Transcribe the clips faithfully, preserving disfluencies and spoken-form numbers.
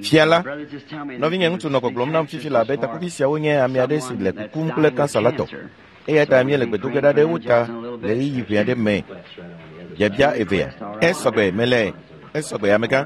Fia la, nɔvinye ŋutsu nɔ gbɔgblɔm nam fifi la be takuvi siawo nye ame aɖe si le kukum kple kansa la tɔ. Eya ta míele gbe do ge ɖa ɖe wo ta le ɣeyiɣi ʋɛ aɖe me. Biabia evea. Esɔgbe mele esɔgbe amegã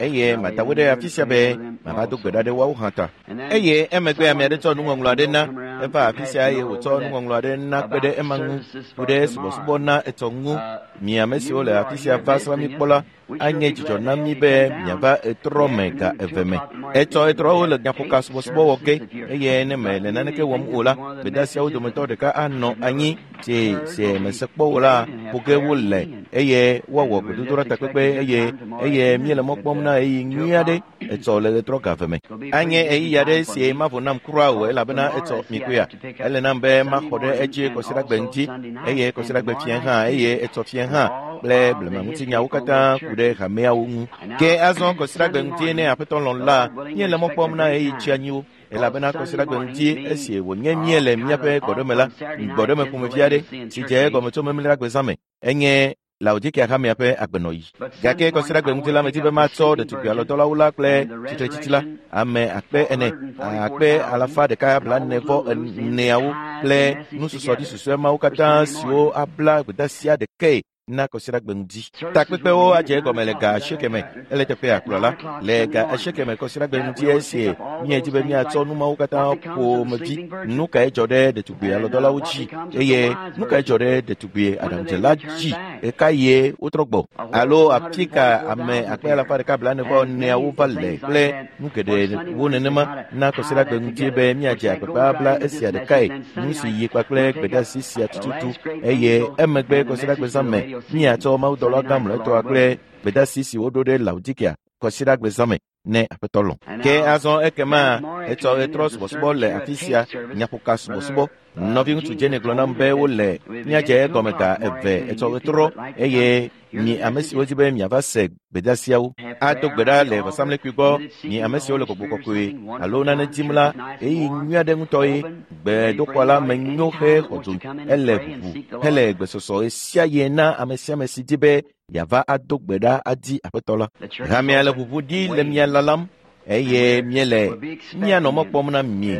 eye mada wo ɖe afi sia be mava do gbe ɖa ɖe woawo hã ta. Eye emegbe ame aɖe tsɔ nuŋɔŋlɔ aɖe na eva afi sia eye wòtsɔ nuŋɔŋlɔ aɖe na kpe ɖe ema ŋu ku ɖe subɔsubɔ na etsɔ ŋu. Mi ame siwo le afi sia va srã mi kpɔ la anye dzidzɔ na mi be miava etrɔ me ga eve me. Etsɔ etrɔwo le nyaƒoka subɔsubɔ wɔ ge eye ne mele naneke wɔm o la, gbedeasiawo dometɔ ɖeka anɔ anyi si si mese kpɔ o la ƒo ge wole eye woawɔ gbedodoɖa takpekpe eye eye míele mɔ kpɔm na ɣeyiɣi nyui aɖe etsɔ le ɣetrɔ ga eve me. Anye ɣeyiɣi aɖe si mavo nam kura o elabena etsɔ mi koea. Ele nam be maxɔ ɖe edzi kɔsiɖagbe ŋuti eye kɔsiɖagbe fiẽ hã eye etsɔ fiẽ hã kple blemaŋutinyawo katã ku ɖe hameawo ŋu. Ke azɔ kɔsiɖagbe ŋuti ne aƒetɔ lɔ̃ la, míele mɔ kpɔm na ɣeyiɣi tsianyiwo elabena kɔsiɖagbe ŋuti esi wònye míele míaƒe gbɔɖeme la, gbɔɖeme ƒomevi aɖe si dze egɔme tso memleɖagbe zã me enye Laodikea hamea ƒe agbenɔɣi. Gake kɔsiɖagbe ŋuti la medi be matsɔ ɖetugbi alɔdɔlawo la kple tsitretsitsi la, ame akpe ene, akpe alafa ɖeka blaene vɔ eneawo kple nususɔɖi susɔe mawo katã siwo abla gbedeasia ɖekae na kɔsiɖagbe ŋuti. Takpekpewo adze egɔme le ga asieke me ele teƒea kplɔla le ga asieke me kɔsiɖagbe ŋuti esi míedi be míatsɔ nu mawo katã ƒomevi. Nu kae dzɔ ɖe ɖetugbi alɔdɔlawo dzi eye nu kae dzɔ ɖe ɖetugbi aɖaŋudzela dzi? Ɣeka ye wotrɔ gbɔ alo afi ka ame akpe alafa ɖeka blaene vɔ eneawo va le kple nu geɖewo nenema na kɔsiɖagbe ŋuti be míadze agbagba abla esia ɖekae nu si yi kpakple gbedeasi sia tututu eye emegbe kɔsiɖagbe zã me míatsɔ mawudɔla gã mlɔetɔa kple gbedeasi si woɖo ɖe Laodikea kɔsiɖagbe zã me ne aƒetɔ lɔ̃. Ke azɔ ekema etsɔ ɣetrɔ subɔsubɔ le afi sia nyaƒoka subɔsubɔ. Nɔviŋutsu Jenny gblɔ nam be wole míadze egɔme ga eve etsɔ ɣetrɔ eye mi ame siwo di be miava se gbedeasiawo ado gbe ɖa le vɔsamlekpui gbɔ. Mi ame siwo le gbɔgbɔ kɔkɔe alo nane dim la, ɣeyiɣi nyui aɖe ŋutɔ ye gbedoxɔ la me nyo hexɔ dzo ele ʋuʋu hele gbesɔsɔ ɣe sia ɣi na ame sia ame si di be yeava ado gbe ɖa adi aƒetɔ la. Hamea le ʋuʋu ɖi le mia lalam eye míele míanɔ mɔ kpɔm na mi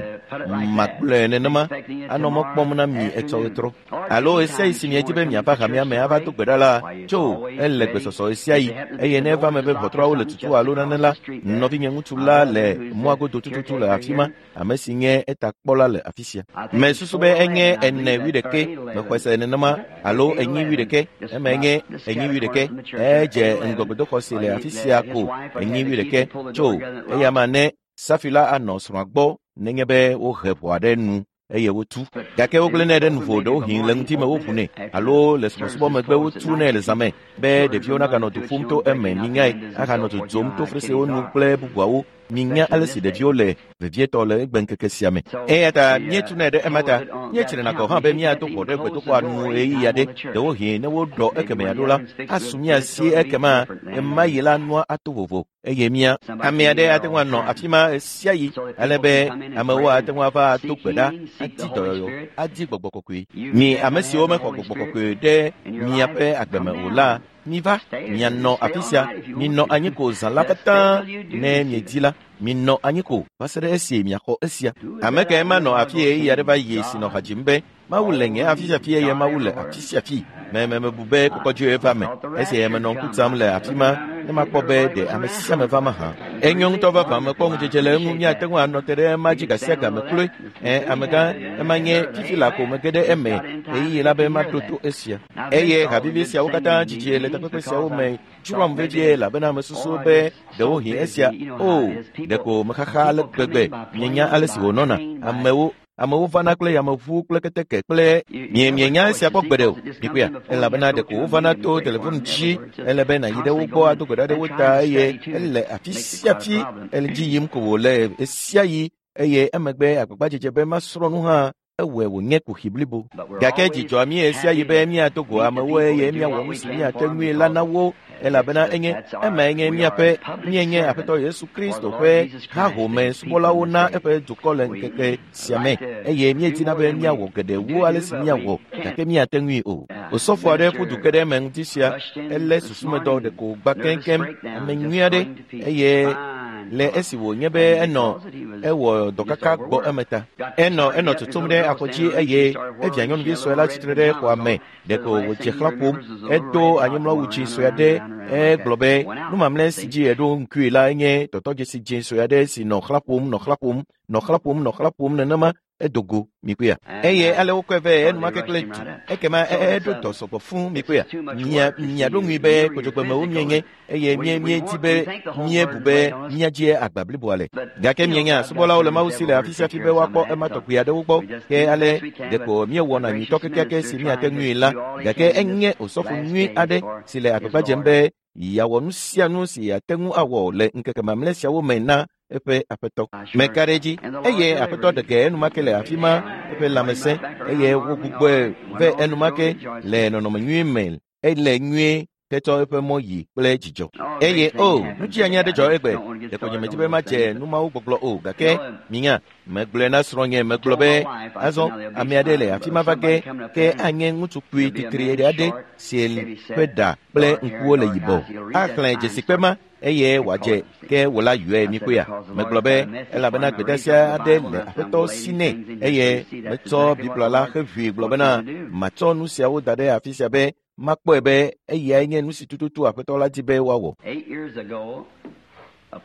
magblɔe nenema anɔ mɔ kpɔm na mi etsɔ ɣetrɔ alo ɣe sia ɣi si miedi be miava hamea me ava do gbe ɖa la tso ele gbesɔsɔ ɣe sia ɣi eye ne eva me be ʋɔtruawo le tutu alo nane la, nɔvinye ŋutsu la le mɔa godo tututu le afi ma, ame si nye etakpɔla le afi sia. Mesusu be enye ene wuiɖeke mexɔe se nenema alo enyi wuiɖeke eme nye enyi wuiɖeke edze ŋgɔgbedoxɔ si le afi sia ko enyi wuiɖeke tso eya ma ne safi la anɔ srɔ̃a gbɔ nenye be wohe ʋɔa ɖe nu eye wotu. Gake wogblẽnɛ ɖe nuvo ɖewohĩ le ŋutime woʋunɛ alo le subɔsubɔ megbe wotunɛ le zãme be ɖeviwo naganɔ du ƒum to eme minyae ahanɔ dzodzom to fesrewo nu kple bubuawo. Minya ale si ɖeviwo le vevietɔ le egbeŋkeke sia me. Eya ta míetunɛ ɖe ema ta míetsrena gɔ̃ hã be míado ʋɔ ɖe gbedoxɔa nu ɣeyiɣi aɖe. Ɖewohĩ ne woɖɔ ekeme aɖo la, asu mía si ekema ɣemaɣi la nua ato vovo eye mía ame aɖe ate ŋu anɔ afi ma ɣe sia ɣi ale be amewo ate ŋu ava ado gbe ɖa adi dɔyɔyɔ adi gbɔgbɔ kɔkɔe. Mi ame siwo mexɔ gbɔgbɔ kɔkɔe ɖe miaƒe agbe me o la, miva mianɔ afi sia minɔ anyi ko zã la katã ne miedi la minɔ anyi ko va se ɖe esi miaxɔ esia. Ame kae manɔ afi ɣeyiɣi aɖe va yi si nɔ ha dzim be Mawu le nye afi sia fi eye Mawu le afi sia fi. Me me mebu be kɔkɔdzoe va me esi menɔ ŋku tsam le afi ma ne makpɔ be ɖe ame sia ame va mahã. Enyo ŋutɔ vavã mekpɔ ŋudzedze le eŋu míate ŋu anɔ te ɖe ema dzi ga sia ga me kloe. Ɛ amegã ema nye fifi la ko mege ɖe eme ɣeyiɣi la be maɖo to esia. Eye havivi siawo katã dzidzi le takpekpe siawo me dzroam vevie elabena mesusu be ɖewohĩ esia o ɖeko mexaxa ale gbegbe mienya ale si wònɔna amewo amewo vana kple yameʋu kple keteke kple mie mienya esia kpɔ gbeɖe o mikpɔea elabena ɖeko wovana to telefon dzi ele be nàyi ɖe wo gbɔ ado gbe ɖa ɖe wo ta eye ele afi sia fi ele dzi yim ko wòle ɣe sia ɣi eye emegbe agbagbadzedze be masrɔ̃ nu hã ewɔe wònye kuxi blibo. Gake dzi dzɔa mí ɣe sia ɣi be míado go amewo eye míawɔ nu si míate ŋui la na wo elabena enye emae nye míaƒe míenye Aƒetɔ Yesu Kristo ƒe hahome subɔlawo na eƒe dukɔ le ŋkeke sia me eye míedina be míawɔ geɖe wu ale si míawɔ gake míate ŋui o. Osɔfo aɖe ƒu du ke ɖe eme ŋuti sia elé susumedɔ ɖeko wògbã keŋkeŋ ame nyui aɖe eye Le esi wònye be enɔ ewɔ dɔkaka gbɔ eme ta. Enɔ enɔ tutum ɖe afɔdzi eye evia nyɔnuvi sue la tsitre ɖe xɔa me. Ɖeko wòdze xlã ƒom. Edo anyimlɔwu dzi sue aɖe. Egblɔ be nu mamlɛ si dzi eɖo ŋkui la nye tɔtɔdzesi dzĩ sue aɖe si nɔ xlã ƒom, nɔ xlã ƒom, nɔ xlã ƒom, nɔ xlã ƒom nenema. Edogo mikpea. Eye ale wokɔe vɛ enumake kple du. Ekema eɖo dɔ sɔgbɔ fũ mikpea. Mia miaɖo ŋui be kodzogbemewo mienye eye mie miedi be miebu be miadzi agba bliboa le. Gake mienya subɔlawo le Mawu si le afi sia afi be woakpɔ ema tɔgbi aɖewo gbɔ. Ke ale ɖeko míewɔna nyuitɔ kekeake si míate ŋui la. Gake enye osɔfo nyui aɖe si le agbagba dzem be yeawɔ nu sia nu si yeate ŋu awɔ le ŋkeke mamlɛ siawo me na eƒe aƒetɔ. Meka ɖe edzi eye aƒetɔ ɖeke enumake le afi ma eƒe lãmesẽ eye wogbugbɔe vɛ enumake le nɔnɔme nyui me ele nyuie hetsɔ eƒe mɔ yi kple dzidzɔ. Eye o nudzianyi aɖe dzɔ egbe. Ɖeko nye medzi be madze numawo gbɔgblɔ o gake minya megblɔe na srɔ̃nye megblɔ be azɔ ame aɖe le afi ma va ge ke anye ŋutsu kpui titri aɖe si ƒe ɖa kple ŋkuwo le yibɔ. Axlẽ dzesikpe ma eye wòadze ke wò la yɔe mikpɔea. Megblɔ be elabena gbedeasi aɖe le aƒetɔ si nɛ eye metsɔ Biblia la heʋui gblɔ bena matsɔ nu siawo da ɖe afi sia be makpɔe be eyae nye nu si tututu aƒetɔ la di be woawɔ.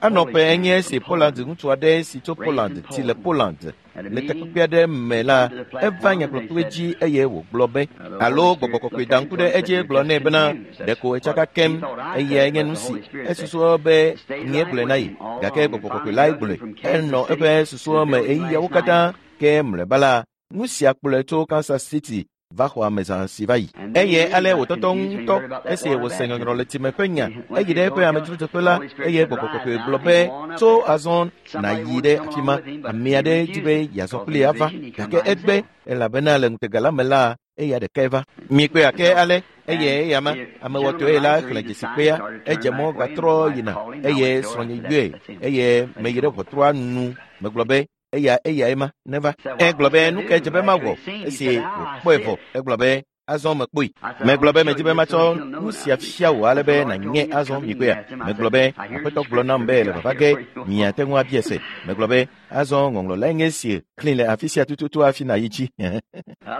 Anɔ ƒe enye esi Poland ŋutsu aɖe si tso Poland ti le Poland le takpekpe aɖe me la eva nyagblɔkpe dzi eye wògblɔ be alo gbɔgbɔ kɔkɔe da ŋku ɖe edzi gblɔ nɛ bena ɖeko etsaka kem eyae nye nu si esusua be nye gblɔe na ye gake gbɔgbɔ kɔkɔe lae gblɔe. Enɔ eƒe susua me ɣeyiɣiawo katã ke mlɔeba la nu sia kplɔe tso Kansas City va xɔ ame zã si va yi. Eye ale wòtɔtɔ ŋutɔ esi wòse nyɔnyrɔ le time ƒe nya eyi ɖe eƒe amedzrodzeƒe la eye gbɔgbɔ kɔkɔe gblɔ be tso azɔ nàyi ɖe afi ma. Ame aɖe di be yeazɔ kpli ava gake egbe elabena le ŋutega la me la eya ɖekae va. Mikpɔe ake ale eye eya ma amewɔtɔe la xlẽ dzesikpea edze mɔ gatrɔ yina eye srɔ̃nye yɔe eye meyi ɖe ʋɔtrua nu megblɔ be eya eyae ma neva. Egblɔ be nu ke dze be mawɔ esi wòkpɔe vɔ. Egblɔ be azɔ mekpɔe. Megblɔ be medzi be matsɔ nu sia fia wò ale be nànye azɔ mikpɔea. Megblɔ be aƒetɔ gblɔ nam be le vava ge miate ŋu abia se. Megblɔ be azɔ ŋɔŋlɔ lae nye esi xlẽ le afi sia tututu hafi nàyi dzi.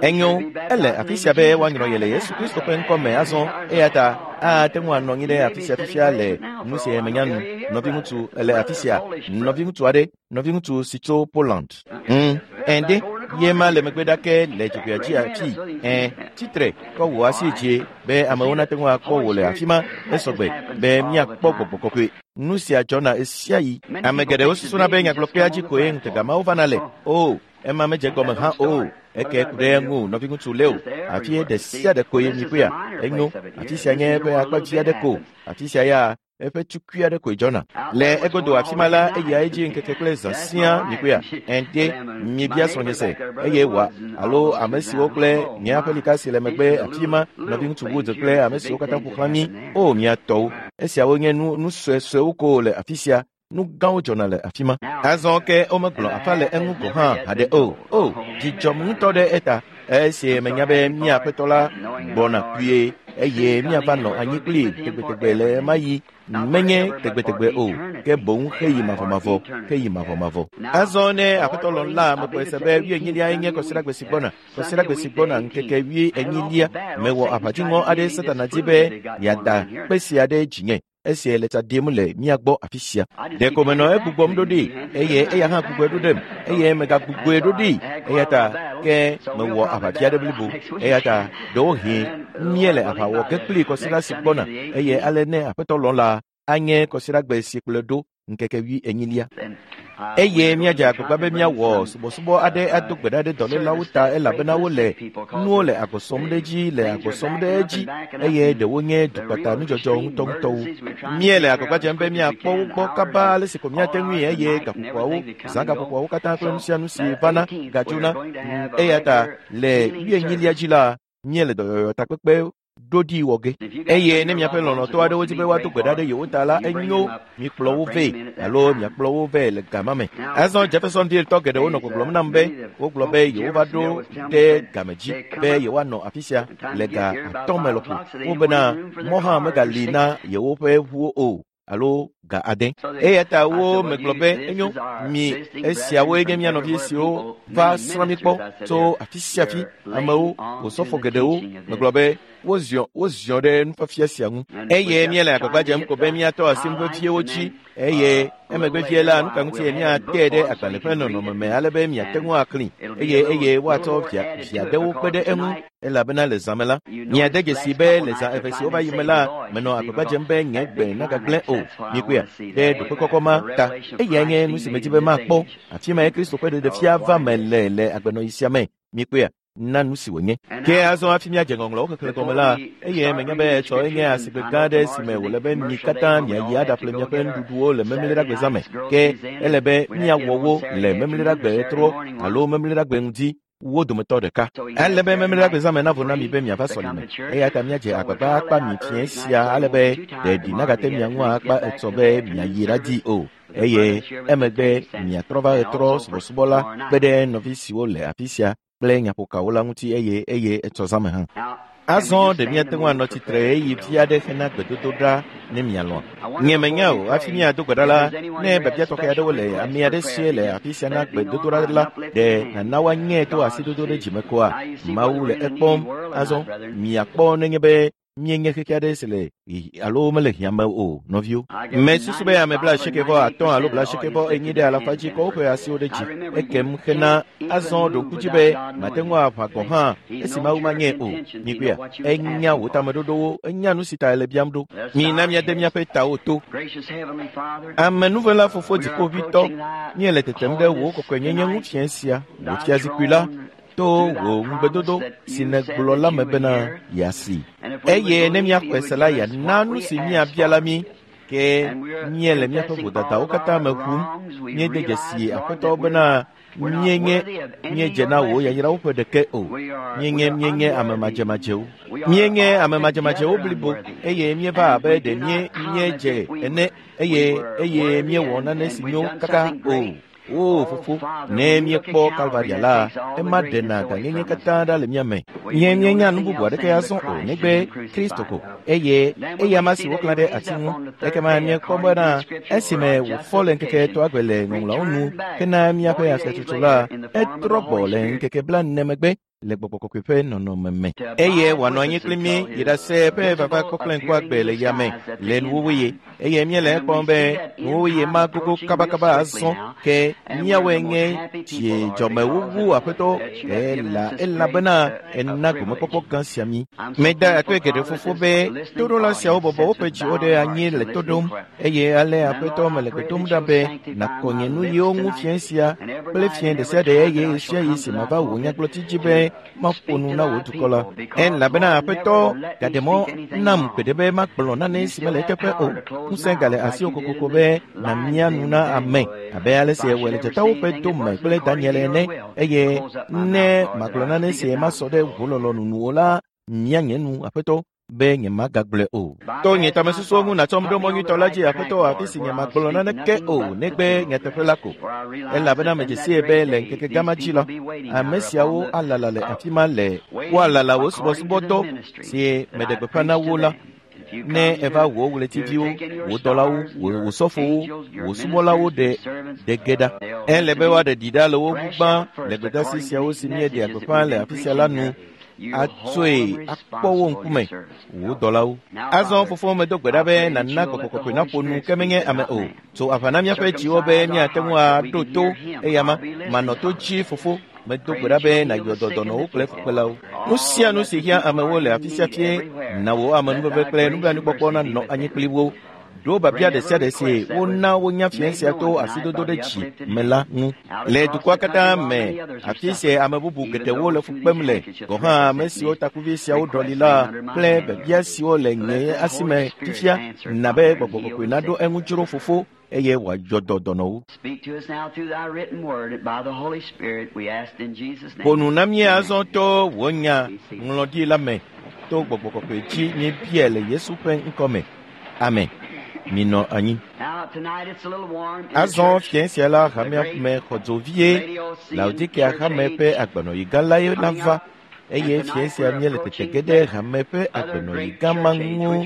Enyo ele afi sia be woanyrɔ ye le Yesu Kristo ƒe ŋkɔ me azɔ eya ta ate ŋu anɔ anyi ɖe afi sia fifia le nu si menya nu. Nɔviŋutsu ele afi sia nɔviŋutsu aɖe nɔviŋutsu si tso Poland. Mm, ɛnde ye ma le megbe ɖake le dzogoea dzi afi. Ɛ tsitre kɔ wò asi dzi be amewo nate ŋu akpɔ wò le afi ma esɔgbe be míakpɔ gbɔgbɔ kɔkɔe. Nu sia dzɔna ɣesiaɣi. Ame geɖewo susuna be nyagblɔkpea dzi koe ŋutega mawo vana le. O ema medze gɔme hã o. Eke ku ɖe eŋu nɔviŋutsu Leo. Afi ɖe sia ɖe koe mikpɔea. Enyo afi sia nye eƒe akpa dzi aɖe ko. Afi sia ya eƒe tukui aɖe koe dzɔna. Le egodo afi ma la eya edzi ŋkeke kple zã siaa mikpɔea. Ɛnde miebia srɔ̃nye se eye wòa alo ame siwo kple nye aƒelika si le megbe afi ma nɔviŋutsu Woods kple ame siwo katã ƒo xlã mí o mia tɔwo. Esiawo nye nu nu suesuewo ko le afi sia. Nu gãwo dzɔna le afi ma. Azɔ ke womegblɔ afa le eŋu gɔ̃ hã haɖe o. O dzidzɔm ŋutɔ ɖe eta esi menya be mía aƒetɔ la gbɔna kpuie eye míava nɔ anyi kpli tegbetegbe le ema yi menye tegbetegbe o ke boŋ heyi mavɔmavɔ heyi mavɔmavɔ. Azɔ ne aƒetɔ lɔ̃ la mekpɔe se be wuienyilia nye kɔsiɖagbe si gbɔna kɔsiɖagbe si gbɔna ŋkeke wuienyilia mewɔ aʋadziŋɔ aɖe Satana di be yeada kpe sia ɖe dzinye esi le tsa ɖim le mía gbɔ afi sia. Ɖeko menɔ egbugbɔm ɖo ɖi eye eya hã gbugbɔe ɖo ɖem eye megagbugbɔe ɖo ɖi eya ta ke mewɔ aʋafia ɖe blibo eya ta ɖewohĩ míele aʋa wɔ ge kpli kɔsiɖa si gbɔna eye ale ne aƒetɔ lɔ̃ la anye kɔsiɖagbe si kplɔe ɖo ŋkeke wuienyilia. Eye míadze agbagba be míawɔ subɔsubɔ aɖe ado gbe ɖa ɖe dɔlélawo ta elabena wole nuwo le agbɔ sɔm ɖe edzi le agbɔ sɔm ɖe edzi eye ɖewo nye dukpata nudzɔdzɔ ŋutɔŋutɔwo. Míele agbagba dzem be míakpɔ wo gbɔ kaba ale si ko míate ŋui eye gaƒoƒoawo zã gaƒoƒoawo katã kple nu sia nu si vana gadzona. Eya ta le wuienyilia dzi la míele dɔyɔyɔ takpekpe ɖoɖi wɔ ge. Eye ne miaƒe lɔlɔ̃tɔ aɖewo di be woado gbe ɖa ɖe yewo ta la enyo mikplɔ wo vɛ alo miakplɔ wo vɛ le gama me. Azɔ Jeffersonville tɔ geɖewo nɔ gbɔgblɔm nam be wogblɔ be yewova ɖo ɖe game dzi be yewoanɔ afi sia le ga atɔ̃ me lɔƒo. Wobena mɔ hã megali na yewoƒe ʋuwo o. alo ga ade. Eya ta wo megblɔ be enyo mi esiawoe nye mía nɔvi siwo va srã mi kpɔ tso afi sia afi amewo wòsɔfo geɖewo megblɔ be woziɔ woziɔ ɖe nufiafia sia ŋu eye míele agbagba dzem ko be míatɔ asi nu veviewo dzi eye emegbe vie la nu ka ŋuti míate ɖe agbalẽ ƒe nɔnɔme me ale be miate ŋu aklĩ eye eye woatsɔ via via ɖewo kpe ɖe eŋu elabena le zã me la miade dzesi be le zã eve siwo va yi me la menɔ agbagba dzem be nye gbe nagagblẽ o mikpɔe ɖe ɖoƒe kɔkɔ ma ta eyae nye nu si medzi be makpɔ afi mae Kristo ƒe ɖeɖefia va me le le agbenɔɣi sia me mikpɔea na nu si wònye. Ke azɔ hafi míadze ŋɔŋlɔwo xexlẽ gɔme la, eye menya be etsɔ enye asigbe gã aɖe si me wòle be mi katã miayi aɖaƒle miaƒe nuɖuɖuwo le memleɖagbe me. Ke ele be míawɔ wo le memleɖagbe ɣetrɔ alo memleɖagbe ŋdi wo dometɔ ɖeka. Ele be memleɖagbe zã me navo na mi be miava sɔlime. Eya ta míadze agbagba akpa mi fiẽ sia ale be ɖeɖi nagate mia ŋu akpa etsɔ be miayi ɖadi o. Eye emegbe miatrɔ va ɣetrɔ subɔsubɔ la kpe ɖe nɔvi siwo le afi sia kple nyaƒokawo la ŋuti eye eye etsɔ zã me hã. Azɔ ɖe míate ŋu anɔ tsitre ɣeyiɣi vi aɖe hena gbedodoɖa ne mialɔ̃a. Nye menya o hafi míado gbe ɖa la, ne biabia tɔxɛ aɖewo le ame aɖe sie le afi sia na gbedodoɖa la, ɖe nana woanyɛ to asidodo ɖe dzime koa? Mawu le ekpɔm. Azɔ miakpɔ nenye be míenye xexe aɖe si le alo mele hiã me o nɔviwo. Mesusu be ame bla asieke vɔ atɔ̃ alo bla asieke vɔ enyi ɖe alafa dzi kɔ woƒe asiwo ɖe dzi ekem hena azɔ ɖo ŋku dzi be mate ŋu aʋã gɔ̃ hã esi Mawu manyɛ o. Mikpɔea, enya wò tameɖoɖowo, enya nu si ta ele biam ɖo. Mina míade míaƒe tawo to. Amenuvela fofo dziƒoʋĩtɔ, míele tetem ɖe wò kɔkɔenyenye ŋu fiẽ sia, wò fiazikpui la, to wò ŋugbedodo si nègblɔ la me bena yeasi. Eye ne míaxɔe se la, yeana nu si míabia la mí. Ke míele míaƒe vodadawo katã me ʋum. Míede dzesi Aƒetɔ bena míenye míedze na wò yayrawo ƒe ɖeke o. Míenye míenye ame madzemadzewo. Míenye ame madzemadzewo blibo eye míeva abe ɖe míe míedze ene eye eye míewɔ nane si nyo kaka o. O fofo, ne míekpɔ Kalvaria la, ema ɖena gãnyenye katã ɖa le mía me. Nye míenya nu bubu aɖeke azɔ o negbe Kristo ko eye eya ma si woklã ɖe ati ŋu. Ekema míekpɔ bena esime wòfɔ le ŋkeke etɔ̃a gbe le ŋɔŋlɔawo nu hena míaƒe afiatsotso la, etrɔ gbɔ le ŋkeke blaene megbe le gbɔgbɔ kɔkɔe ƒe nɔnɔme me. Eye wòanɔ anyi kpli mí yi ɖase eƒe vava kpɔkple ŋkuagbe le yame le nuwuwuɣi. Eye míele ekpɔm be nuwuwuɣi ma gogo kabakaba azɔ ke míawoe nye dzidzɔmewuwu Aƒetɔ ela elabena ena gomekpɔkpɔ gã sia mí. Meda akpe geɖe fofo be toɖola siawo bɔbɔ woƒe dziwo ɖe anyi le to ɖom eye ale Aƒetɔ mele gbe dom ɖa be nàkɔ nye nuyiwo ŋu fiẽ sia kple fiẽ ɖe sia ɖe eye ɣesiaɣi si mava wò nyagblɔɖi dzi be maƒo nu na wò dukɔ la. Elabena Aƒetɔ gaɖe mɔ nam gbeɖe be magblɔ nane si mele eteƒe o. Ŋusẽ gale asiwò kokoko be nàmia nu na ame abe ale si ewɔe le dzatawo ƒe dome kple Daniel ene eye ne magblɔ nane si masɔ ɖe wò lɔlɔ̃nu nu o la, mia nye nu Aƒetɔ be nyemagagblɔe o. To nye tamesusuwo ŋu nàtsɔm ɖo mɔ nyuitɔ la dzi Aƒetɔ afi si nyemagblɔ naneke o negbe nyateƒe la ko. Elabena medze sie be le ŋkeke gã ma dzi la, ame siawo alala le afi ma le woalala wò subɔsubɔdɔ si meɖe gbeƒã na wo la. Ne eva wò ɣletiviwo, wò dɔlawo, wò sɔfowo, wò subɔlawo ɖe ɖe ge ɖa. Ele be woaɖe ɖi ɖa le wo ŋu gbã le gbedeasi siawo si míeɖea gbeƒã le afi sia la nu atsoe akpɔ wo ŋkume wò dɔlawo. Azɔ fofo medo gbe ɖa be nàna gbɔgbɔ kɔkɔe naƒo nu ke menye ame o. Tso aʋa na míaƒe dziwo be míate ŋu aɖo to eya ma manɔ to dzi fofo. Medo gbe ɖa be nàyɔ dɔ dɔnɔwo kple fukpelawo. Nu sia nu si hiã amewo le afi sia fie na wò amenuveve kple nublanuikpɔkpɔ nanɔ anyi kpli wo. Ɖo biabia ɖe sia ɖe si wona wonya fiẽ sia to asidodo ɖe dzi me la ŋu. Le dukɔa katã me, afi si ame bubu geɖewo le fu kpem le, gɔ̃ hã ame siwo takuvi siawo ɖɔli la kple biabia siwo le nye asi me fifia na be gbɔgbɔ kɔkɔe naɖo eŋu dzro fofo eye wòayɔ dɔ dɔnɔwo. Ƒo nu na mí azɔ to wò nya ŋlɔɖi la me to gbɔgbɔ kɔkɔe dzi míebiae le Yesu ƒe ŋkɔ me. Amen. Minɔ anyi. Azɔ fiẽ sia la hamea me xɔ dzo vie. Laodikea hame ƒe agbenɔɣi gã lae la va. Eye fia sia míele tete ge ɖe hame ƒe agbenɔyi gã ma ŋu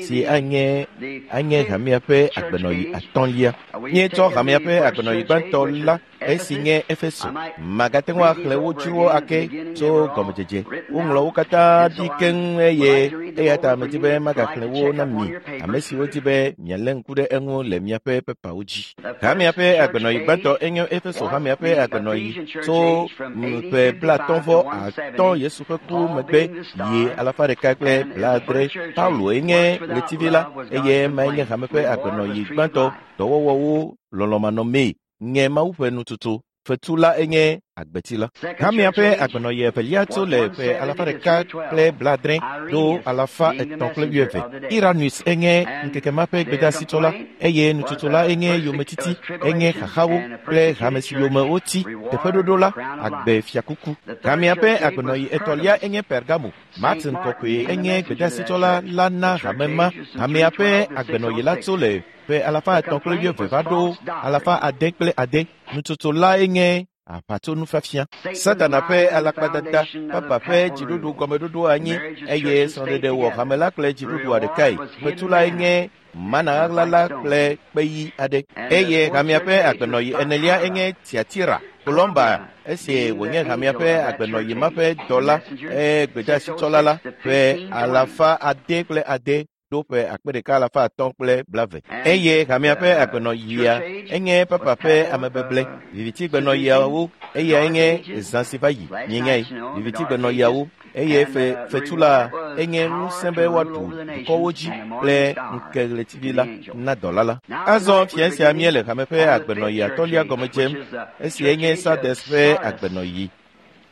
si anye anye hamea ƒe agbenɔyi atɔ̃lia. Míetsɔ hamea ƒe agbenɔyi gbãtɔ la esi nye Efeso. Magate ŋu axlẽ wo dzrowo ake tso gɔmedzedze. Woŋlɔ wo katã ɖi keŋ eye eya ta medi be magaxlẽ wo na mi, ame siwo di be mialé ŋku ɖe eŋu le miaƒe pepawo dzi. Hamea ƒe agbenɔyi gbãtɔ enye Efeso hamea ƒe agbenɔyi tso ƒe blaatɔ̃ vɔ atɔ̃ Yesu ƒe ku megbe yi alafa ɖeka kple blaadre. Paulo enye ɣletivi la eye emae nye hame ƒe agbenɔyi gbãtɔ. Dɔwɔwɔwo lɔlɔ̃manɔmee nye Mawu ƒe nututu. Fetu la enye agbeti la. Hamea ƒe agbenɔyi evelia tso le ƒe alafa ɖeka kple blaadre ɖo alafa etɔ̃ kple wuieve. Iranus enye ŋkeke ma ƒe gbedeasitɔ la eye nututu la enye yometiti, enye xaxawo kple hame si yome woti. Teƒeɖoɖo la, agbe fiakuku. Hamea ƒe agbenɔyi etɔ̃lia enye Pergamo. Martin kɔkɔe enye gbedeasitɔ la la na hame ma. Hamea ƒe agbenɔyi la tso le ƒe alafa etɔ̃ kple wuieve va ɖo alafa ade kple ade. Nututu la enye aʋatsonufiafia. Satana ƒe alakpadada, papa ƒe dziɖuɖu gɔmeɖoɖo anyi eye srɔ̃ɖeɖe wɔ hame la kple dziɖuɖua ɖekae. Fetu la enye mana ɣaɣla la kple kpeyi aɖe. Eye hamea ƒe agbenɔyi enelia enye Tiatira. Kolɔmba esi wònye hamea ƒe agbenɔyi ma ƒe dɔla eye gbedeasitsɔla la ƒe alafa ade kple ade ɖo ƒe akpe ɖeka alafa atɔ̃ kple blave. Eye hamea ƒe agbenɔyia enye papa ƒe amebeble. Vivitigbenɔyiawo eya enye zã si va yi mienyae. Vivitigbenɔyiawo eye fe fetu la enye ŋusẽ be woaɖu dukɔwo dzi kple ŋkeɣletivi la na dɔla la. Azɔ fia sia míele hame ƒe agbenɔyi atɔ̃lia gɔme dzem esi enye Sardes ƒe agbenɔyi.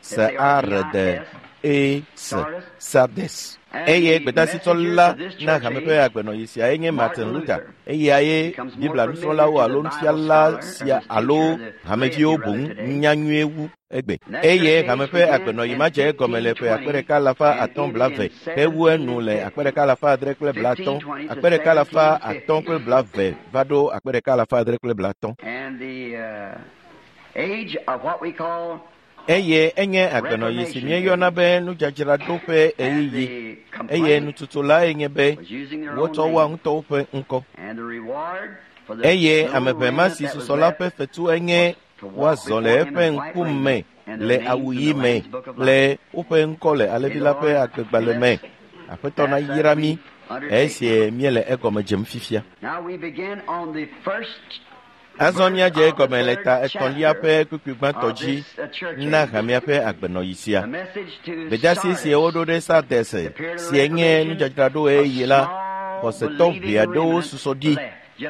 S A R D E S Sardes. Eye gbedeasitɔ la na hame ƒe agbenɔyi sia enye Martin Luther. Eya ye Biblia nusrɔ̃lawo alo nufiala sia alo hameviwo boŋ nya nyuie wu egbe. Eye hame ƒe agbenɔyi ma dze egɔme le ƒe akpe ɖeka alafa atɔ̃ blave hewu enu le akpe ɖeka alafa adre kple blaatɔ̃, akpe ɖeka alafa atɔ̃ kple blave va ɖo akpe ɖeka alafa adre kple blaatɔ̃. Eye enye agbenɔyi si míeyɔna be nudzadzraɖo ƒe ɣeyiɣi eye nututu la enye be wotsɔ woa ŋutɔwo ƒe ŋkɔ. Eye ame ʋɛ ma si susɔ la ƒe fetu enye woazɔ le eƒe ŋkume le awu ɣi me kple woƒe ŋkɔ le alẽvi la ƒe agbegbalẽ me. Aƒetɔ nayra mí esi míele egɔme dzem fifia. Azɔ míadze egɔme le ta etɔ̃lia ƒe kpukpui gbãtɔ dzi na hamea ƒe agbenɔyi sia. Gbedeasi si woɖo ɖe Sardes si nye nudzadzraɖo ɣeyiɣi la, xɔsetɔ ʋɛ aɖewo susɔ ɖi.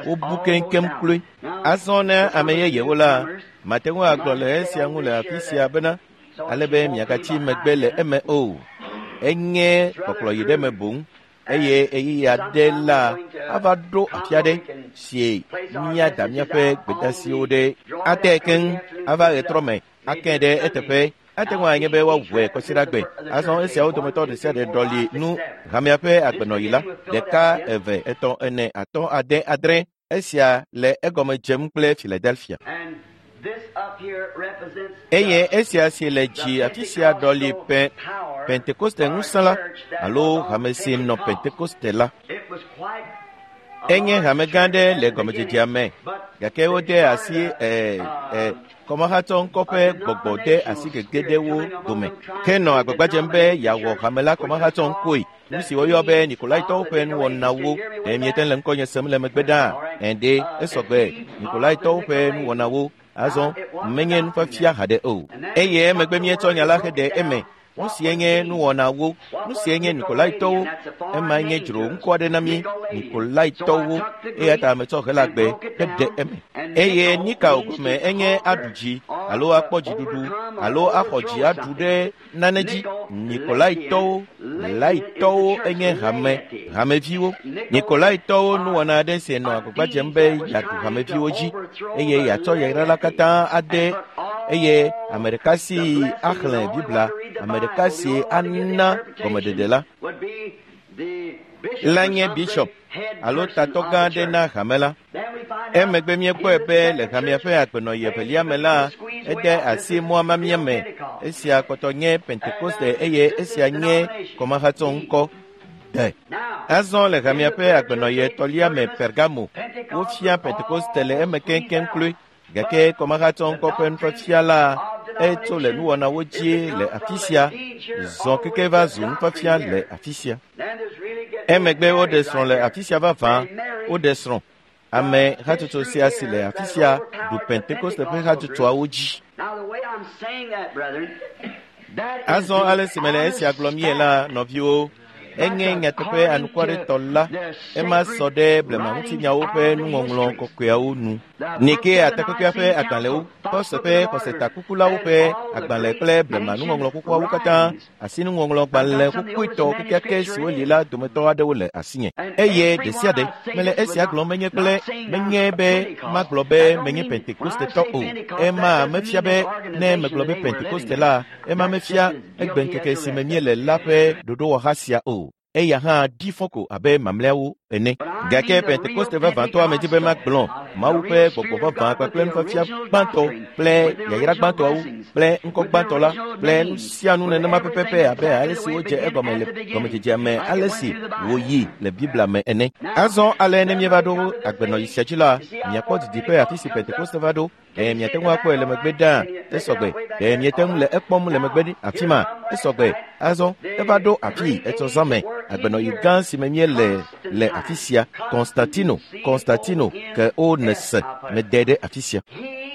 Wobu keŋkeŋ kloe. Azɔ ne ame yeyewo la, mate ŋu agblɔ le esia ŋu le afi sia bena ale be miagatsi megbe le eme o. Enye kpɔkplɔyi ɖe me boŋ. Eye ɣeyiɣi aɖe la ava ɖo afi aɖe si míada míaƒe gbedeasiwo ɖe ate keŋ ava ɣetrɔ me ake ɖe eteƒe. Ate ŋu anye be woawɔe kɔsiɖagbe. Azɔ esiawo dometɔ ɖe sia ɖe ɖɔli nu hamea ƒe agbenɔyi la ɖeka, eve, etɔ̃, ene, atɔ̃, ade, adre. Esia le egɔme dzem kple Philadelphia. Eye esia si le dzi afi sia ɖɔli pe Pentekoste ŋusẽ la alo hame si nɔ Pentekoste la. Enye hame gã aɖe le gɔmedzedzea me gake wode asi ɛ ɛ kɔmahatsɔ ŋkɔ ƒe gbɔgbɔ de asi gege ɖe wo dome. Ke nɔ agbagba dzem be yeawɔ hame la kɔmahatsɔ ŋkɔe. Nu si woyɔ be Nikolaitɔwo ƒe nuwɔnawo. Ɖe miete le ŋkɔnye sem le megbe ɖaa? Ɛ̃ɖe, esɔgbe. Nikolaitɔwo ƒe nuwɔnawo. Azɔ menye nufiafia haɖe o. Eye emegbe míetsɔ nya la heɖe eme. Nu sie nye nuwɔnawo, nu sie nye Nikolaitɔwo, ema nye dzro ŋkɔ aɖe na mí, Nikolaitɔwo, eya ta metsɔ Helagbe heɖe eme. Eye Nikao gɔme enye aɖu dzi alo akpɔ dziɖuɖu alo axɔ dzi aɖu ɖe nane dzi. Nikolaitɔwo, laitɔwo enye hame, hameviwo. Nikolaitɔwo nuwɔna aɖe si nɔ agbagba dzem be yeaɖu hameviwo dzi eye yeatsɔ yayra la katã ade eye ame ɖeka si axlẽ Biblia, ame ɖeka si ana gɔmeɖeɖe la. la nye bishop alo tatɔ gã aɖe na hame la. Emegbe míekpɔe be le hamea ƒe agbenɔɣi evelia me la, ede asi mɔa mamia me. Esia kpɔtɔ nye Pentekoste eye esia nye kɔmahatsɔ ŋkɔ de. Azɔ le hamea ƒe agbenɔɣi etɔ̃lia me Pergamo, wofia Pentekoste le eme keŋkeŋ kloe. Gake kɔmahatsɔ ŋkɔ ƒe nufiafia la etso le nuwɔnawo dzi le afi sia, zɔ keke va zu nufiafia le afi sia. Emegbe woɖe srɔ̃ le afi sia vavã, woɖe srɔ̃. Ame hatsotso sia si le afi sia ɖu Pentekoste ƒe hatsotsoawo dzi. Azɔ ale si mele esia gblɔm ye la, nɔviwo, enye nyateƒe anukwaretɔ la, ema sɔ ɖe blemaŋutinyawo ƒe nuŋɔŋlɔ kɔkɔeawo nu. Nikea takpekpea ƒe agbalẽwo, Xɔse ƒe xɔsetakukulawo ƒe agbalẽ kple blema nuŋɔŋlɔ xoxoawo katã, asinuŋɔŋlɔgbalẽ xoxoetɔ kekeake siwo li la dometɔ aɖewo le asinye. Eye ɖe sia ɖe mele esia gblɔm menye kple menye be magblɔ be menye Pentekostetɔ o. Ema mefia be ne megblɔ be Pentekoste la, ema mefia egbeŋkeke si me míele la ƒe ɖoɖowɔha sia o. Eya hã ɖi fɔ ko abe mamlɛawo ene. Gake Pentekoste vavãtɔ medi be magblɔ Mawu ƒe gbɔgbɔ vavã kpakple nufiafia gbãtɔ kple yayra gbãtɔawo kple ŋkɔ gbãtɔ la kple nu sia nu nenema pɛpɛpɛ abe ale si wodze egɔme le gɔmedzedzea me ale si wòyi le Biblia me ene. Azɔ ale ne míeva ɖo agbenɔɣi sia dzi la, miakpɔ didiƒe afi si Pentekoste va ɖo. Ɖe miate ŋu akpɔe le megbe ɖaa, esɔgbe. Ɖe miete ŋu le ekpɔm le megbe afi ma, esɔgbe. Azɔ eva ɖo afi etsɔ zã me, agbenɔɣi gã si me míele le afi sia, Konstantino, Konstantino ke wo nese mede ɖe afi sia.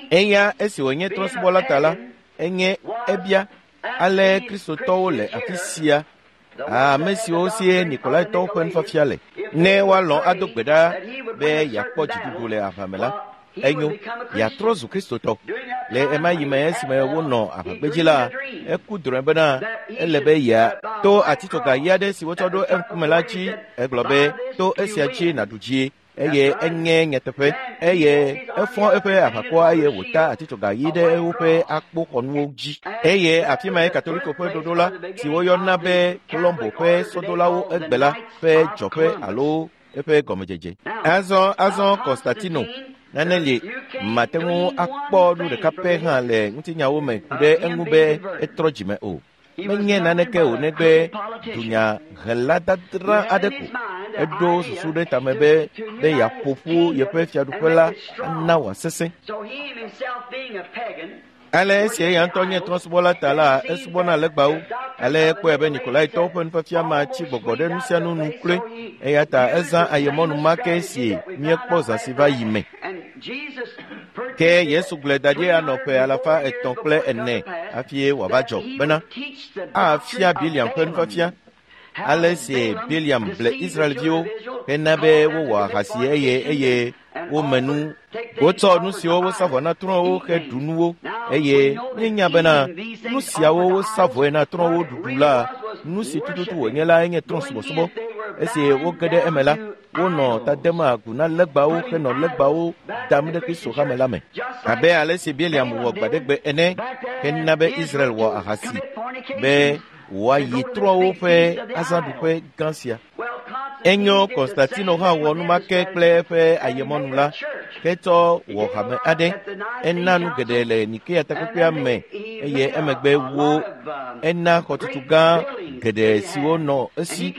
Eya esi wònye trɔ̃subɔla ta la, enye ebia ale kristotɔwo le afi sia, ame siwo sie Nikolaitɔwo ƒe nufiafia le. Ne woalɔ̃ ado gbe ɖa be yeakpɔ dziɖuɖu le aʋa me la, enyo, yeatrɔ zu kristotɔ. Le ema yi me esime wonɔ aʋagbedzi la, eku drɔ̃e bena ele be yeato atitsoga ɣi aɖe si wotsɔ ɖo eŋkume la dzi. Egblɔ be to esia dzi nàɖu dzie, eye enye nyateƒe. Eye efɔ eƒe aʋakɔa eye wòta atitsoga ɣi ɖe woƒe akpoxɔnuwo dzi. Eye afi mae Katoliko ƒe ɖoɖo la, si woyɔna be Kolombo ƒe sɔdolawo egbe la ƒe dzɔƒe alo eƒe gɔmedzedze. Azɔ azɔ Konstantino nane li mate ŋu akpɔ nu ɖeka pɛ hã le ŋutinyawo me ku ɖe eŋu be etrɔ dzime o. Menye naneke o negbe dunyahela dadra aɖe ko. Eɖo susu ɖe tame be be yeaƒo ƒu yeƒe fiaɖuƒe la ana wòasesẽ. Ale esi eya ŋutɔ nye trɔ̃subɔla ta la, esubɔna legbawo. Ale ekpɔe be Nikolaitɔwo ƒe nufiafia ma tsi gbɔgbɔ ɖe nu sia nu nu kloe. Eya ta ezã ayemɔnu ma ke si míekpɔ zã si va yi me. Ke Yesu gblɔe da ɖi anɔ ƒe alafa etɔ̃ kple ene hafi wòava dzɔ bena afia Biliam ƒe nufiafia. Ale si Biliam ble Israelviwo hena be wowɔ ahasi eye eye wome nu. Wotsɔ nu siwo wosa vɔ na trɔ̃wo heɖu nuwo eye míenya bena nu siawo wosa vɔe na trɔ̃wo ɖuɖu la, nu si tututu wònye la enye trɔ̃subɔsubɔ. Esi woge ɖe eme la, wonɔ ta dem agu na legbawo henɔ legbawo dam ɖe Kristo hame la me. Abe ale si Biliam wɔ gbaɖegbe ene hena be Israel wɔ ahasi be wòayi trɔ̃wo ƒe azãɖuƒe gã sia. Enyo Konstantino hã wɔ numake kple eƒe ayemɔnu la, hetsɔ wɔ hame aɖe. Ena nu geɖe le Nikea takpekpea me eye emegbe wo ena xɔtutu gã geɖe siwo nɔ esi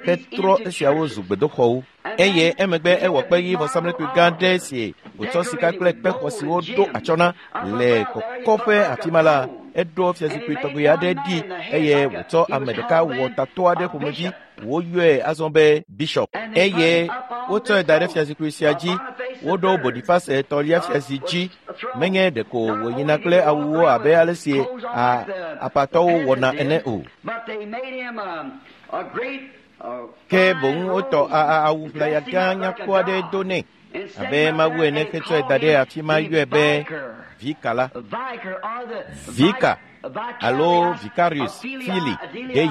hetrɔ esiawo zu gbedoxɔwo. Eye emegbe ewɔ kpeɣi vɔsamlekpui gã ɖe si wòtsɔ sika kple kpexɔ siwo ɖo atsyɔ̃ na le kɔkɔƒe afi ma la, eɖo fiazikpui tɔgbi aɖe ɖi eye wòtsɔ ame ɖeka wɔ tatɔ aɖe ƒomevi woyɔe azɔ be bishop. Eye wotsɔe da ɖe fiazikpui sia dzi. Woɖo Bonifase etɔ̃lia fiazi dzi. Menye ɖeko wòyina kple awuwo abe ale si apatɔwo wɔna ene o. Ke boŋ wotɔ awu ʋlaya gã nyakpɔ aɖe do nɛ abe Mawu ene hetsɔe da ɖe afi ma yɔe be Vika la. Vika alo Vicarius Filii Dei.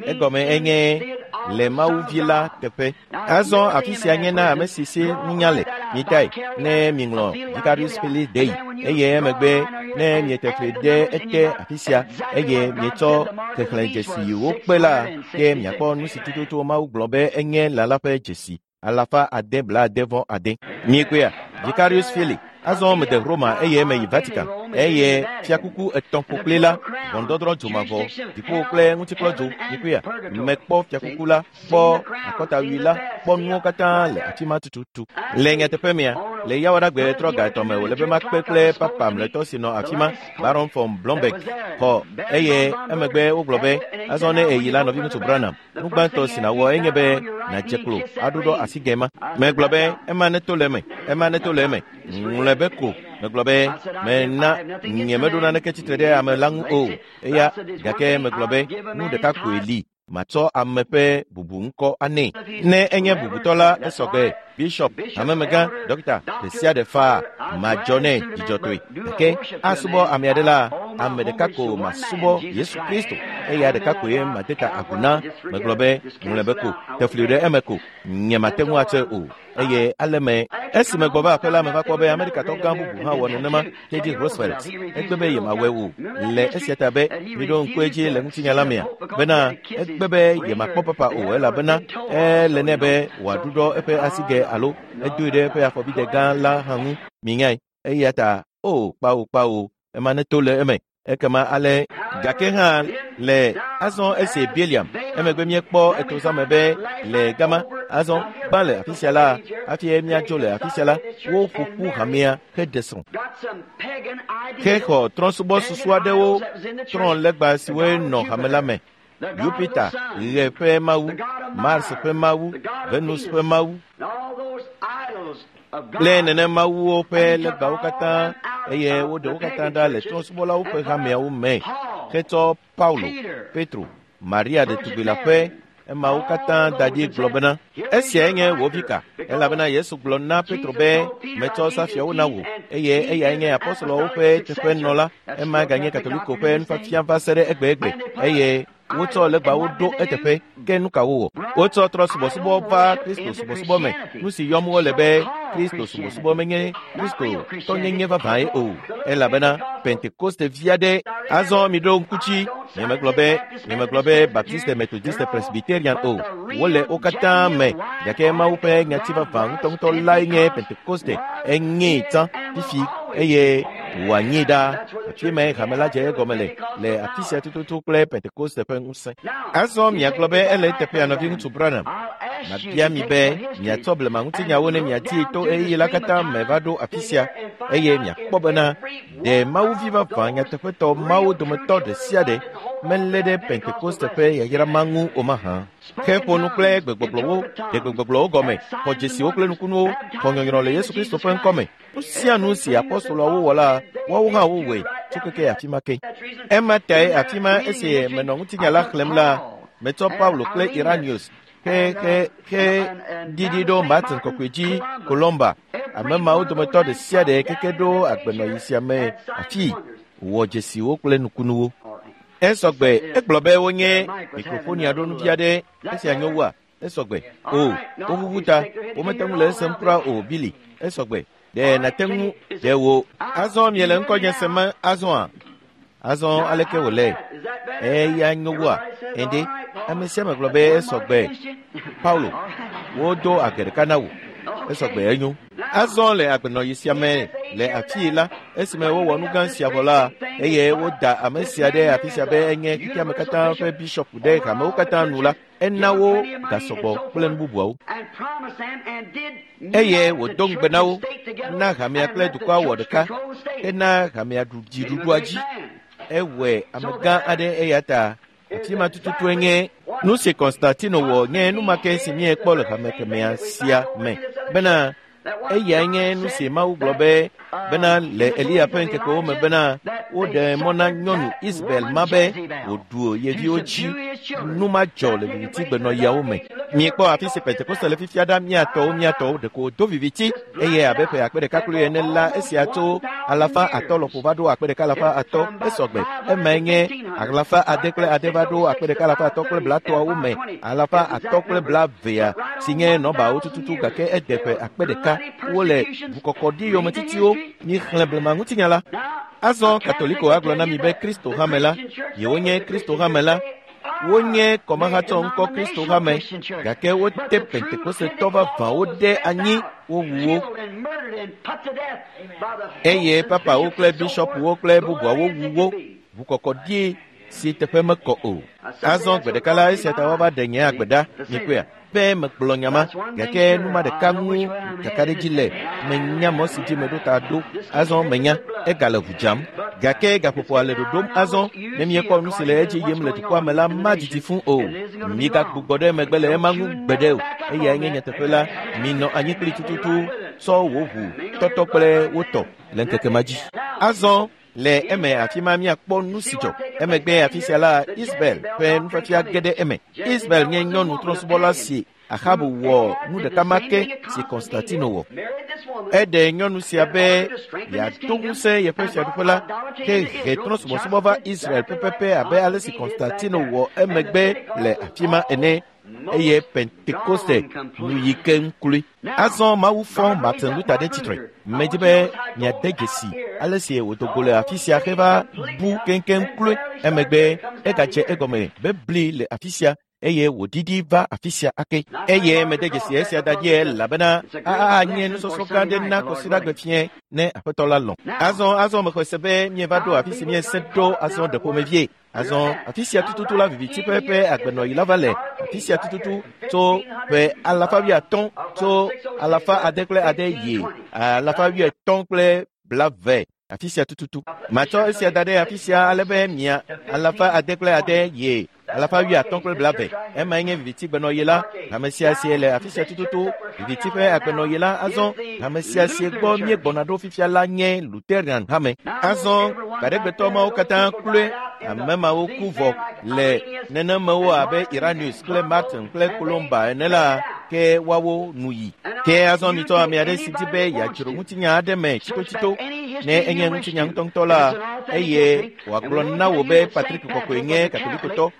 Egɔme enye le Mawuvi la teƒe. Azɔ afi sia nye na ame si si nunya le. Mitae ne miŋlɔ Vicarius Filii Dei eye emegbe ne miete fli ɖe ete afi sia eye mietsɔ xexlẽdzesiwo kpe la, ke miakpɔ nu si tututu Mawu gblɔ be enye lã la ƒe dzesi alafa ade blaade vɔ ade. Miekpɔea? Vicarius Filii. Azɔ mede Roma eye meyi Vatican eye fiakuku etɔ̃ ƒokpli la, ʋɔnudɔdrɔ̃ dzomavɔ, dziƒo kple ŋutikplɔdzo. Miekpɔea? Mekpɔ fiakuku la, kpɔ akɔtawui la, kpɔ nuwo katã le afi ma tututu. Le nyateƒe mea, le yawoɖagbe trɔ ga etɔ̃ me wòle be makpe kple papa mlɔetɔ si nɔ afi ma, Baron von Blomberg, xɔ eye emegbe wogblɔ be azɔ ne èyi la nɔviŋutsu Branham, nu gbãtɔ si nàwɔ enye be nàdze klo aɖuɖɔ asigɛ ma. Megblɔ be ema neto le eme, ema neto le eme. Ŋlɔe be ko. Megblɔ be mena nyemeɖo naneke tsitre ɖe ame la ŋu o. Eya gake megblɔ be nu ɖeka koe li. Matsɔ ame ƒe bubu ŋkɔ anɛ. Ne enye bubutɔ la, esɔgbe bishop, hamemegã, dɔkita, ɖe sia ɖe faa madzɔ nɛ dzidzɔtɔe. Gake asubɔ ame aɖe la, ame ɖeka ko masubɔ Yesu Kristo. Eya ɖeka koe made ta agu na. Megblɔ be ŋlɔe be ko, te fli ɖe eme ko. Nyemate ŋu atsɔe o. Eye ale me esi megbɔ va aƒe la meva kpɔ be Amerikatɔ gã bubu hã wɔ nenema, Teddy Roosevelt. Egbe be yemawɔe o. Le esia ta be miɖo ŋku edzi le ŋutinya la mea bena egbe be yemakpɔ papa o elabena ele nɛ be wòaɖuɖɔ eƒe asigɛ alo edoe ɖe eƒe afɔbidɛ gã la hã ŋu. Minyae. Eya ta o kpawo kpawo ema neto le eme. Ekema ale gake hã le azɔ esi Biliam emegbe míekpɔ etozãme be le gama azɔ gbã le afi sia la hafi míadzo le afi sia la woƒo ƒu hamea heɖe srɔ̃ hexɔ trɔ̃subɔsusu aɖewo trɔ̃ legba siwoe nɔ hame la me. Jupiter, ɣe ƒe mawu, Mars ƒe mawu, Venus ƒe mawu kple nenemawuwo ƒe legbawo katã eye woɖe wo katã ɖa le trɔ̃subɔlawo ƒe hameawo me hetsɔ Paulo, Petro, Maria ɖetugbi la ƒe emawo katã da ɖi gblɔ bena esiae nye wò vika elabena Yesu gblɔ na Petro be metsɔ safiawo na wò eye eyae nye apɔstoloawo ƒe teƒenɔla. Ema ganye Katoliko ƒe nufiafia va se ɖe egbegbe eye wotsɔ legbawo ɖo eteƒe. Ke nu ka wowɔ? Wotsɔ trɔ subɔsubɔ va Kristo subɔsubɔ me. Nu si yɔm wole be Kristo subɔsubɔ menye Kristo tɔnyenye vavãe o elabena Pentekoste vi aɖe. Azɔ miɖo ŋku dzi, nyemegblɔ be nyemegblɔ be Baptiste, Methodiste, Presbyterian o. Wole wo katã me gake Mawu ƒe nyati vavã ŋutɔŋutɔ lae nye Pentekoste. Enyee tsã fifi eye wòanyee ɖaa. Afi mae hame la dze egɔme le le afi sia tututu kple Pentekoste ƒe ŋusẽ. Azɔ miagblɔ be ele eteƒea nɔviŋutsu Branham. Mabia mi be miatsɔ blema ŋutinyawo ne miadii to ɣeyiɣi la katã me va ɖo afi sia eye miakpɔ bena ɖe Mawuvi vavã nyateƒetɔ mawo dometɔ ɖe sia ɖe melé ɖe Pentekoste ƒe yayra ma ŋu o mahã. Ke ƒo nu kple gbegbɔgblɔwo, ɖe gbegbɔgblɔwo gɔme, xɔ dzesiwo kple nukunuwo, xɔ nyɔnyrɔ le Yesu Kristo ƒe ŋkɔme. Nu sia nu si apɔstoloawo wɔ la, woawo hã wowɔe tso keke afi ma ke. Ema tae afi ma esi menɔ ŋutinya la xlẽm la, metsɔ Paulo kple Iranius he he he ɖiɖi ɖo Martin kɔkɔe dzi Columba. Ame mawo dometɔ ɖe sia ɖe keke ɖo agbenɔɣi sia me afi wɔ dzesiwo kple nukunuwo. Esɔgbe egblɔ be wonye mikrofonia ɖo nuvi aɖe esia nyo wua? Esɔgbe o woʋuʋu ta womete ŋu le esem kura o Billy. Esɔgbe ɖe nàte ŋu ɖe wò. Azɔ miele ŋkɔnye sem azɔa? Azɔ aleke wòle? Eya nyo wua? Ende ame sia ame gblɔ be esɔgbe. Paulo, wodo age ɖeka na wò. Esɔgbe enyo. Azɔ le agbenɔɣi sia me le afii la, esime wowɔ nu gã sia vɔ la, eye woda ame sia ɖe afi sia be enye xexeame katã ƒe bishɔpu ɖe hamewo katã nu la, ena wo gasɔgbɔ kple nu bubuawo. Eye wòdo ŋugbe na wo, na hamea kple dukɔa wɔ ɖeka, hena hamea ɖu dziɖuɖua dzi. Ewɔe amegã aɖe eya ta afi ma tututue nye nu si Konstantino wɔ nye numake si míekpɔ le hame kemea sia me bena eyae nye nu si Mawu gblɔ be bena le Eliya ƒe ŋkekewo me bena woɖe mɔ na nyɔnu Isabel ma be wòɖu ye viwo dzi. Nu ma dzɔ le viviti gbenɔɣiawo me. Miekpɔ afi si Pentekoste le fifia ɖa miatɔwo miatɔwo ɖeko do viviti eye abe ƒe akpe ɖeka kple ene la esia tso Alafa atɔ̃ lɔƒo va ɖo akpe ɖeka alafa atɔ̃ esɔgbe. Emae nye alafa ade kple ade va ɖo akpe ɖeka alafa atɔ̃ kple blatɔ̃awo me. Alafa atɔ̃ kple blavea si nye nɔbawo tututu gake ede ƒe akpe ɖeka. Wole ʋukɔkɔɖi yometitiwo. Mixlẽ blema ŋutinya la. Azɔ Katoliko agblɔ na mi be Kristo hame la, yewonye Kristo hame la. Wonye kɔmahatsɔ ŋkɔ Kristo hame gake wote Pentekostetɔ vavãwo ɖe anyi wowu wo. Eye papawo kple bishɔpuwo kple bubuawo wu wo ʋukɔkɔɖi si teƒe mekɔ o. Azɔ gbe ɖeka la esia ta woava ɖe nye agbe ɖa mikpɔea be megblɔ nya ma gake numa ɖeka ŋu kakaɖedzi le menya mɔ si dzi meɖo ta ɖo. Azɔ menya egale ʋu dzam gake gaƒoƒoa le ɖoɖom azɔ ne miekpɔ nu si le edzi yim le dukɔa me la madidi fũ o. Migagbugbɔ ɖe megbe le ema ŋu gbeɖe o. Eyae nye nyateƒe la. Minɔ anyi kpli tututu tsɔ wò ʋu tɔtɔ kple wo tɔ le ŋkeke ma dzi. Azɔ le eme afi ma miakpɔ nu si dzɔ. Emegbe afi sia la Isabel ƒe nufiafia ge ɖe eme. Isabel nye nyɔnu trɔ̃subɔla si Ahabu wɔ nu ɖeka ma ke si Konstantino wɔ. Eɖe nyɔnu sia be yeado ŋusẽ yeƒe fiaɖuƒe la ke he trɔ̃subɔsubɔ va Israel pɛpɛpɛ abe ale si Konstantino wɔ emegbe le afi ma ene. Eye Pentekoste nu yi keŋ kloe. Azɔ Mawu fɔ Martin Luther ɖe tsitre. Medi be miade dzesi ale si wòdo go le afi sia heva bu keŋkeŋ kloe. Emegbe egadze egɔme be bli le afi sia eye wòɖiɖi va afi sia ake. Eye mede dzesi esia da ɖi elabena anye nusɔsrɔ̃ gã aɖe na kɔsiɖagbe fiẽ ne aƒetɔ la lɔ̃. Azɔ azɔ mexɔe se be mieva ɖo afi si miese ɖo azɔ ɖe ƒomevie. Azɔ afi sia tututu la viviti ƒe ƒe agbenɔɣi la va le afi sia tututu tso ƒe alafa wuiatɔ̃ tso alafa ade kple ade yi alafa wuietɔ̃ kple blave afi sia tututu. Matsɔ esia da ɖe afi sia ale be mia alafa ade kple ade yi alafa wuiatɔ̃ kple blave. Emae nye viviti gbenɔɣi la. Ame sia sie le afi sia tututu viviti ƒe agbenɔɣi la. Azɔ ame sia sie gbɔ míegbɔna ɖo fifia la nye Lutheran hame. Azɔ gbaɖegbetɔ mawo katã kloe ame mawo ku vɔ le nenemewo abe Irenaeus kple Martin kple Columba ene la ke woawo nu yi. Ke azɔ mitsɔ ame aɖe si di be yeadzro ŋutinya aɖe me tsitotsito ne enye ŋutinya ŋutɔŋutɔ la eye wòagblɔ na wò be Patrick Kɔkɔe nye Katolikotɔ.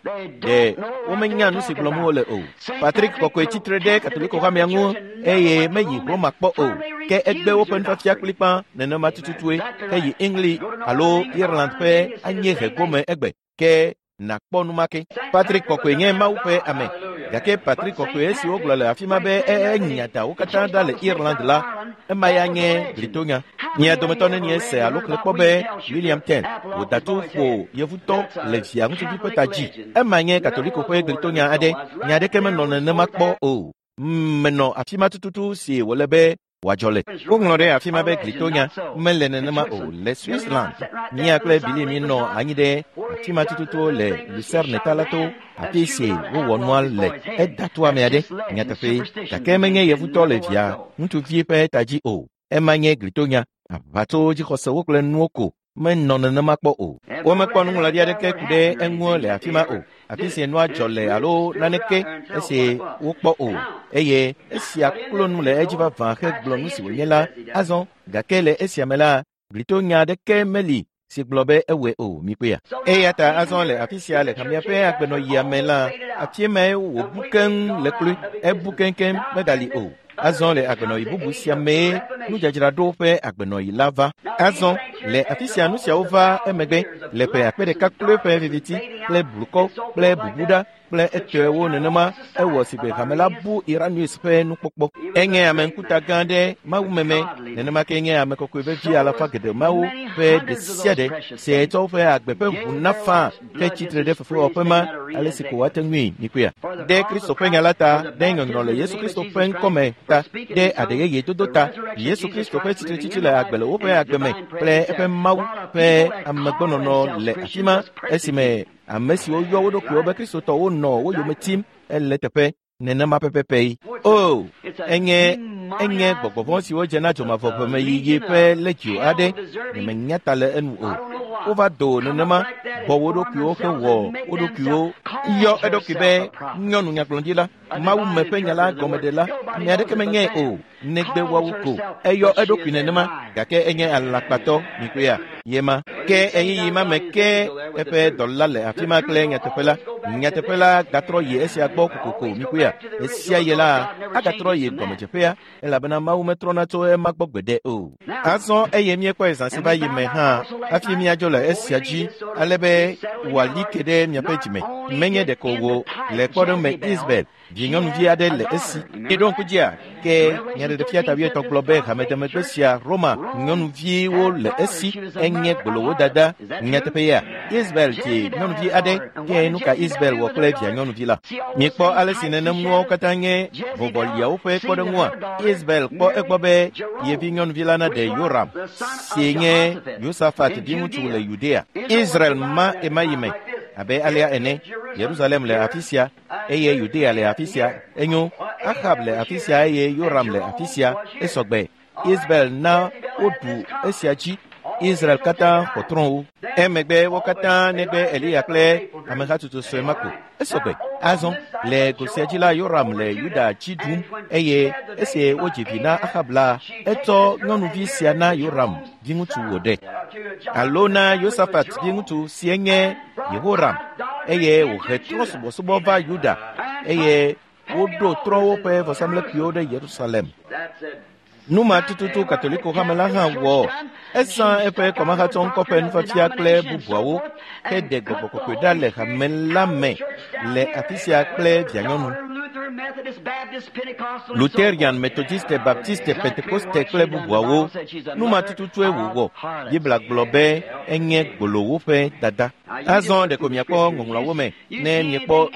Ɖe womenya nu si gblɔm wole o. Patrick Kɔkɔe tsitre ɖe Katoliko hamea ŋu eye meyi Roma kpɔ o. Ke egbe woƒe nufiafia kplikpã nenema tututue heyi England alo Ireland ƒe anyiehe gome egbe. Ke nakpɔ nu ma ke. Patrick Kɔkɔe nye Mawu ƒe ame. Gake Patrick Kɔkɔe si wogblɔ le afi ma be enya da wo katã ɖa le Ireland la, ema ya nye glitonya. Mia dometɔ nenie se alo xlẽ kpɔ be William Ten wòda tu ƒo yevutɔ le via ŋutsuvi ƒe ta dzi. Ema nye Katoliko ƒe glitonya aɖe. Nya aɖeke menɔ nenema kpɔ o. Menɔ afi ma tututu si wòle be wòadzɔ le. Woŋlɔ ɖe afi ma be glitonya mele nenema o le Switzerland. Mía kple Billy míenɔ anyi ɖe afi ma tututu le Lucerne ta la to afi si wowɔ nua le. Eda to ame aɖe nyateƒe gake menye yevutɔ le via ŋutsuvi ƒe ta dzi o. Ema nye glitonya. Aʋatso dzixɔsewo kple nuwo ko menɔ nenema kpɔ o. Womekpɔ nuŋlɔɖi aɖeke ku ɖe eŋu le afi ma o. Afi si nua dzɔ le alo naneke esi wokpɔ o. Eye esia klo nu le edzi vavã hegblɔ nu si wònye la azɔ gake le esia me la glitonya aɖeke meli si gblɔ be ewɔe o mikpɔea. Eya ta azɔ le afi sia le hamea ƒe agbenɔɣia me la afi mae wòbu keŋ le kloe. Ebu keŋkeŋ megali o. Azɔ le agbenɔɣi bubu sia mee nudzadzraɖo ƒe agbenɔɣi la va. Azɔ le afi sia nu siawo va emegbe le ƒe akpe ɖeka kloe ƒe viviti kple blukɔ kple bubuɖa kple etɔewo nenema ewɔ si gbe hame la bu Irenaeus ƒe nukpɔkpɔ. Enye ame ŋkuta gã ɖe mawumeme nenema ke nye ame kɔkɔe vevi alafa geɖe mawo ƒe ɖe sia ɖe si tsɔ woƒe agbe ƒe ʋu na faa ke tsitre ɖe fefewɔƒe ma ale si ko woate ŋui mikpɔea. Ɖe Kristo ƒe nya la ta, ɖe nyɔnyrɔ le Yesu Kristo ƒe ŋkɔme ta, ɖe aɖe yeye dodo ta, Yesu Kristo ƒe tsitretsitsi le agbe le woƒe agbe me kple eƒe Mawu ƒe amegbɔnɔnɔ le afi ma esime ame siwo yɔ wo ɖokuiwo be Kristotɔwo nɔ wo yome tim ele teƒe nenema pɛpɛpɛ yi. O, enye enye gbɔgbɔ vɔ̃ siwo dze na dzomavɔ ƒemeyiyi ƒe legio aɖe. Nyemenya ta le enu o. Wova do nenema bɔ wo ɖokuiwo hewɔ wo ɖokuiwo yɔ eɖokui be nyɔnu nyagblɔɖila, Mawu me ƒe nya la gɔmeɖela. Ame aɖeke menyae o, negbe woawo ko. Eyɔ eɖokui nenema, gake enye alakpatɔ mikpɔea yema. Ke ɣeyiɣi ma me ke eƒe dɔla le afi ma kple nyateƒe la. Nyateƒe la gatrɔ yi esia gbɔ kokoko mikpɔea. Esia ye la agatrɔ yi gɔmedzeƒea elabena Mawu metrɔna tso ema gbɔ gbeɖe o. Azɔ eye míekpɔe zã si va yi me hã hafi míadzo le esia dzi ale be wòali ke ɖe miaƒe dzime. Menye ɖeko wò le kpɔɖeŋu me Isabel vinyɔnuvi aɖe le esi. Miɖo ŋku dzia ke nyaɖeɖefia ta wuietɔ̃ gblɔ be hamedemegbe sia Roma nyɔnuviwo le esi enye gbolowo dada. Nyateƒe ya Isabel dzi nyɔnuvi aɖe ke nu ka Isabel wɔ kple via nyɔnuvi la? Miekpɔ ale si nenem nuawo katã nye vɔvɔliawo ƒe kpɔɖeŋua. Isabel kpɔ egbɔ be yevi nyɔnuvi la naɖe Yoram si nye Yosafat viŋutsu le Yudea. Israel ma ema yi me abe alea ene. Yerusalem le afi sia eye Yudea le afi sia. Enyo, Ahab le afi sia eye Yoram le afi sia. Esɔgbe. Isabel na woɖu esia dzi. Israel katã xɔ trɔ̃wo. Emegbe wo katã negbe Eliya kple amehatsotso sue ma ko. Esɔgbe. Azɔ le go sia dzi la Yoram le Yuda dzi ɖum eye esi wodzi vi na Ahab la, etsɔ nyɔnuvi sia na Yoram viŋutsu wòɖe alo na Yosafat viŋutsu si nye Yehoram eye wòhe trɔ̃subɔsubɔ va Yuda eye woɖo trɔ̃wo ƒe vɔsamlekpuiwo ɖe Yerusalem. Nu ma tututu Katoliko hame la hã wɔ. Ezã eƒe kɔmahatsɔŋkɔ ƒe nufiafia kple bubuawo heɖe gbɔgbɔ kɔkɔe ɖa le hame la me le afi sia kple vianyɔnu. Lutherian, Methodiste, Baptiste, Pentekoste kple bubuawo. Nu ma tututue wòwɔ. Biblia gblɔ be enye gbolowo ƒe dada. Azɔ ɖeko miakpɔ ŋɔŋlɔawo me ne miekpɔ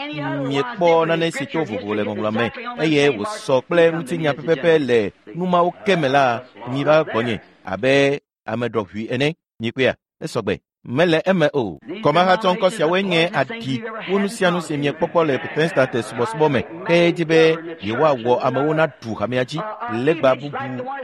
miekpɔ nane si to vovo le ŋɔŋlɔa me eye wòsɔ kple ŋutinya pɛpɛpɛ le nu mawo ke me la, miva gbɔnye abe ame ɖɔʋui ene. Mikpɔea? Esɔgbe. Mele eme o. Kɔmahatsɔŋkɔ siawoe nye aɖi wo nu sia nu si miekpɔkpɔ le Protestante subɔsubɔ me ke dzi be yewoawɔ amewo naɖu hamea dzi legba bubu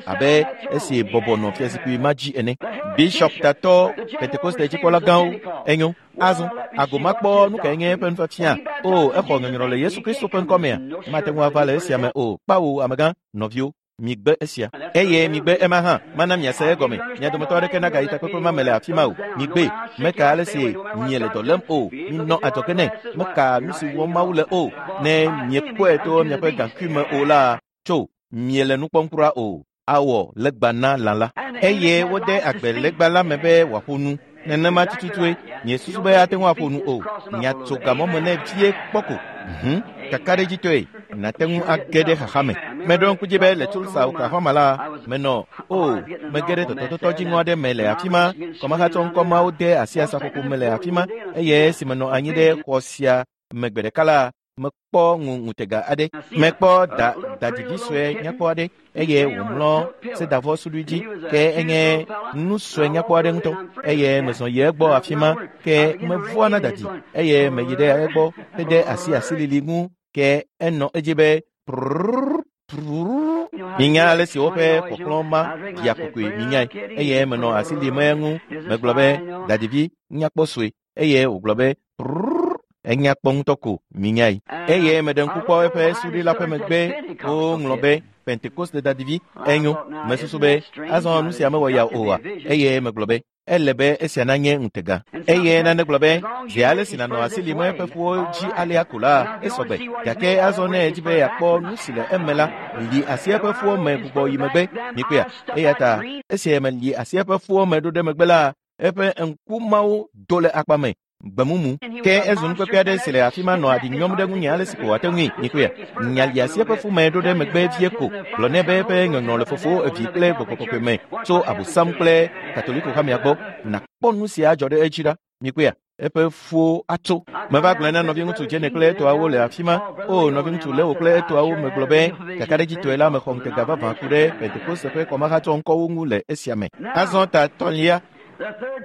abe esi bɔbɔ nɔ fiazikpui ma dzi ene. Bishop tatɔ Pentekoste dzikpɔla gãwo enyo. Azɔ agomakpɔ nu kae nye eƒe nufiafia? O, exɔ nyɔnyrɔ le Yesu Kristo ƒe ŋkɔmea? Mate ŋu ava le esia me o. Kpawo amegã, nɔviwo. Migbe esia eye migbe ema hã mana miase egɔme. Mia dometɔ aɖeke nagayi takpekpe ma me le afi ma o. Migbe meka ale si miele dɔ lém o. Minɔ adzɔge nɛ. Meka nu si wɔm Mawu le o. Ne miekpɔe to miaƒe gaŋkui me o la, tso miele nu kpɔm kura o. Awɔ legba na lã la eye wode agbe legba la me be wòaƒo nu. Nenema tututue miesusu be ate ŋu aƒo nu o. Miatso gamɔ me nɛ vie kpɔ ko. Mhm, kakaɖedzitɔe nate ŋu age ɖe xaxa me. Meɖo ŋku dzi be le Tulsa, Oklahoma la, menɔ o mege ɖe tɔtɔtɔtɔ dziŋɔ aɖe me le afi ma. Kɔmahatsɔŋkɔ mawo de asi asaƒoƒo me le afi ma eye esi menɔ anyi ɖe xɔ sia me gbe ɖeka la, mekpɔ ŋu ŋutega aɖe. Mekpɔ da dadidi sue nyakpɔ aɖe eye wòmlɔ sedavɔ suɖui dzi ke enye nu sue nyakpɔ aɖe ŋutɔ eye mezɔ yi egbɔ afi ma ke mevɔa na dadi eye meyi ɖe egbɔ hede asi asilili ŋu ke enɔ edzi be prrrr prrrr. Minya ale si woƒe kpɔkplɔ ma ɖia kokoe minyae eye menɔ asi lim eŋu. Megblɔ be dadivi nyakpɔ sue eye wògblɔ be prrrr. Enya kpɔ ŋutɔ ko minyae eye meɖe ŋku kpɔ eƒe suɖui la ƒe megbe woŋlɔ be Pentekoste dadivi. Enyo, mesusu be azɔ nu sia mewɔ ya oa eye megblɔ be ele be esia nanye ŋutega. Eye nane gblɔ be zi ale si nànɔ asi lim eƒe ƒuwo dzi alea ko la, esɔgbe. Gake azɔ ne edzi be yeakpɔ nu si le eme la, li asi eƒe ƒuwo me gbugbɔ yi megbe. Mikpɔea? Eya ta esi meli asi eƒe ƒuwo me ɖo ɖe megbe la, eƒe ŋku mawo do le akpa me gbemumu. Ke ezu nukpekpe aɖe si le afi ma nɔ aɖi nyɔm ɖe ŋunye ale si ko wòate ŋui. Mikpɔea? Nyali asi eƒe fu me ɖo ɖe megbe vie ko. Gblɔ nɛ be eƒe nyɔnyrɔ le Fofo, Evi kple Gbɔgbɔ Kɔkɔe me tso Abosam kple Katoliko hamea gbɔ. Nakpɔ nu sia adzɔ ɖe edzi ɖa. Mikpɔea? Eƒe fuwo atso. Meva gblɔe na nɔviŋutsu Jene kple etɔawo le afi ma. O, nɔviŋutsu Leo kple etɔawo megblɔ be kakaɖedzitɔe la mexɔ ŋutega vavã ku ɖe Pentekoste ƒe kɔmahatsɔŋkɔwo ŋu le esia me. Azɔ ta tɔ̃lia,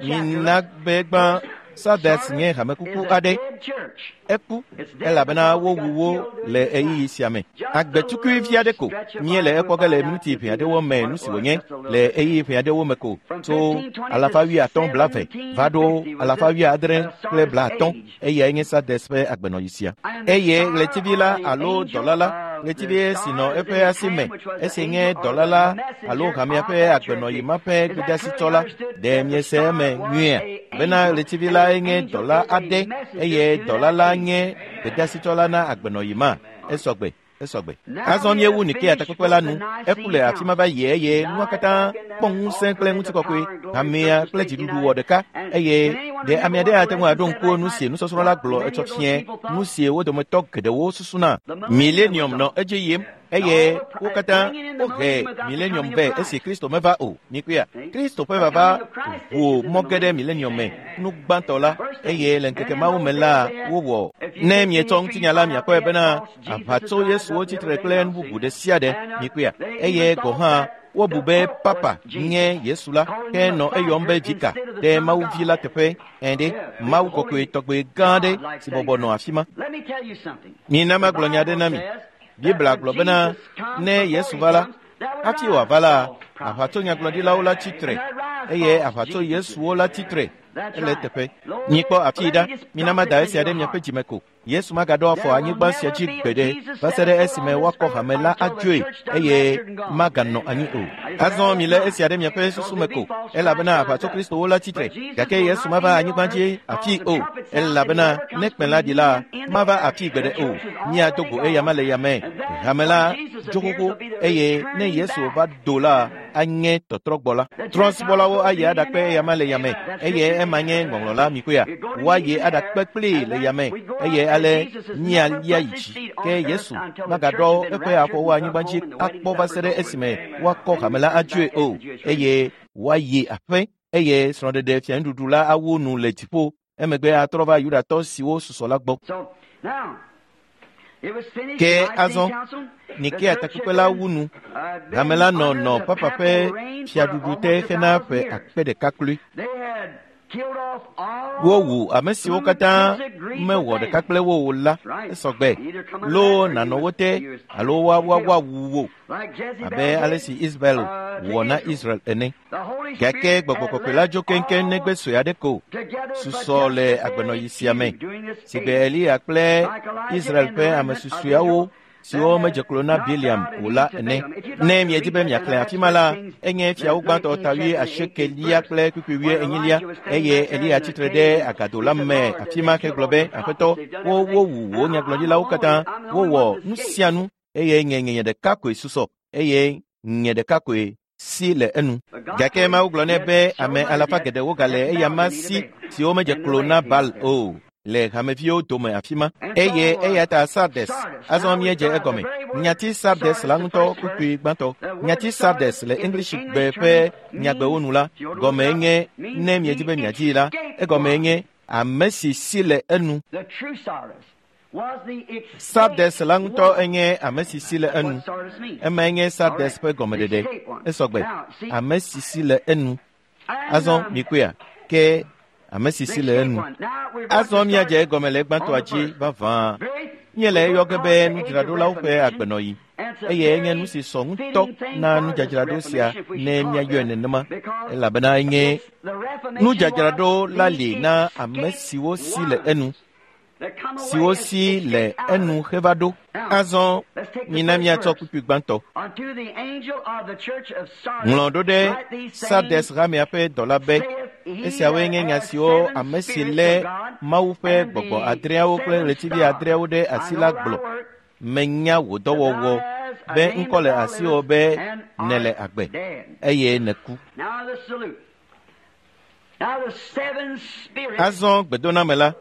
mina be gbã Sardes nye hamekuku aɖe. Eku elabena wowu wo le ɣeyiɣi sia me. Agbetukui vi aɖe ko míele ekpɔ ge le minuti ʋɛ aɖewo me nu si wònye le ɣeyiɣi ʋɛ aɖewo me ko tso alafa wuiatɔ̃ blaeve va ɖo alafa wuiadre kple blaatɔ̃. Eyae nye Sardes ƒe agbenɔɣi sia. Eye ɣletivi la alo dɔla la, ɣletivi si nɔ eƒe asi me, esi nye dɔla la alo hamea ƒe agbenɔɣi ma ƒe gbedeasitsɔla, ɖe miese eme nyuiea? Bena ɣletivi la nye dɔla aɖe eye dɔla la nye gbedeasitsɔla na agbenɔɣi ma. Esɔgbe, esɔgbe. Azɔ míewu Nikea takpekpe la nu. Eku le afi ma va yi eye nua katã kpɔ ŋusẽ kple ŋutikɔkɔe. Hamea kple dziɖuɖu wɔ ɖeka eye ɖe ame aɖe ate ŋu aɖo ŋku nu si nusɔsrɔ̃ la gblɔ etsɔ fia nu si wo dometɔ geɖewo susuna. Millennium nɔ edzi yim eye wo katã wohe millennium vɛ esi Kristo meva o. Mikpɔea, Kristo ƒe vava ʋu mɔ ge ɖe millennium me nu gbãtɔ la eye le ŋkeke mawo me la wowɔ. Ne mietsɔ ŋutinya la miakpɔe bena aʋatso Yesuwo tsitre kple nu bubu ɖe sia ɖe. Mikpɔea, eye gɔ̃ hã wobu be Papa nye Yesu la ke nɔ eyɔm be vika ɖe Mawu vi la teƒe ene. Mawu kɔkɔe tɔgbe gã aɖe si bɔbɔ nɔ afi ma. Mina magblɔ nya aɖe na mi. Biblia gblɔ bena ne Yesu va la, hafi wòava la, aʋatso nyagblɔɖilawo la tsitre eye aʋatso Yesuwo la tsitre. Ele teƒe. Mikpɔ afii ɖa. Mina mada esia ɖe miaƒe dzime ko. Yesu magaɖo afɔ anyigba sia dzi gbeɖe va se ɖe esime woakɔ hame la adzoe eye maganɔ anyi o. Azɔ milé esia ɖe miaƒe susu me ko, elabena aʋatso Kristowo la tsitre, gake Yesu mava anyigba dzi afii o, elabena ne kpẽ la ɖi la, mava afii gbeɖe o. Míado go eyama le yame. Hame la dzo xoxo eye ne Yesu va do la, anye tɔtrɔgbɔ la. Trɔ̃subɔlawo ayi aɖakpe eyama le yame eye ema nye ŋɔŋlɔ la mikpɔea. Woayi aɖakpe kplii le yame eye ale míalia yi dzi. Ke Yesu magaɖɔ eƒe afɔwo anyigba dzi akpɔ va se ɖe esime woakɔ hame la adzoe o eye woayi aƒe eye srɔ̃ɖeɖe fianuɖuɖu la awu nu le dziƒo. Emegbe atrɔ va Yudatɔ siwo susɔ la gbɔ. Ke azɔ Nikea takpekpe la wu nu. Hame la nɔ nɔ Papa ƒe fiaɖuɖu te hena ƒe akpe ɖeka kloe. Wowu ame siwo katã mewɔ ɖeka kple wo o la. Esɔgbe. Loo nànɔ wo te alo woawu wo abe ale si Israel wɔ na Israel ene. Gake gbɔgbɔ kɔkɔe la dzo keŋkeŋ negbe sue aɖe ko susɔ le agbenɔɣi sia me sigbe Eliya kple Israel ƒe ame susueawo siwo medze klo na Biliam o la ene. Ne miedi be miaxlẽ afi ma la, enye fiawo gbãtɔ ta wui asiekelia kple kpukpui wui enyilia eye Eliya tsitre ɖe agado la me afi ma hegblɔ be, Aƒetɔ, wo wowu wò nyagblɔɖilawo katã, wowɔ nu sia nu eye nye nye ɖeka koe susɔ eye nye ɖeka koe si le enu. Gake Mawu gblɔ nɛ be ame alafa geɖewo gale eyama si siwo medze klo na Baal o le hameviwo dome afi ma. Eye eya ta Sardes, azɔ míedze egɔme. Nyati Sardes la ŋutɔ kpukpui gbãtɔ. Nyati Sardes le English gbe ƒe nyagbewo nu la, gɔmee nye ne miedi be miadii la, egɔmee nye ame si si le enu. Sardes la ŋutɔ enye ame si si le enu. Emae nye Sardes ƒe gɔmeɖeɖe. Esɔgbe. Ame si si le enu. Azɔ mikpɔea, ke ame si si le enu. Azɔ míadze egɔme le gbãtɔa dzi vavã. Míele eyɔ ge be nudzraɖolawo ƒe agbenɔɣi eye enye nu si sɔ ŋutɔ na nudzadzraɖo sia ne míayɔe nenema, elabena enye nudzadzraɖo la li na ame siwo si le enu, siwo si le enu heva ɖo. Azɔ mina míatsɔ kpukpui gbãtɔ. Ŋlɔ ɖo ɖe Sardes hamea ƒe dɔla be, esiawoe nye nya siwo ame si lé Mawu ƒe gbɔgbɔ adreawo kple ɣletivi adreawo ɖe asi la gblɔ. Menya wò dɔwɔwɔ be ŋkɔ le asiwò be nèle agbe eye nèku. Azɔ gbedoname la.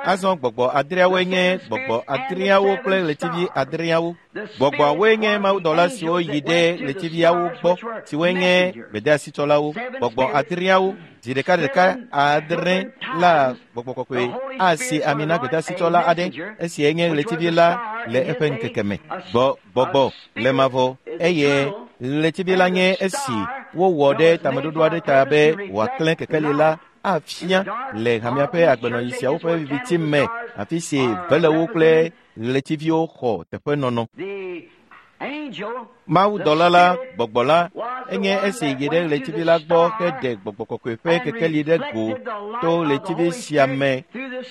Azɔ gbɔgbɔ adreawoe nye gbɔgbɔ adreawo kple ɣletivi adreawo. Gbɔgbɔawoe nye mawudɔla siwo yi ɖe ɣletiviawo gbɔ, siwoe nye gbedeasitsɔlawo. Gbɔgbɔ adreawo zi ɖeka ɖeka adre la gbɔgbɔ kɔkɔe asi ami na gbedeasitsɔla aɖe, esie nye ɣletivi la le eƒe ŋkeke me. Gbɔ gbɔgbɔ le mavɔ eye ɣletivi la nye esi wowɔ ɖe tameɖoɖo aɖe ta be wòaklẽ kekeli la afia le hamea ƒe agbenɔɣi siawo ƒe viviti me, afi si velewo kple ɣletiviwo xɔ teƒenɔnɔ. Mawudɔla la, gbɔgbɔ la, enye esi yi ɖe ɣletivi la gbɔ heɖe gbɔgbɔ kɔkɔe ƒe kekeli ɖe go to ɣletivi sia me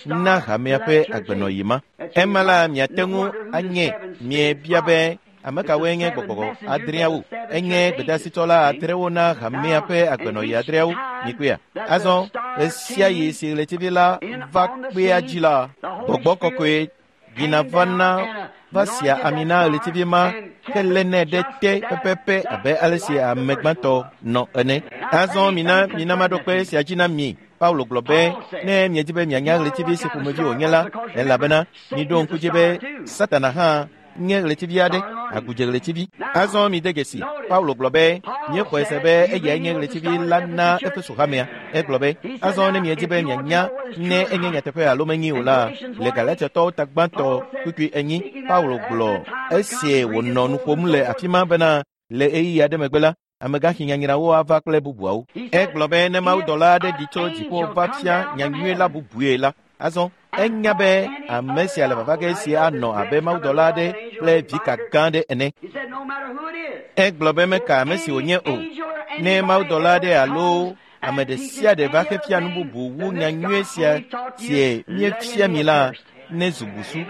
na hamea ƒe agbenɔɣi ma. Ema la miate ŋu anye miebia be ame kawoe nye gbɔgbɔ adreawo? Enye gbedeasitɔla adrewo na hamea ƒe agbenɔɣi adreawo. Mikpɔea? Azɔ ɣe sia ɣi si ɣletivi la va kpea dzi la, gbɔgbɔ kɔkɔe yina vana va sia ami na ɣletivi ma helénɛ ɖe te pɛpɛpɛ abe ale si ame gbãtɔ nɔ ene. Azɔ mina mina maɖo kpe sia dzi na mi. Paulo gblɔ be ne miedi be mianya ɣletivi si ƒomevi wònye la, elabena miɖo ŋku dzi be Satana hã nye ɣletivi aɖe, agudze ɣletivi. Azɔ mide dzesi. Paulo gblɔ be míexɔe se be eyae nye ɣletivi la na Efeso hamea. Egblɔ be azɔ ne miedi be mianya ne enye nyateƒe alo menyi o la, le Galatiatɔwo ta gbãtɔ kpukpui enyi, Paulo gblɔ esie wònɔ nu ƒom le afi ma bena le ɣeyiɣi aɖe megbe la, amegãxi nyanyrawo ava kple bubuawo. Egblɔ be ne mawudɔla aɖe ɖi tso dziƒo va fia nyanyui la bubue la, azɔ enya be ame sia le vava ge si anɔ abe mawudɔla aɖe kple vika gã aɖe ene. Egblɔ be meka ame si wònye o. Ne mawudɔla aɖe alo ame ɖe sia ɖe va xefia nu bubu wu nyanyui sia sie míefia mi la, ne zu busu.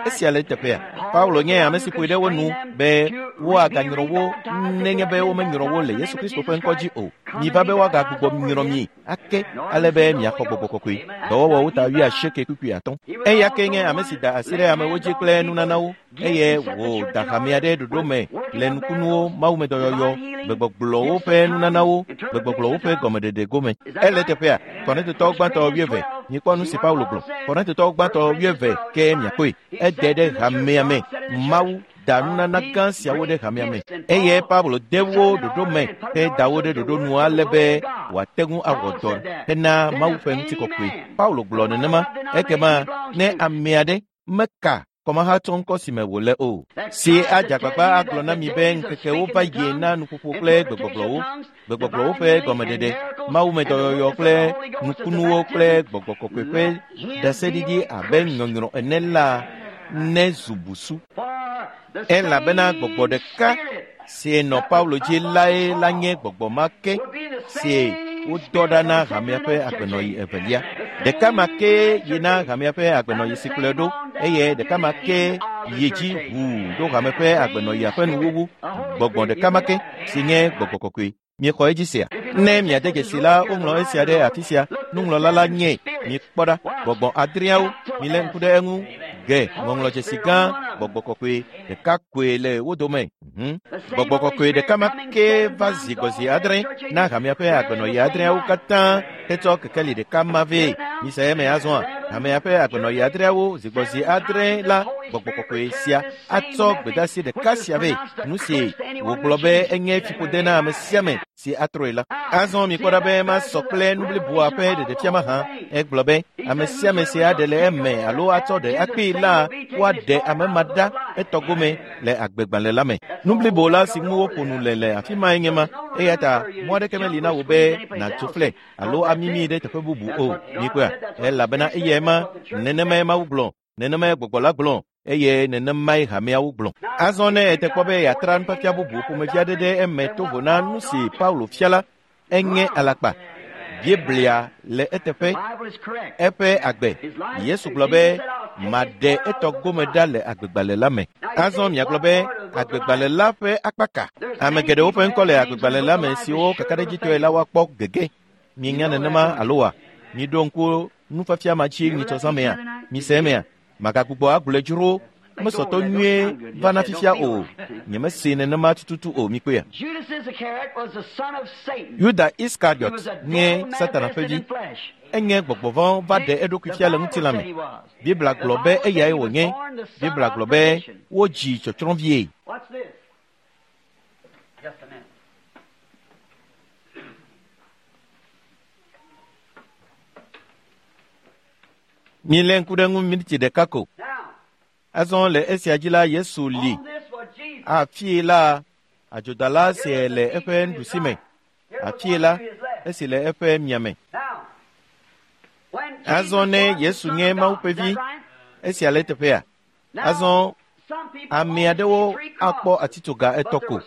Esia le teƒea. Paulo nye ame si ƒoe ɖe wo nu be woaganyrɔ wo nenye be womenyrɔ wo le Yesu Kristo ƒe ŋkɔ dzi o. Miva be woagagbugbɔ nyrɔ mi ake ale be miaxɔ gbɔgbɔ kɔkɔe. Dɔwɔwɔwo ta wuiasieke kpukpui atɔ̃. Eya ke nye ame si da asi ɖe amewo dzi kple nunanawo eye wòda hamea ɖe ɖoɖo me le nukunuwo, mawumedɔyɔyɔ, gbegbɔgblɔwo ƒe nunanawo, gbegbɔgblɔwo ƒe gɔmeɖeɖe gome. Ele teƒea. Korintotɔwo gbãtɔ wuieve. Mikpɔ nu si Paulo gblɔ. Korintotɔwo gbãtɔ wuieve ke miakpɔe. Ede ɖe hamea me. Mawu da nunana gã siawo ɖe hamea me eye Paulo de wo ɖoɖo me heda wo ɖe ɖoɖo nu ale be wòate ŋu awɔ dɔ hena Mawu ƒe ŋutikɔkɔe. Paulo gblɔ nenema. Ekema ne ame aɖe meka kɔmahatsɔ ŋkɔ si me wòle o, si adze agbagba agblɔ na mi be ŋkekewo va yie na nuƒoƒo kple gbegbɔgblɔwo, gbegbɔgblɔwo ƒe gɔmeɖeɖe, mawumedɔyɔyɔ kple nukunuwo kple gbɔgbɔ kɔkɔe ƒe ɖaseɖiɖi abe nyɔnyrɔ ene la, ne zu busu. Elabena gbɔgbɔ ɖeka si nɔ Paulo dzi lae la nye gbɔgbɔ ma ke si wodɔ ɖa na hamea ƒe agbenɔɣi evelia. Ɖeka ma ke yi na hamea ƒe agbenɔɣi si kplɔe ɖo eye ɖeka ma ke yi dzi ʋuu ɖo hame ƒe agbenɔɣia ƒe nuwuwu. Gbɔgbɔ ɖeka ma ke si nye gbɔgbɔ kɔkɔe. Miexɔ edzi sia? Ne miade dzesi la, woŋlɔ esia ɖe afi sia. Nuŋlɔla la nye. Mikpɔ ɖa. Gbɔgbɔ adreawo, milé ŋku ɖe eŋu. Ge ŋɔŋlɔdzesi gã, gbɔgbɔ kɔkɔe ɖeka koe le wo dome. Gbɔgbɔ kɔkɔe ɖeka ma ke va zi gbɔzi adre na hamea ƒe agbenɔɣi adreawo katã hetsɔ kekeli ɖeka ma vɛ. Mise eme azɔa, hamea ƒe agbenɔɣi adreawo zi gbɔzi adre la, gbɔgbɔ kɔkɔe sia atsɔ gbedeasi ɖeka sia vɛ. Nu si wògblɔ be enye fiƒode na ame sia ame si atrɔe la. Azɔ mikpɔ ɖa be masɔ kple nu bliboa ƒe ɖeɖefia mahã. Egblɔ be ame sia ame si aɖe le eme alo atsɔ ɖe akpee la, woaɖe ame ma ɖa etɔ gome le agbegbalẽ la me. Nu blibo la si ŋu woƒo nu le le afi mae nye ma. Eya ta mɔ aɖeke meli na wò be nàtso fle alo amimi ɖe teƒe bubu o. Mikpɔea? Elabena eyae ma, nenemae Mawu gblɔ, nenemae gbɔgbɔ la gblɔ, eye nenemae hameawo gblɔ. Azɔ ne ete kpɔ be yeatra nufiafia bubu ƒomevi aɖe ɖe eme to vo na nu si Paulo fia la, enye alakpa. Biblia le eteƒe, eƒe agbe. Yesu gblɔ be maɖe etɔ gome ɖa le agbegbalẽ la me. Azɔ miagblɔ be agbegbalẽ la ƒe akpa ka? Ame geɖewo ƒe ŋkɔ le agbegbalẽ la me siwo kakaɖedzitɔe la woakpɔ gege. Mienya nenema alo wa? Miɖo ŋku nufiafia ma dzi nyitsɔzã mea? Mise emea? Magagbugbɔ agblɔe dzro. Mesɔtɔ nyuie va na fifia o. Nyemese nenema tututu o. Mikpɔea? Yuda Iskariot nye Satana ƒe vi. Enye gbɔgbɔ vɔ̃ va ɖe eɖokui fia le ŋutilã me. Biblia gblɔ be eyae wònye. Biblia gblɔ be wodzi tsɔtsrɔ̃vie. Milé ŋku ɖe ŋu miniti ɖeka ko. Azɔ le esia dzi la, Yesu li. Afii la, adzodala si le eƒe nuɖusime. Afii la, esi le eƒe miame. Azɔ ne Yesu nye Mawu ƒe vi, esia le teƒea. Azɔ ame aɖewo akpɔ atitsoga etɔ̃ ko,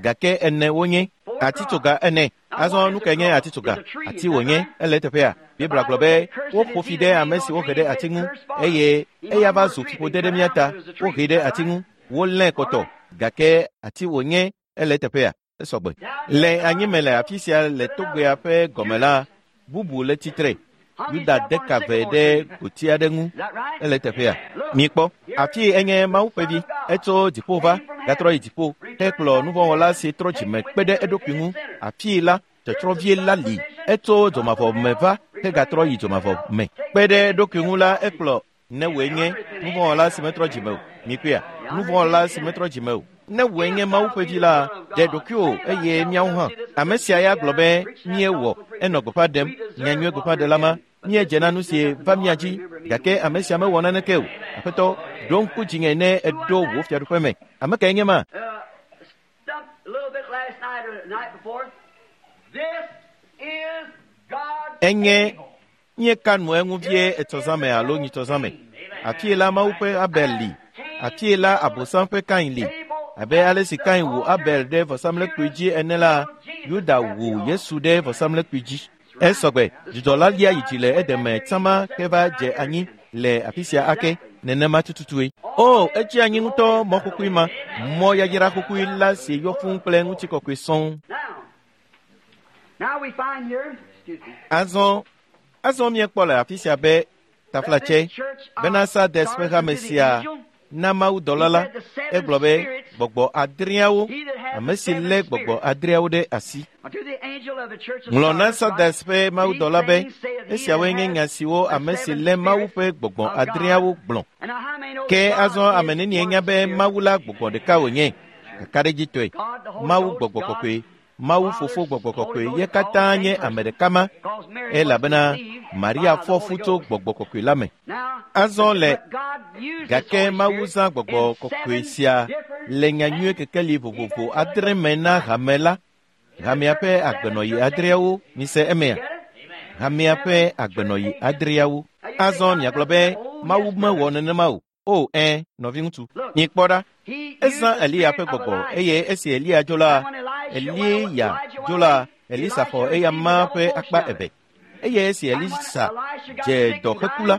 gake ene wonye. Atitsoga ene. Azɔ nu kae nye atitsoga? Ati wònye, ele teƒea. Biblia gblɔ be woƒo fi ɖe ame si wohe ɖe ati ŋu eye eya va zu fiƒode ɖe mía ta. Wohee ɖe ati ŋu, wolé kɔtɔ, gake ati wònye, ele teƒea. Esɔgbe. Le anyime le afi sia le togbea ƒe gɔme la, bubu le tsitre. Yuda de ka ve ɖe goti aɖe ŋu, ele teƒea. Mikpɔ, afi enye Mawu ƒe vi, etso dziƒo va, gatrɔ yi dziƒo, hekplɔ nuvɔ̃wɔla si trɔ dzime kpe ɖe eɖokui ŋu. Afii la, tsɔtsrɔ̃vie la li, etso dzomavɔ me va, hegatrɔ yi dzomavɔ me. Kpe ɖe eɖokui ŋu la, ekplɔ ne wòe nye nuvɔ̃wɔla si metrɔ dzime o. Mikpɔea, nuvɔ̃wɔla si metrɔ dzime o. Ne wòe nye Mawu ƒe vi la, ɖe ɖokuiwò eye míawo hã. Ame sia ya gblɔ be míewɔ, enɔ gbeƒã ɖem, nyanyui gbeƒãɖela ma, míedze na nu si va mía dzi, gake ame sia mewɔ naneke o. Aƒetɔ, ɖo ŋku dzinye ne eɖo wò fiaɖuƒe me. Ame kae nye ma? Enye míeka nu eŋu vie etɔzãme alo nyitɔzãme. Afie la Mawu ƒe Abel li. Afie la Abosam ƒe Kain li. Abe ale si Kain wu Abel ɖe vɔsamlekpui dzi ene la, Yuda wu Yesu ɖe vɔsamlekpui dzi. Esɔgbe, dzudzɔ la lia yi dzi le edeme tsama ke va dze anyi le afi sia ake, nenema tututue. O, etsi anyi ŋutɔ mɔ kukui ma, mɔ yayra kukui la si yɔ fũu kple ŋutikɔkɔe sɔŋ. Azɔ, azɔ míekpɔ le afi sia be taflatse bena Sardes ƒe hame sia na mawudɔla la, egblɔ be gbɔgbɔ adreawo, ame si lé gbɔgbɔ adreawo ɖe asi. Ŋlɔ na Sardes ƒe mawudɔla be esiawoe nye nya siwo ame si lé Mawu ƒe gbɔgbɔ adreawo gblɔ. Ke azɔ ame nenie nya be Mawu la gbɔgbɔ ɖeka wònye, kakaɖedzitɔe, Mawu gbɔgbɔ kɔkɔe, Mawu fofo gbɔgbɔ kɔkɔe ye katã nye ame ɖeka ma, elabena Maria fɔ fu tso gbɔgbɔ kɔkɔe la me. Azɔ le gake Mawu zã gbɔgbɔ kɔkɔe sia le nyanyui kekeli vovovo adre me na hame la, hamea ƒe agbenɔyi adreawo, mise emea? Hamea ƒe agbenɔyi adreawo. Azɔ miagblɔ be Mawu mewɔ nenema o. O, ẽ, nɔviŋutsu, mikpɔ ɖa. Ezã Eliya ƒe gbɔgbɔ eye esi Eliya dzo la, Eliya dzo la, Elisa xɔ eya ma ƒe akpa eve. Eye esi Elisa dze dɔ heku la,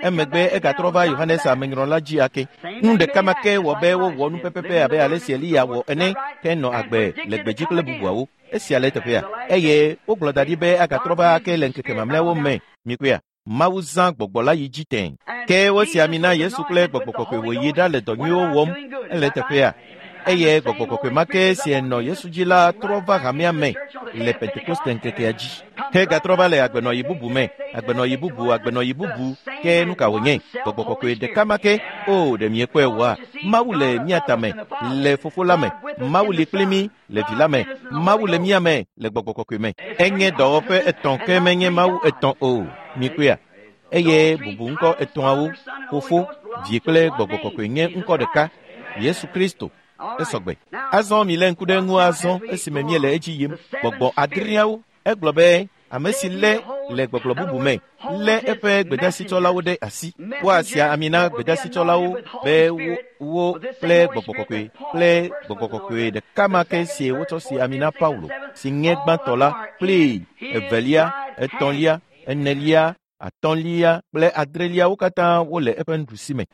emegbe egatrɔ va Yohanes amenyrɔla dzi ake. Nu ɖeka ma ke wɔ be wowɔ nu pɛpɛpɛ abe ale si Eliya wɔ ene, ke nɔ agbe le gbedzi kple bubuawo. Esia le teƒea. Eye wogblɔ da ɖi be agatrɔ va ake le ŋkeke mamlɛawo me. Mikpɔea? Mawu zã gbɔgbɔ la yi dzi tẽ. Ke wosi ami na Yesu kple gbɔgbɔ kɔkɔe wòyi ɖa le dɔ nyuiwo wɔm, ele teƒea. Eye gbɔgbɔ kɔkɔe ma ke si enɔ Yesu dzi la trɔ va hamea me le Pentekoste ŋkekea dzi. Hegatrɔ va le agbenɔyi bubu me, agbenɔyi bubu, agbenɔyi bubu, ke nu ka wònye? Gbɔgbɔ kɔkɔe ɖeka ma ke, o ɖe miekpɔe oa? Mawu le mía tame, le fofo la me. Mawu li kpli mí le vi la me. Mawu le mía me le gbɔgbɔ kɔkɔe me. Enye dɔwɔƒe etɔ̃ ke menye Mawu etɔ̃ o. Mikpɔea? Eye bubu ŋkɔ etɔ̃awo, fofo, vi kple gbɔgbɔ kɔkɔe nye ŋkɔ ɖeka, Yesu Kristo. Esɔgbe. Azɔ mi lé ŋku ɖe ŋu azɔ esime míele edzi yim. Gbɔgbɔ adreawo, egblɔ be ame si lé le gbɔgblɔ bubu me, lé eƒe gbedasitsɔlawo ɖe asi. Woasia ami na gbedasitsɔlawo be wo, wo kple gbɔgbɔ kɔkɔe kple gbɔgbɔ kɔkɔe ɖeka ma ke si wotsɔ si ami na Paulo, si nye gbãtɔ la, kple evelia, etɔ̃lia, enelia, atɔ̃lia kple adreliawo katã wole eƒe nuɖusi me.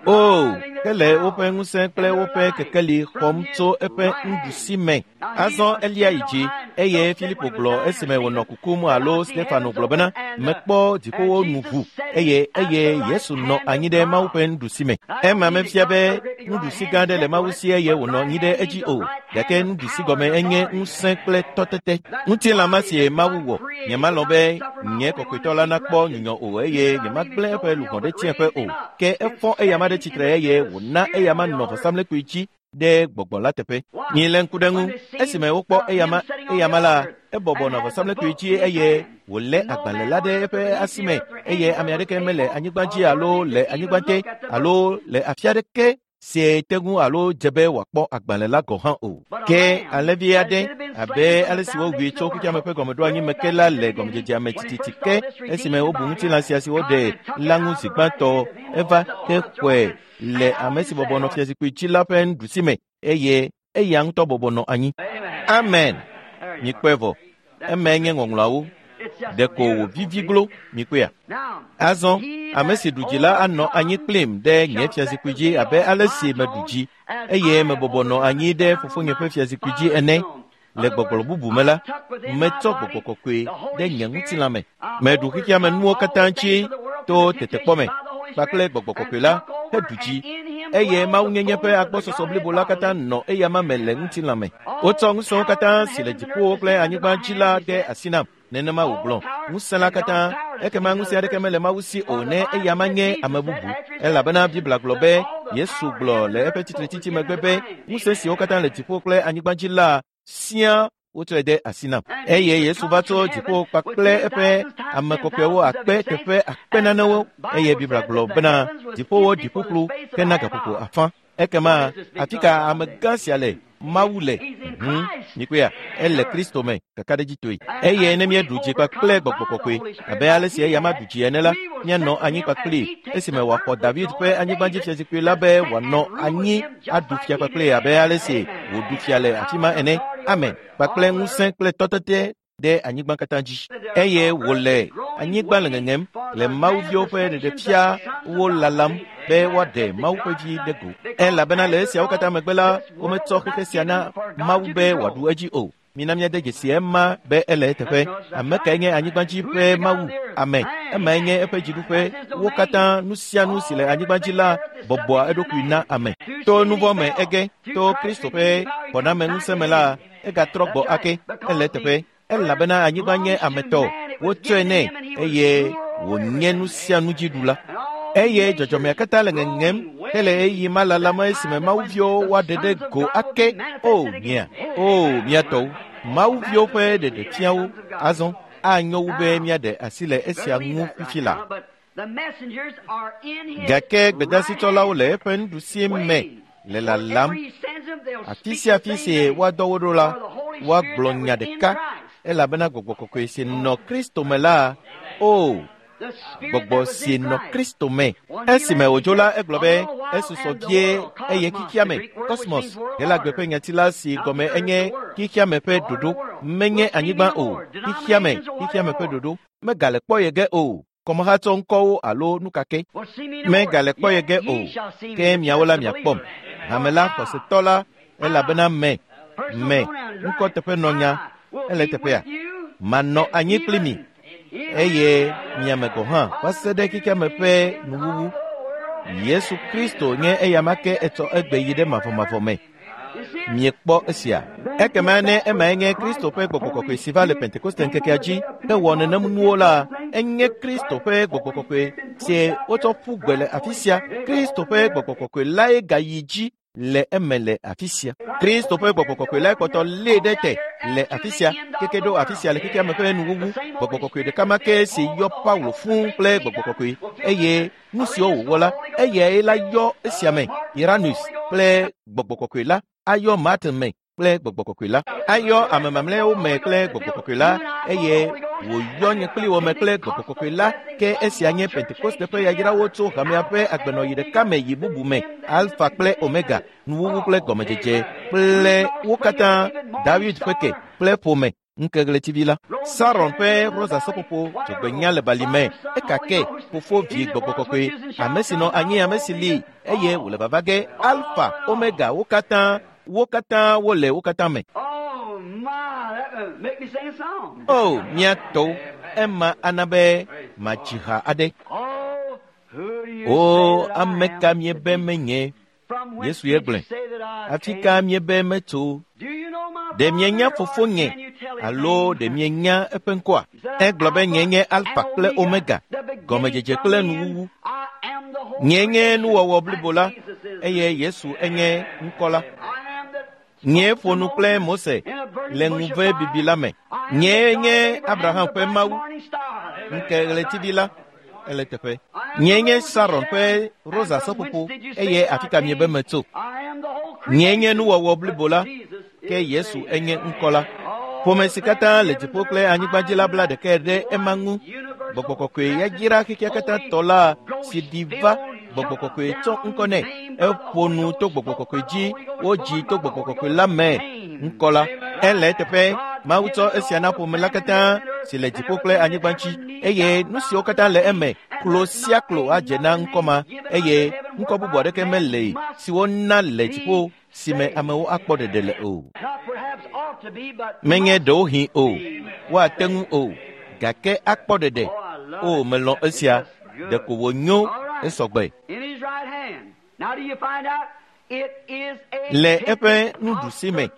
O, ke le woƒe ŋusẽ kple woƒe kekeli xɔm tso eƒe nuɖusi me. Azɔ elia yi dzi, eye Filipo gblɔ esime wònɔ kukum alo Stefano gblɔ bena, mekpɔ dziƒowo nu ʋu, eye eye Yesu nɔ anyi ɖe Mawu ƒe nuɖusi me. Ema mefia be nuɖusi gã aɖe le Mawu si eye wònɔ anyi ɖe edzi o, gake nuɖusi gɔme enye ŋusẽ kple tɔtete. Ŋutilã ma sie Mawu wɔ. Nyemalɔ̃ be nye kɔkɔetɔ la nakpɔ nyunyɔ o eye nyemagblẽ eƒe luʋɔ ɖe tsiẽƒe o. Ke efɔ eyama ɖe tsitre eye wòna eyama nɔ vɔsamlekpui dzi ɖe gbɔgbɔ la teƒe. Milé ŋku ɖe ŋu. Esime wokpɔ eyama, eyama la, ebɔbɔ nɔ vɔsamlekpui dzi eye wòlé agbalẽ la ɖe eƒe asi me eye ame aɖeke mele anyigba dzi alo le anyigba te alo le afi aɖeke si te ŋu alo dze be wòakpɔ agbalẽ la gɔ̃ hã o. Ke alẽvi aɖe abe ale si wowui tso xexeame ƒe gɔmeɖoanyi me ke la le gɔmedzedzea me tititi ke esime wobu ŋutilã sia si woɖe la ŋu zi gbãtɔ eva ke xɔe le ame si bɔbɔ nɔ fiazikpui dzi la ƒe nuɖusi me eye eya ŋutɔ bɔbɔ nɔ anyi. Amen. Mikpɔe vɔ. Emae nye ŋɔŋlɔawo. Ɖeko wòvivi glo mikpɔea. Azɔ ame si ɖu dzi la anɔ anyi kplim ɖe nye fiazikpui dzi abe ale si meɖu dzi eye mebɔbɔ nɔ anyi ɖe fofonye ƒe fiazikpui dzi ene. Le gbɔgblɔ bubu me la, metsɔ gbɔgbɔ kɔkɔe ɖe nye ŋutilã me. Meɖu xexeame nuwo katã dzi to tetekpɔ me kpakple gbɔgbɔ kɔkɔe la heɖu dzi eye mawunyenye ƒe agbɔsɔsɔ blibo la katã nɔ eyama me le ŋutilã me. Wotsɔ ŋusẽwo katã si le dziƒowo kple anyigba dzi la de asi nam. Nenema wògblɔ ŋusẽ la katã ekema ŋusẽ aɖeke mele Mawu si o ne eyama nye ame bubu. Elabena Biblia gblɔ be Yesu gblɔ le eƒe tsitretsitsi megbe be ŋusẽ siwo katã le dziƒo kple anyigba dzi la siaa wotsɔe de asi nam. Eye Yesu va tso dziƒo kpakple eƒe ame kɔkɔewo akpe teƒe akpe nanewo eye Biblia gblɔ bena dziƒowo ɖi ƒuƒlu hena gaƒoƒo afã. Ekema afi ka amegã sia le? Mawu le. Hmm, mikpɔea, ele Kristo me kakaɖedzitɔe. Eye ne míeɖu dzi kpakple gbɔgbɔ kɔkɔe abe ale si eya ma ɖu dzi ene la, míanɔ anyi kpakpli esime wòaxɔ David ƒe anyigbadzifiazikpui la be wòanɔ anyi aɖu fia kpakple abe ale si wòɖu fia le afi ma ene. Amen. Kpakple ŋusẽ kple tɔtete ɖe anyigba katã dzi. Eye wòle anyigba le ŋeŋem le mawuviwo ƒe ɖeɖefia wo lalam be woaɖe Mawu ƒe vi ɖe go. Elabena le esiawo katã megbe la, wometsɔ xexe sia na Mawu be wòaɖu edzi o. Mina míade dzesi ema be ele eteƒe. Ame kae nye anyigba dzi ƒe Mawu? Ame. Emae nye eƒe dziɖuƒe. Wo katã nu sia nu si le anyigba dzi la bɔbɔa eɖokui na ame. To nu vɔ̃ me ege, to Kristo ƒe xɔnameŋusẽ me la, egatrɔ gbɔ ake. Ele eteƒe. Elabena anyigba nye ametɔ. Wotsɔe nɛ eye wònye nu sia nu dzi ɖula. Eye dzɔdzɔmea katã le ŋeŋem hele ɣeyiɣi ma lalam esime mawuviwo woaɖe ɖe go ake. O mia, o mia tɔwo, mawuviwo ƒe ɖeɖefiawo azɔ anyo wu be míaɖe asi le esia ŋu fifi la. Gake gbedasitsɔlawo le eƒe nuɖusi me le lalam. Afi sia afi si woadɔ wo ɖo la, woagblɔ nya ɖeka elabena gbɔgbɔ kɔkɔe si nɔ Kristo me la, o gbɔgbɔ si nɔ Kristo me. Esime wòdzo la, egblɔ be esusɔ vie eye xexeame, kosmos, Helagbe ƒe nyati la si gɔme enye xexeame ƒe ɖoɖo, menye anyigba o, xexeame, xexeame ƒe ɖoɖo, megale kpɔ ye ge o. Kɔmehatsɔ ŋkɔwo alo nukake megale kpɔ ye ge o. Ke miawo la miakpɔm. Hame la xɔsetɔ la, elabena me, me, ŋkɔteƒenɔnya, ele teƒea. Manɔ anyi kpli mi eye miame gɔ̃ hã va se ɖe xexeame ƒe nuwuwu. Yesu Kristo nye eyama ke etsɔ egbe yi ɖe mavɔmavɔ me. Miekpɔ esia. Ekema ne emae nye Kristo ƒe gbɔgbɔ kɔkɔe si va le Pentekoste ŋkekea dzi hewɔ nenem nuwo la, enye Kristo ƒe gbɔgbɔ kɔkɔe si wotsɔ ƒu gbe le afi sia. Kristo ƒe gbɔgbɔ kɔkɔe lae gayi dzi le eme le afi sia. Kristo ƒe gbɔgbɔ kɔkɔe lae kpɔtɔ lée ɖe te le afi sia, keke ɖo afi sia le xexeame ƒe nuwuwu. Gbɔgbɔ kɔkɔe ɖeka ma ke si yɔ Paulo fũu kple gbɔgbɔ kɔkɔe eye nu siwo wòwɔ la, eyae la yɔ esia me Iranus kple gbɔgbɔ kɔkɔe la, ayɔ Martin me kple gbɔgbɔ kɔkɔe la, ayɔ ame mamlɛawo me kple gbɔgbɔ kɔkɔe la, eye wòyɔ nye kpli wo me kple gbɔgbɔ kɔkɔe la. Ke esia nye Pentekoste ƒe yayrawo tso hamea ƒe agbenɔɣi ɖeka me yi bubu me, Alfa kple Omega, nuwuwu kple gɔmedzedze kple wo katã, David ƒe ke kple ƒome ŋkeɣletivi la. Saron ƒe rosa seƒoƒo dzogbenya le bali me, ekake fofo vi gbɔgbɔ kɔkɔe, ame si nɔ anyi ame si li eye wòle vava ge, Alfa, Omega, wo katã, wo katã wole wo katã me. O mía tɔwo, ema ana be matsi ha aɖe. O ame ka miebe menye? Yesu ye gblɔe. Afi ka miebe metso? Ɖe mienya fofonye alo ɖe mienya eƒe ŋkɔa? Egblɔ be nye nye Alfa kple Omega, gɔmedzedze kple nuwuwu. Nye nye nuwɔwɔ blibo la, eye Yesu enye ŋkɔ la. Nye ƒo nu kple Mose le ŋuve bibi la me. Nye nye Abraham ƒe Mawu, ŋkeɣletivi la. Ele teƒe. Nye nye Saron ƒe rosa seƒoƒo eye afi ka miebe metso. Nye nye nuwɔwɔ blibo la, ke Yesu enye ŋkɔ la. Ƒome si katã le dziƒo kple anyigba dzi la bla ɖekae ɖe ema ŋu. Gbɔgbɔ kɔkɔe yayra xexea katã tɔ la si ɖi va gbɔgbɔ kɔkɔe tsɔ ŋkɔ nɛ. Eƒo nu to gbɔgbɔ kɔkɔe dzi, wodzi to gbɔgbɔ kɔkɔe la me ŋkɔ la. Ele eteƒe Mawu tsɔ esia na ƒome la katã si le dziƒo kple anyigba dzi eye nu siwo katã le eme klo sia klo adze na ŋkɔ ma eye ŋkɔ bubu aɖeke mele si wona le dziƒo si me amewo akpɔ ɖeɖe le o. Menye ɖewohĩ o, woate ŋu o, gake akpɔ ɖeɖe. O, melɔ̃ esia, ɖeko wònyo esɔgbe. Le eƒe nuɖusi me,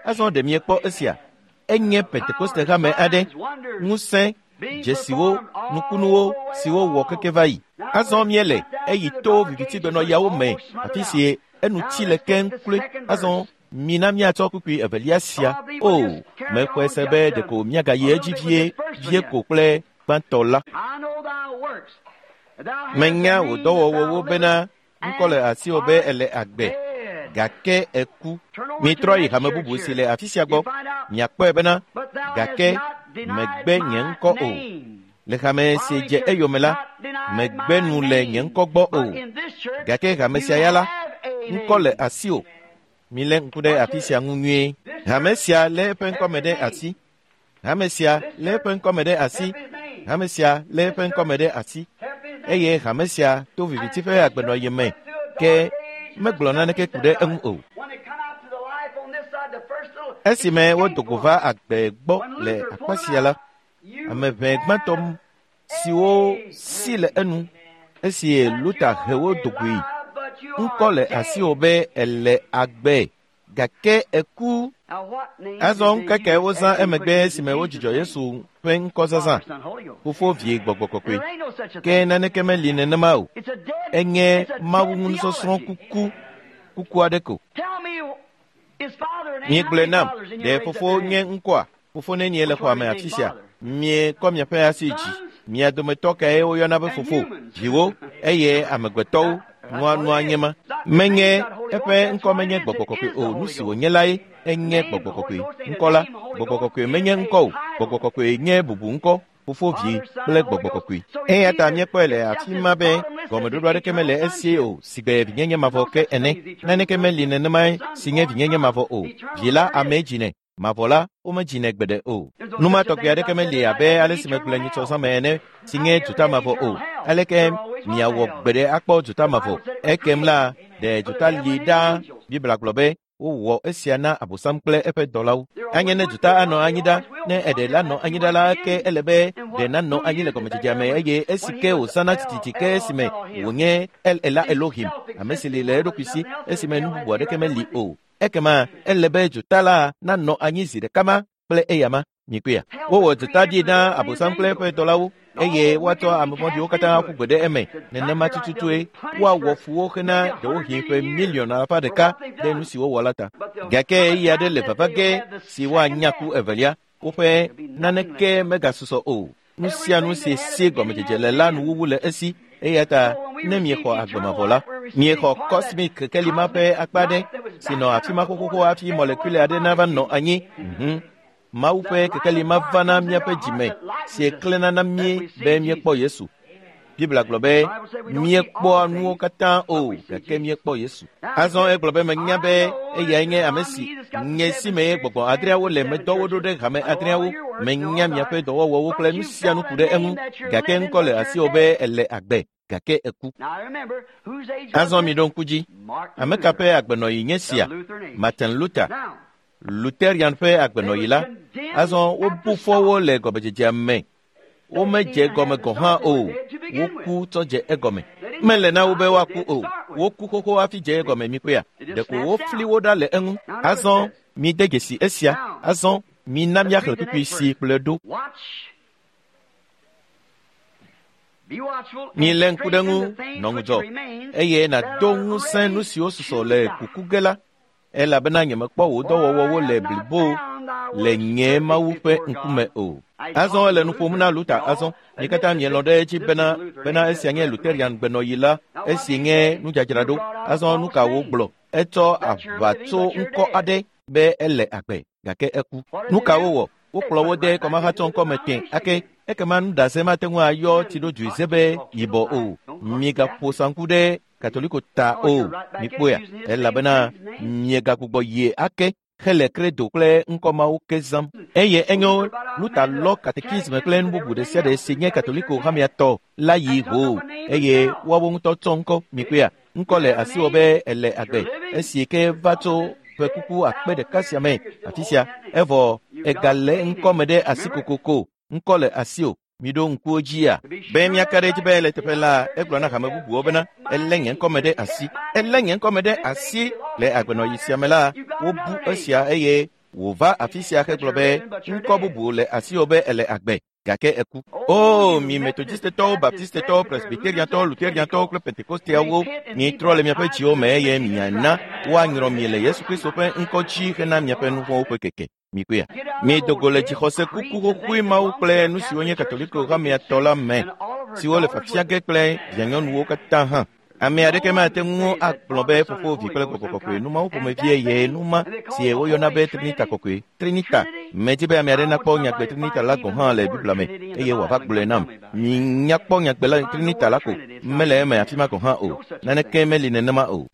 azɔ ɖe miekpɔ esia. Enye Pentekoste hame aɖe, ŋusẽ, dzesiwo, nukunuwo siwo wɔ keke va yi. Azɔ míele eyi to vivitigbenɔyawo me afi si enu tsi le keŋ kloe. Azɔ mina míatsɔ kpukpui evelia sia. O, mexɔe se be ɖeko míagayi edzi vie vie ko kple gbãtɔ la. Menya wò dɔwɔwɔwo bena ŋkɔ le asiwò be ele agbe, gake eku. Mitrɔ yi hame bubu si le afi sia gbɔ. Miakpɔe bena gake megbe nye ŋkɔ o. Le hame si dze eyome la, megbe nu le nye ŋkɔ gbɔ o. Gake hame sia ya la, ŋkɔ le asiwò. Milé ŋku ɖe afi sia ŋu nyuie. Hame sia lé eƒe ŋkɔme ɖe asi. Hame sia lé eƒe ŋkɔme ɖe asi. Hame sia lé eƒe ŋkɔme ɖe asi. Eye hame sia to viviti ƒe agbenɔɣi me ke megblɔ naneke ku ɖe eŋu o. Esime wodo go va agbe gbɔ le akpa sia la, ame ʋɛ gbãtɔ siwo si le enu esi Luther he wo do goe. Ŋkɔ le asiwò be ele agbe, gake eku. Azɔ ŋkeke wozã emegbe esime wodzudzɔ Yesu ƒe ŋkɔ zazã, Fofo Vie Gbɔgbɔ Kɔkɔe. Ke naneke meli nenema o. Enye Mawu ŋu kuku, kuku aɖe ko. Miegblɔe nam, ɖe fofo nye ŋkɔa? Fofo nenie le xɔa me afi sia? Miekɔ miaƒe asi dzi. Mia dometɔ kae woyɔna be fofo? Viwo eye amegbetɔwo nua nua nye ma. Menye eƒe ŋkɔ menye gbɔgbɔ kɔkɔe o. Nu si wònye lae enye gbɔgbɔ kɔkɔe. Ŋkɔ la, gbɔgbɔ kɔkɔe menye ŋkɔ o. Gbɔgbɔ kɔkɔe nye bubu ŋkɔ. Fofo Vi kple gbɔgbɔ kɔkɔe. Eya ta míekpɔe le afi ma be gɔmeɖoɖo aɖeke mele esie o sigbe vinyenye mavɔ ke ene. Naneke meli nenemae si nye vinyenye mavɔ o. Vi la amee dzinɛ, mavɔ la womedzinɛ gbeɖe o. Nu ma tɔgbi aɖeke meli abe ale si megblɔe nyitsɔ zã me ene si nye dzota mavɔ o. Aleke miawɔ gbeɖe akpɔ dzota mavɔ? Ekem la, ɖe dzota li ɖaa. Biblia gblɔ be wowɔ esia na Abosam kple eƒe dɔlawo. Anye ne dzota anɔ anyi ɖa, ne eɖe la nɔ anyi ɖa la, ke ele be ɖe nanɔ anyi le gɔmedzedzea me eye esi ke wòzãna tititi ke esime wònye El Ela Elohim, ame si li le eɖokui si esime nu bubu aɖeke meli o. Ekema ele be dzota la nanɔ anyi zi ɖeka ma kple eyama. Mikpɔea? Wowɔ dzota ɖi na Abosam kple eƒe dɔlawo eye woatsɔ ame vɔ̃ɖiwo katã aƒu gbe ɖe eme. Nenema tututue woawɔ fu wo hena ɖewohĩ ƒe miliɔn alafa ɖeka ɖe nu si wowɔ la ta. Gake ɣeyiɣi aɖe le vava ge si woanya ku evelia. Woƒe naneke megasusɔ o. Nu sia nu si si gɔmedzedze le la nuwuwu le esi. Eya ta ne miexɔ agbe mavɔ la, miexɔ kɔsmik kekeli ma ƒe akpa aɖe si nɔ afi ma xoxoxo hafi mɔlekule aɖe nava nɔ anyi. Mhm. Mawu ƒe kekeli ma va na míaƒe dzime si klẽna na mí be míekpɔ Yesu. Biblia gblɔ be míekpɔa nuwo katã o, gake míekpɔ Yesu. Azɔ egblɔ be menya be eyae nye ame si nye si me gbɔgbɔ adreawo le medɔ wo ɖo ɖe hame adreawo. Menya miaƒe dɔwɔwɔwo kple nu sia nu ku ɖe eŋu, gake ŋkɔ le asiwò be ele agbe, gake eku. Azɔ miɖo ŋku dzi. Ame ka ƒe agbenɔɣi nye sia? Martin Luther, Lutherian ƒe agbenɔɣi la. Azɔ wobu fɔ wo le gɔmedzedzea me. Womedze gɔme gɔ̃ hã o. Woku tsɔ dze egɔme. Mele na wo be woaku o. Woku xoxo hafi dze egɔme mikpɔea? Ɖeko wofli wo ɖa le eŋu. Azɔ mide dzesi esia. Azɔ mina míaxlẽ kpukpui si kplɔe ɖo. Milé ŋku ɖe ŋu, nɔ ŋudzɔ, eye nàdo ŋusẽ nu siwo susɔ le kuku ge la, elabena nyemekpɔ wò dɔwɔwɔwo le blibo le nye Mawu ƒe ŋkume o. Azɔ ele nu ƒom na Luther azɔ. Mi katã mielɔ̃ ɖe edzi bena bena esia nye Lutheran gbenɔyi la, esi nye nudzadzraɖo. Azɔ nu ka wògblɔ? Etsɔ aʋatso ŋkɔ aɖe be ele agbe gake eku. Nu ka wowɔ? Wokplɔ wo de kɔmahatsɔ ŋkɔme tẽ ake ekema nuɖase mate ŋu ayɔ tsiɖodzoe ze be yibɔ o. Migaƒo saŋku ɖe Katoliko ta o. Mikpɔea, elabena miegagbugbɔ yie ake hele kredo kple ŋkɔ mawo ke zãm. Eye enyo Luther lɔ katekisme kple nu bubu ɖe sia ɖe si nye Katoliko hamea tɔ la yi hoo eye woawo ŋutɔ tsɔ ŋkɔ. Mikpɔea, ŋkɔ le asiwò be ele agbe esi ke va tso ƒe kuku akpe ɖeka sia me afi sia evɔ egale ŋkɔ me ɖe asi kokoko. Ŋkɔ le asiwò. Miɖo ŋkuwo dzia be míaka ɖe edzi be le teƒe la egblɔ na hame bubuwo bena elé nye ŋkɔme ɖe asi. Elé nye ŋkɔme ɖe asi le agbenɔyi sia me la wobu esia eye wòva afi sia hegblɔ be ŋkɔ bubu le asiwò be ele agbe gake eku. O mi Metodistetɔwo, Baptistetɔwo, Presbyteriantɔwo, Lutheriantɔwo kple Pentekosteawo, mitrɔ le miaƒe dziwo me eye miana woanyrɔ mi le Yesu Kristo ƒe ŋkɔ dzi hena miaƒe nu vɔ̃wo ƒe keke. Mikpɔea, mido go le dzixɔse kuku xoxoe mawo kple nu siwo nye Katoliko hamea tɔ la me, siwo le fafia ge kple vianyɔnuwo katã hã. Ame aɖeke mate ŋu agblɔ be fofo, vi kple gbɔgbɔ kɔkɔe nu mawo ƒomevie ye nu ma si woyɔna be Trinita kɔkɔe. Trinita. Medi be ame aɖe nakpɔ nyagbe Trinita la gɔ̃ hã le Biblia me eye wòava gblɔe nam. Minyakpɔ nyagbe la Trinita la ko mele eme afi ma gɔ̃ hã o. Naneke meli nenema o.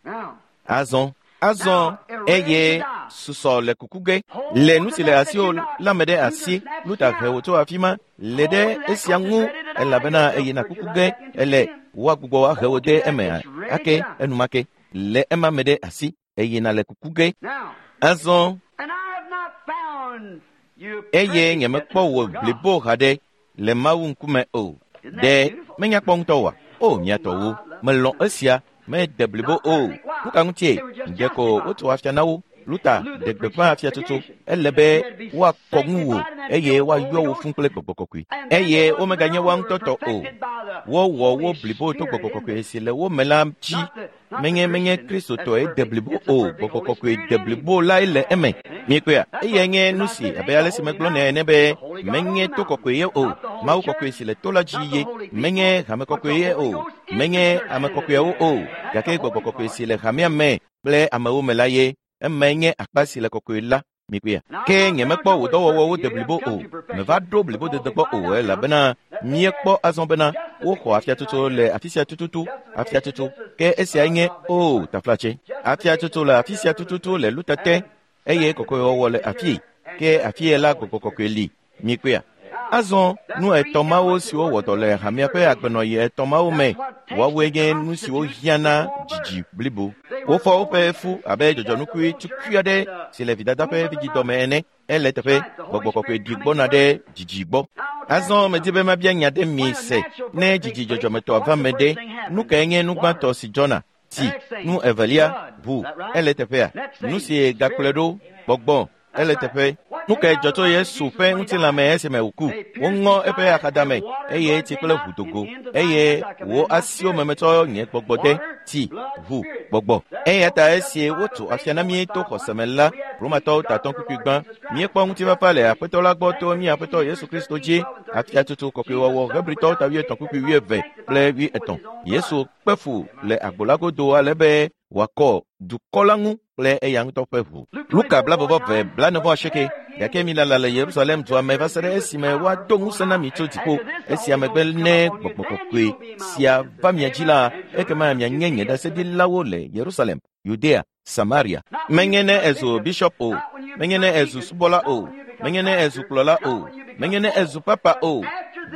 Azɔ Azɔ eye susɔ le kuku ge le nu si le asiwò la me ɖe asi. Luther he wò tso afi ma le ɖe esia ŋu elabena eyina kuku ge ele woagbugbɔ ahe wò de eme ake enumake le ema me ɖe asi eyina le kuku ge. Azɔ eye nyemekpɔ wò blibo haɖe le Mawu ŋkume o. Ɖe menya kpɔ ŋutɔ oa? O mia tɔwo, melɔ̃ esia mede blibo o. Nu ka ŋutie? Ɖeko wotso afia na wo. Luther ɖe gbeƒã afiatsotso. Ele be woakɔ ŋuwò eye woayɔ wò fũ kple gbɔgbɔ kɔkɔe. Eye womeganye woa ŋutɔ tɔ o. Wowɔ wo blibo to gbɔgbɔ kɔkɔe si le wo me la dzi. Menye menye Kristotɔe de blibo o. Gbɔgbɔ kɔkɔe de blibo lae le eme. Miekpɔea, eyae nye nu si abe ale si megblɔ nɛ ene be menye to kɔkɔe ye o. Mawu kɔkɔe si le to la dzi ye. Menye hame kɔkɔe ye o. Menye ame kɔkɔeawo o. Gake gbɔgbɔ kɔkɔe si le hamea me kple amewo me la ye. Emae nye akpa si le kɔkɔe la. Mikpɔea, ke nyemekpɔ wò dɔwɔwɔwo de blibo o. Meva ɖo blibodede gbɔ o elabena míekpɔ azɔ bena woxɔ afiatsotso le afi sia tututu. Afiatsotso ke esiae nye o taflatse. Afiatsotso le afi sia tututu le Luther te eye kɔkɔewɔwɔ le afii. Ke afie la gbɔgbɔ kɔkɔe li. Mikpɔea, azɔ nu etɔ̃ mawo siwo wɔ dɔ le hamea ƒe agbenɔyi etɔ̃ mawo me woawoe nye nu siwo hiã na dzidzi blibo. Wofɔ woƒe fu abe dzɔdzɔnukui tukui aɖe si le vidada ƒe vidzidɔme ene. Ele teƒe gbɔgbɔ kɔkɔe ɖi gbɔna ɖe dzidzi gbɔ. Azɔ medi be mabia nya ɖe mi se ne dzidzi dzɔdzɔmetɔ va me ɖe, nu kae nye nu gbãtɔ si dzɔna? Tsi. Nu evelia, ʋu. Ele teƒea. Nu si gakplɔe ɖo, gbɔgbɔ. Ele teƒe. Nu kae dzɔ tso Yesu ƒe ŋutilãme esime wòku? Woŋɔ eƒe axadame eye tsi kple ʋu do go eye wò asiwo me metsɔ nye gbɔgbɔ de. Tsi, ʋu, gbɔgbɔ. Eya ta esi wotso afia na mí to xɔse me la, Romatɔwo tatɔ kpukpui gbã, míekpɔ ŋutifafa le Aƒetɔ la gbɔ to mía Aƒetɔ Yesu Kristo dzi. Afiatsotso kɔkɔewɔwɔ Hebritɔwo ta wuietɔ̃ kpukpui wuieve kple wuietɔ̃. Yesu kpe fu le agbo la godo ale be wòakɔ dukɔ la ŋu kple eya ŋutɔ ƒe ʋu. Luka blavɔvɔ blanevɔ asieke. Gake milala le Yerusalem dua me va se ɖe esime woado ŋusẽ na mi tso dziƒo. Esia megbe ne gbɔgbɔ kɔkɔe sia va mia dzi la, ekema mianye nye ɖaseɖilawo le Yerusalem, Yudea, Samaria. Menye ne ezu bishop o, menye ne ezu subɔla o, menye ne ezu kplɔla o, menye ne ezu papa o.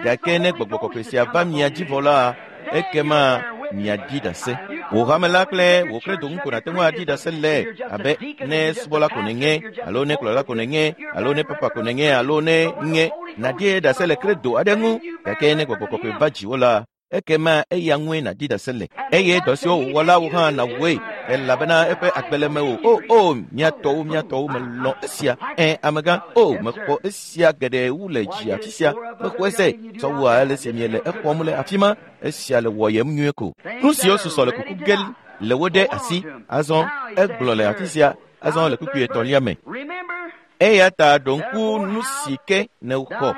Gake ne gbɔgbɔ kɔkɔe sia va mia dzi vɔ la, ekema miaɖi ɖase. Wò hame la kple wò kredo ŋu ko nàte ŋu aɖi ɖase le abe ne subɔla ko nènye, alo ne kplɔla ko nènye, alo ne papa ko nènye, alo ne nye nàɖi ɖase le kredo aɖe ŋu. Gake ne gbɔgbɔ kɔkɔe va dziwò la, ekema eya ŋue nàɖi ɖase le. Eye dɔ siwo wòwɔ la wò hã nàwɔe elabena eƒe agbe le mewò. O o mía tɔwo mía tɔwo melɔ̃ esia. Ẽ amegã, o mexɔ esia geɖe wu le dzi afi sia. Mexɔe se tsɔ wu ale si miele exɔm le afi ma. Esia le wɔyem nyuie ko. Nu siwo susɔ le kuku ge le wo ɖe asi. Azɔ egblɔ le afi sia. Azɔ le kpukpui etɔ̃lia me. Eya ta ɖo ŋku nu si ke nèxɔ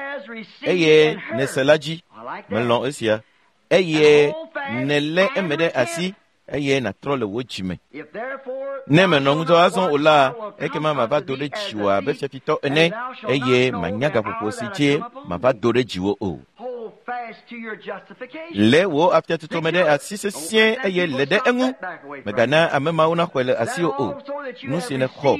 eye nèse la dzi. Melɔ̃ esia. Eye nèlé eme ɖe asi eye nàtrɔ le wò dzime. Ne menɔ ŋudzɔ azɔ o la, ekema mava do ɖe dziwò abe fiafitɔ ene eye manya gaƒoƒo si dzi mava do ɖe dziwò o. Lé wò afiatutu me ɖe asi sesĩe eye lé ɖe eŋu. Mègana ame mawo naxɔe le asiwò o. Nu si nèxɔ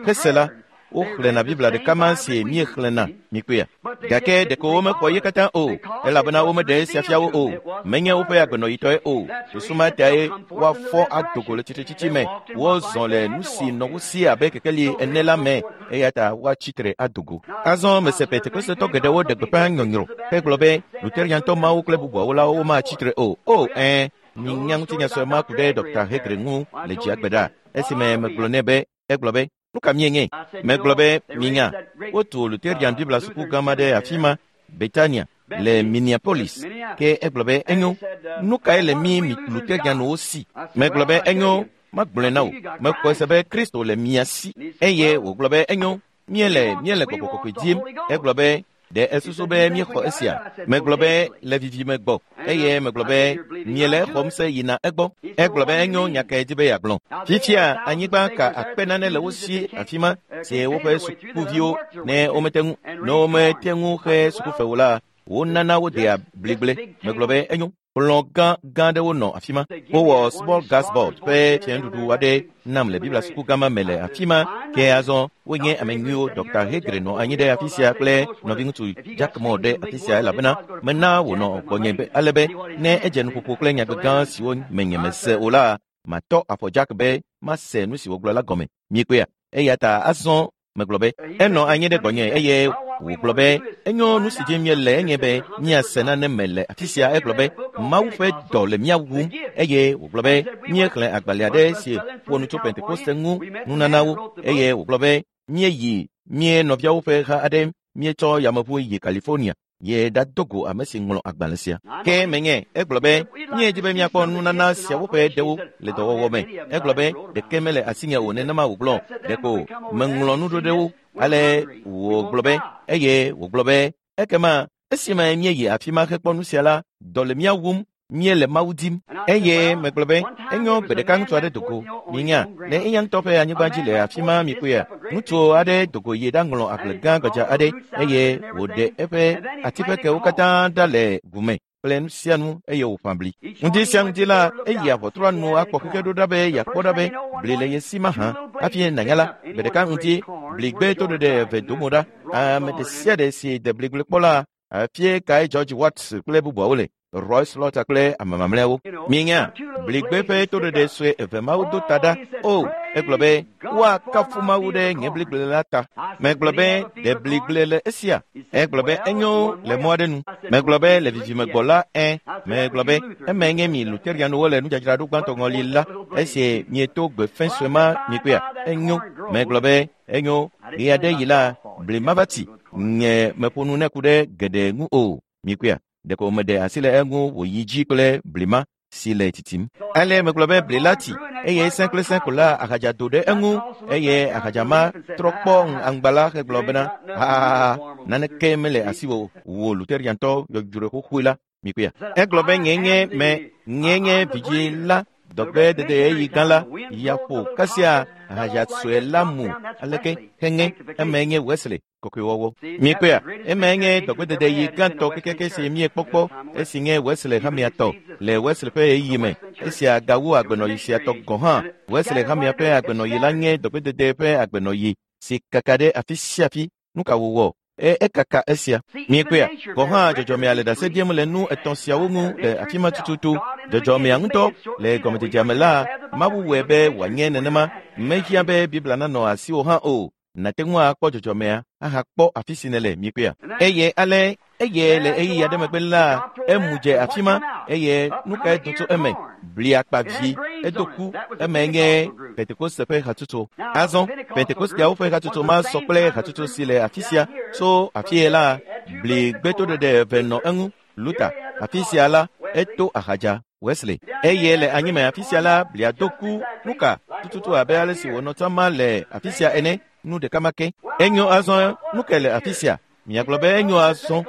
hese la, woxlẽna Biblia ɖeka ma si míexlẽna mikpea. Gake ɖeko womexɔ ye katã o, elabena womeɖe esia fia wo o. Menye woƒe agbenɔyitɔe o. Susu ma tae woafɔ ado go le tsitretsitsi me. Wozɔ le nu si nɔ wo si abe kekeli ene la me eya ta woatsi tre ado go. Azɔ mese Pentekostetɔ geɖewo ɖe gbeƒã nyɔnyrɔ hegblɔ be Luteriantɔ mawo kple bubuawo la womatsi tre o. O ɛ̃, minya ŋutinya sue ma ku ɖe Dɔkta Hegre ŋu le dzia gbe ɖa. Esime megblɔ nɛ be egblɔ be nu ka mienye? Megblɔ be minya wotu Luterian Biblia suku gã ma ɖe afi ma, Betania, le Minneapolis. Ke egblɔ be enyo, nu kae le mi Luterianwo si? Megblɔ be enyo, magblɔe na wò. Mexɔe se be Kristo le mia si. Eye wògblɔ be enyo, míele míele gbɔgbɔ kɔkɔe dim. Egblɔ be ɖe esusu be míexɔ esia. Megblɔ be le vivime gbɔ eye megblɔ be miele exɔm se yina egbɔ. Egblɔ be enyo nya kae di be yeagblɔ. Fifia anyigba ka akpe nane le wo si afi ma si woƒe sukuviwo ne womete ŋu ne womete ŋu xe sukufewo la, wonana wodea bligble. Megblɔ be enyo. Kplɔ̃ gã gã aɖewo nɔ afi ma. Wowɔ small gas board ƒe fianuɖuɖu aɖe nam le Biblia suku gã ma me le afi ma. Ke azɔ wonye ame nyuiwo. Dɔkta Hegre nɔ anyi ɖe afi sia kple nɔviŋutsu Jack Moore ɖe afi sia elabena mena wònɔ gbɔnye be ale be ne edze nuƒoƒo kple nyagbe gã siwo me nyemese o la, matɔ afɔ Jack be mase nu si wògblɔ la gɔme. Miekpea? Eya ta azɔ megblɔ be enɔ anyi ɖe gbɔnye eye wògblɔ be enyo nu si dzi míele enye be míase nane me le afi sia. Egblɔ be Mawu ƒe dɔ le mía wum eye wògblɔ be míexlẽ agbalẽ aɖe si ƒo nu tso Pentekoste ŋu nunanawo eye wògblɔ be míeyi mía nɔviawo ƒe ha aɖe míetsɔ yameʋu yi California ye ɖado go ame si ŋlɔ agbalẽ sia. Ke menye egblɔ be míedi be míakpɔ nunana siawo ƒe ɖewo le dɔwɔwɔ me. Egblɔ be ɖeke mele asinye o nenema wògblɔ. Ɖeko meŋlɔ nu ɖo ɖe wo. Ale wògblɔ be eye wògblɔ be ekema esime míeyi afi ma hekpɔ nu sia la, dɔ le mía wum, míele Mawu dim. Eye megblɔ be enyo gbe ɖeka ŋutsu aɖe do go. Minya le eya ŋutɔ ƒe anyigba dzi le afi ma mikpɔea, ŋutsu aɖe do go yi ɖaŋlɔ agble gã gbadza aɖe eye wòɖe eƒe atiƒekewo katã ɖa le ʋu me kple nu sia nu eye wòƒã bli. Ŋdi sia ŋdi la, eyi aʋɔtrɔa nu akpɔ xexe ɖo ɖa be yeakpɔ ɖa be bli le ye si mahã. Hafi nànya la, gbe ɖeka ŋdi bligbe toɖeɖe eve do mo ɖa. Ame ɖe sia ɖe si de bligble kpɔ la, afie kae George Watts kple bubuawo le, Roy Slaughter kple ame mamlɛawo. Minya bligbe ƒe toɖeɖe sue eve mawo do ta ɖa. O, egblɔ be woakafu Mawu ɖe nye bligble la ta. Megblɔ be ɖe bligble le esia. Egblɔ be enyo le mɔ aɖe nu. Megblɔ be le vivime gbɔ la ẽ. Megblɔ be eme nye mi Luterianwo le nudzadzraɖo gbãtɔ ŋɔli la esi mieto gbe fɛ̃ sue ma mikpɔea enyo. Megblɔ be enyo ɣe aɖe yi la bli ma va tsi. Nye meƒo nu ne ku ɖe geɖe ŋu o. Mikpɔea? Ɖeko meɖe asi le eŋu wòyi dzi kple bli ma si le titim. Ale megblɔ be bli la tsi eye sẽ kple sẽ ko la ahadza do ɖe eŋu eye ahadza ma trɔ kpɔ aŋgba la hegblɔ bena hahaha naneke mele asiwò wò Luteriantɔ yɔdzroe xoxoe la. Mikpɔea? Egblɔ be nye nye me nye nye vidzĩ la dɔgbe dede ɣeyiɣi gã la yaƒo kasia ahadza sue la mu aleke heŋe eme nye Wesley kɔkɔewɔwɔ. Mikpɔea? Eme nye dɔgbedede yi gãtɔ kekeake si míekpɔkpɔ esi nye Wesley hamea tɔ le Wesley ƒe ɣeyiɣi me. Esia gawu agbenɔyi sia tɔ gɔ̃ hã. Wesley hamea ƒe agbenɔyi la nye dɔgbedede ƒe agbenɔyi si kaka ɖe afi sia afi. Nu ka wòwɔ? E ekaka esia. Mikpɔea? Gɔ̃ hã dzɔdzɔmea le ɖase ɖim le nu etɔ̃ siawo ŋu le afi ma tututu. Dzɔdzɔmea ŋutɔ le gɔmedzedzea me la, Mawu wɔe be wòanye nenema. Mehiã be Biblia nanɔ asiwò hã o. Nàte ŋu akpɔ dzɔdzɔmea ahakpɔ afi si nèle mikpɔea. Eye ale eye le ɣeyiɣi aɖe megbe la, emu dze afi ma eye nu kae do tso eme? Bli akpavi edo ku. Eme nye Pentekoste ƒe hatsotso. Azɔ Pentekosteawo ƒe hatsotso ma sɔ kple hatsotso si le afi sia. Tso afie la, bli gbetoɖeɖe eve nɔ eŋu. Luther afi sia la, eto ahadza Wesley. Eye le anyime afi sia la, blia do ku. Nu ka tututu abe ale si wònɔ tsã ma le afi sia ene. Nu ɖeka ma ke. Enyo azɔ nu ke le afi sia. Miagblɔ be enyo azɔ.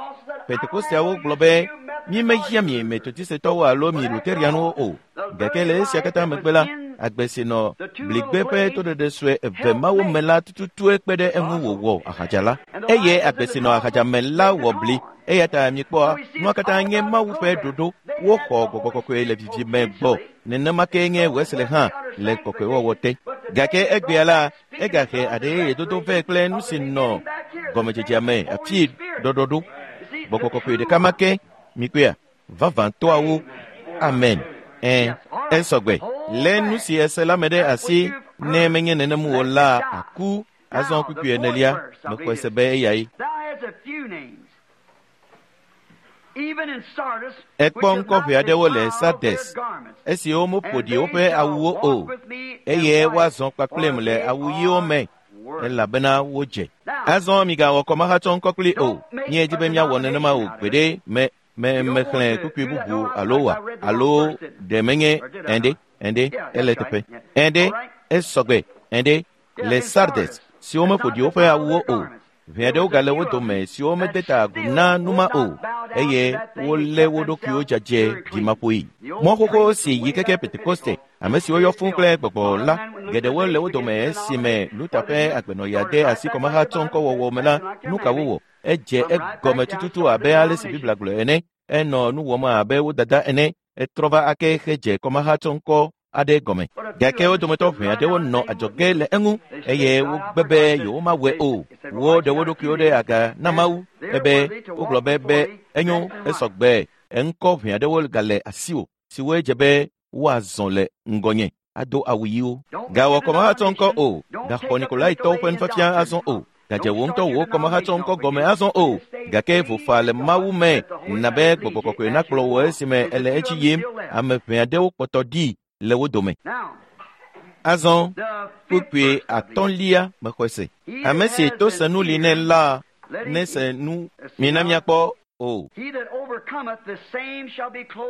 Pentekosteawo gblɔ be mi mehiã mi Metodisetɔwo alo mi Luterianwo o. Gake le esia katã megbe la, agbe si nɔ bligbe ƒe toɖeɖe sue eve mawo me la tututue kpe ɖe eŋu wòwɔ ahadza la. Eye agbe si nɔ ahadza me la wɔ bli. Eya ta mikpɔa, nua katã nye Mawu ƒe ɖoɖo. Woxɔ gbɔgbɔ kɔkɔe le vivime gbɔ. Nenema ke nye Wesley hã le kɔkɔewɔwɔ te. Gake egbea la, egahe aɖe yeye dodo vɛ kple nu si nɔ gɔmedzedzea me afi ɖɔɖɔɖo. Gbɔgbɔ kɔkɔe ɖeka ma ke mikpɔea, vavãtɔawo. Amen. Ẽ, esɔgbe. Lé nu si ese la me ɖe asi ne menye nenem o la aku. Azɔ kpukpui enelia, mexɔe se be eyae. Ekpɔ ŋkɔ ʋɛ aɖewo le Sardes, esiwo meƒo ɖi woƒe awuwo o, eye woazɔ kpakplim le awu ɣiwo me, elabena wodze. Azɔ migawɔ kɔmahatsɔ ŋkɔ kpli o. Míedi be míawɔ nenema o gbeɖe. Me me mexlẽ kpukpui bubu alo wa alo ɖe menye ɛnɖe ɛnɖe ele teƒe ɛnɖe esɔgbe ɛnɖe le Sardes siwo meƒo ɖi woƒe awuwo o. Ʋɛ aɖewo gale wo dome siwo mede ta agu na numa o, eye wolé wo ɖokuiwo dzadzɛ ɖimaƒoe. Mɔ xoxo si yi keke Pentekoste, ame siwo yɔ fũu kple gbɔgbɔ la, geɖewo le wo dome esime Luther ƒe agbenɔɣia de asi kɔmahatsɔ ŋkɔwɔwɔ me la, nu ka wowɔ? Edze egɔme tututu abe ale si Biblia gblɔ ene. Enɔ nu wɔm abe wo dada ene. Etrɔ va ake hedze kɔmahatsɔ ŋkɔ aɖe gɔme. Gake wo dometɔ ʋɛ aɖewo nɔ adzɔge le eŋu eye wogbe be yewomawɔe o. Woɖe wo ɖokuiwo ɖe aga na Mawu ebe wogblɔ be be enyo esɔgbe. Eŋkɔ ʋɛ aɖewo gale asiwò siwoe dze be woazɔ le ŋgɔnye ado awu ɣiwo. Gawɔ kɔmahatsɔ ŋkɔ o. Gaxɔ Nikolaitɔwo ƒe nufiafia azɔ o. Gadze wò ŋutɔ wò kɔmahatsɔ ŋkɔ gɔme azɔ o. Gake vofa le Mawu me na be gbɔgbɔ kɔkɔe nakplɔ wò esime ele edzi yim. Ame ʋɛ aɖewo kpɔtɔ ɖi le wo dome. Azɔ kpukpui atɔ̃lia mexɔe se. Ame si to se nu li nɛ la nese nu. Mina míakpɔ o.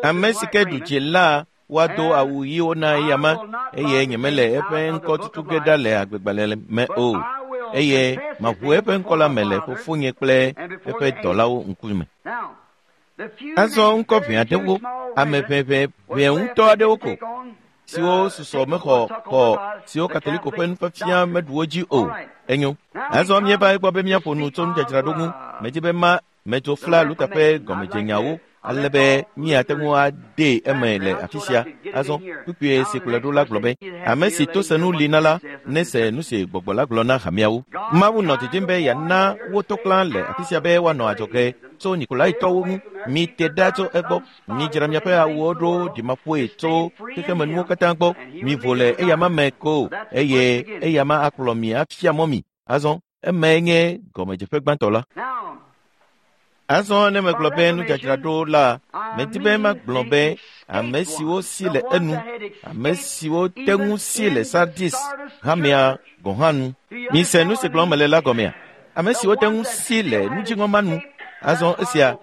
Ame si ke ɖu dzi la woado awu ɣiwo na eyama, eye nyemele eƒe ŋkɔ tutu ge ɖa le agbegbalẽ me o, eye maʋu eƒe ŋkɔ la me le fofonye kple eƒe dɔlawo ŋkume. Azɔ ŋkɔ ʋɛ aɖewo, ame ʋɛʋɛ ʋɛ ŋutɔ aɖewo ko, siwo susɔ mexɔ xɔ siwo Katoliko ƒe nufiafia meɖu wo dzi o. Enyo. Azɔ míeva egbɔ be míaƒo nu tso nudzadzraɖo ŋu. Medzi be ma medzo fla Luther ƒe gɔmedzenyawo ale be míate ŋu adee eme le afi sia. Azɔ kpukpui si kplɔe ɖo la gblɔ be ame si to se nu li na la nese nu si gbɔgbɔ la gblɔ na hameawo. Mawu nɔ didim be yeana wo to klã le afi sia be woanɔ adzɔge tso Nikolaitɔwo ŋu. Mite ɖa tso egbɔ. Midzra miaƒe awuwo ɖo ɖimaƒoe tso xexemenuwo katã gbɔ. Mivo le eyama me ko eye eyama akplɔ mi afia mɔ mi. Azɔ emae nye gɔmedzeƒe gbãtɔ la. Azɔ ne megblɔ be nudzadzraɖo la, medi be magblɔ be ame siwo si le enu, ame siwo te ŋu si le Sardis hamea gɔ̃ hã nu. Mise nu si gblɔm mele la gɔmea? Ame siwo te ŋu si le nudziŋɔ ma nu. Azɔ esia,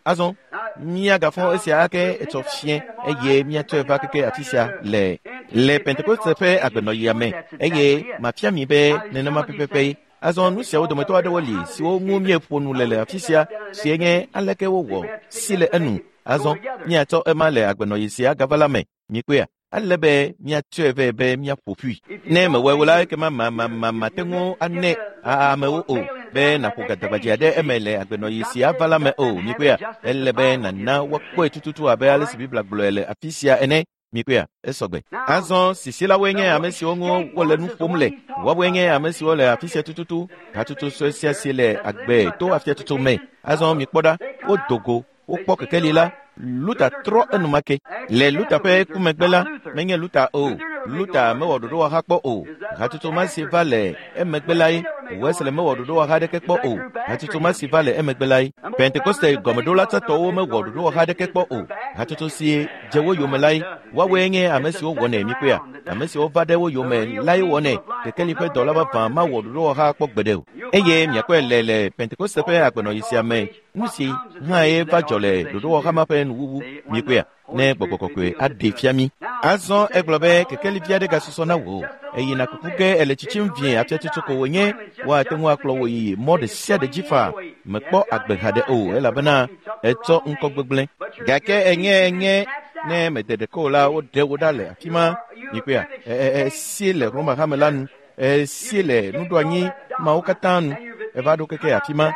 azɔ míagafɔ esia ake etsɔ fiẽ eye míatsɔe va keke afi sia le le Pentekoste ƒe agbenɔɣia me eye mafia mi be nenema pɛpɛpɛ. Azɔ nu siawo dometɔ aɖewo li siwo ŋu míeƒo nu le le afi sia sie nye aleke wowɔ si le enu. Azɔ míatsɔ ema le agbenɔɣi sia gava la me. Mikpɔea, ale be míatsɔe vɛ be míaƒo ƒui. Ne mewɔe o la, ekema ma ma ma mate ŋu anɛ amewo o be nàƒo gadagbadze aɖe eme le agbenɔɣi sia va la me o. Mikpɔea, ele be nàna woakpɔe tututu abe ale si Biblia gblɔe le afi sia ene. Mikpɔea, esɔgbe. Azɔ sisilawoe nye ame siwo ŋu wole nu ƒom le. Woawoe nye ame siwo le afi sia tututu. Hatsotso sue sia si le agbe to afiatsotso me. Azɔ mikpɔ ɖa, wodo go, wokpɔ kekeli la. Luther trɔ enumake. Le Luther ƒe ku megbe la, menye Luther o. Luther mewɔ ɖoɖowɔha kpɔ o. Hatsotso ma si va le emegbe lae. Wesley mewɔ ɖoɖowɔha aɖeke kpɔ o. Hatsotso ma si va le emegbe lae. Pentekoste gɔmeɖola tsãtɔwo mewɔ ɖoɖowɔha aɖeke kpɔ o. Hatsotso si dze wo yome lae. Woawoe nye ame siwo wɔnɛ mikpɔea. Ame siwo va ɖe wo yome lae wɔnɛ. Kekeli ƒe dɔla vavã mawɔ ɖoɖowɔha kpɔ gbeɖe o. Eye miakpɔe le le Pentekoste ƒe agbenɔɣi sia me. Nu si hã ye va dzɔ le ɖoɖowɔha ma ƒe nuwuwu. Mikpɔea, ne gbɔgbɔ kɔkɔe aɖee fia mi. Azɔ egblɔ be kekeli vi aɖe gasusɔ na wò. Eyina kuku ge ele tsitsim vie afiatsotso ko wònye woate ŋu akplɔ wò yi mɔ ɖe sia ɖe dzi faa mekpɔ agbe haɖe o elabena etsɔ ŋkɔ gbegblẽ. Gake enye enye ne mede ɖeke o la woɖe wo ɖa le afi ma mikpɔea esie le Roma hame la nu esie le nuɖoanyi mawo katã nu eva ɖo keke afi ma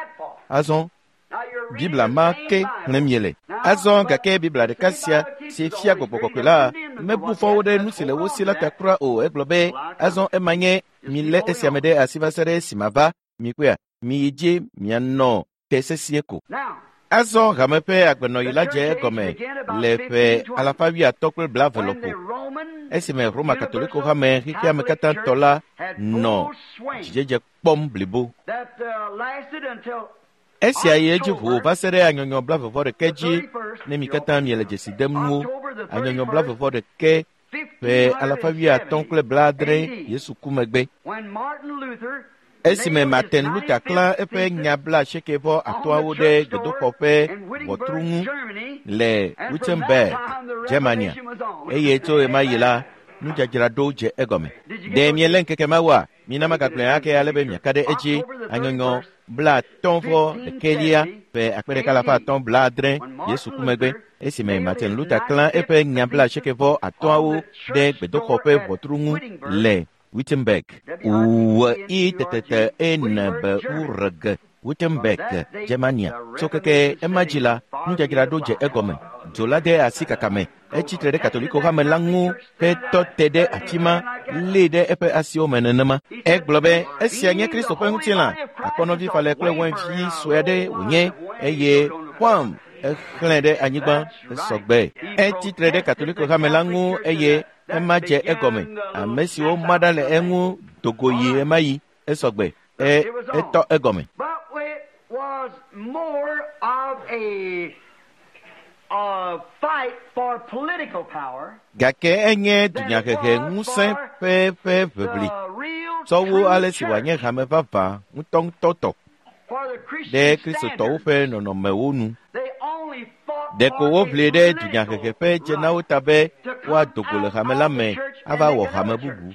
azɔ Biblia ma ke xlẽm miele. Azɔ gake Biblia ɖeka sia si fia gbɔgbɔ kɔkɔe la mebu fɔ wo ɖe nu si le wo si la ta kura o. Egblɔ be azɔ ema nye milé esia me ɖe asi va se ɖe esime va mikpɔea miyi dzi mianɔ te sesĩe ko. Azɔ hame ƒe agbenɔɣi la dze egɔme le ƒe alafa wuiatɔ̃ kple blaeve lɔƒo esime Roma Katoliko hame xexea me katã tɔ la nɔ dzidzedze kpɔm blibo. Esia yi edzi ʋuu va se ɖe anyɔnyɔ blaeve vɔ ɖeke dzi ne mi katã miele dzesi dem nuwo. Anyɔnyɔ blaeve vɔ ɖeke ƒe alafa wuiatɔ̃ kple blaadre Yesu ku megbe. Esime Martin Luther klã eƒe nya blaasieke vɔ atɔ̃awo ɖe gbedoxɔ ƒe ʋɔtru ŋu le Wittenberg, Germania, eye tso ɣemaɣi la nudzadzraɖo dze egɔme. Ɖe miele ŋkeke mawoa? Mina magagblɔe ake ale be miaka ɖe edzi. Anyɔnyɔ blaatɔ̃ vɔ ɖekɛlia ƒe akpe ɖeka alafa atɔ̃ blaadre Yesu ku megbe esime Martin Luther klã eƒe nya blaasieke vɔ atɔ̃awo ɖe gbedoxɔ ƒe ʋɔtru ŋu le Wittenberg. W I T T T E N B U R G Wittenberg, Germania. Tso keke ema dzi la, nudzadzraɖo dze egɔme. Dzo la de asi kaka me. Etsi tre ɖe Katoliko hame la ŋu hetɔ te ɖe afi ma, lée ɖe eƒe asiwo me nenema. Egblɔ be esia nye Kristo ƒe ŋutilã, akpɔnɔvi falɛ kple wainvi sue aɖe wònye eye Juan exlẽ ɖe anyigba esɔgbe. Etsi tre ɖe Katoliko hame la ŋu eye ema dze egɔme. Ame siwo ma ɖa le eŋu dogo yi ema yi esɔgbe. E etɔ egɔme. Gake enye dunyahehe ŋusẽ ƒe ƒe ʋeʋli tsɔ wu ale si wòanye hame vavã ŋutɔŋutɔ tɔ ɖe Kristotɔwo ƒe nɔnɔmewo nu. Ɖeko woʋli ɖe dunyahehe ƒe dzenawo ta be woado go le hame la me ava wɔ hame bubu.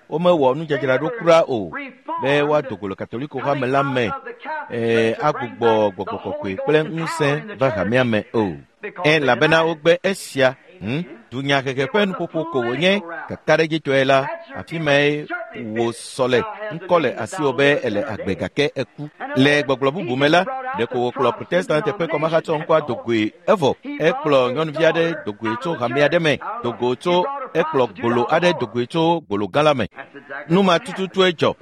Womewɔ nudzadzraɖo kura o be woado go le Katoliko hame la me ee agbugbɔ gbɔgbɔ kɔkɔe kple ŋusẽ va hamea me o. Elabena wogbe esia. Hm? Dunyahehe ƒe nuƒoƒo ko wònye kakaɖedzitɔe la, afi mae wòsɔ le ŋkɔ le asiwò be ele agbe gake eku. Le gbɔgblɔ bubu me la, ɖeko wòkplɔ Protestant ƒe kɔmahatsɔ ŋkɔa dogoe evɔ. Ekplɔ nyɔnuvi aɖe dogoe tso hame aɖe me, dogo tso ekplɔ gbolo aɖe dogoe tso gbolo gã la me. Nu ma tututue dzɔ.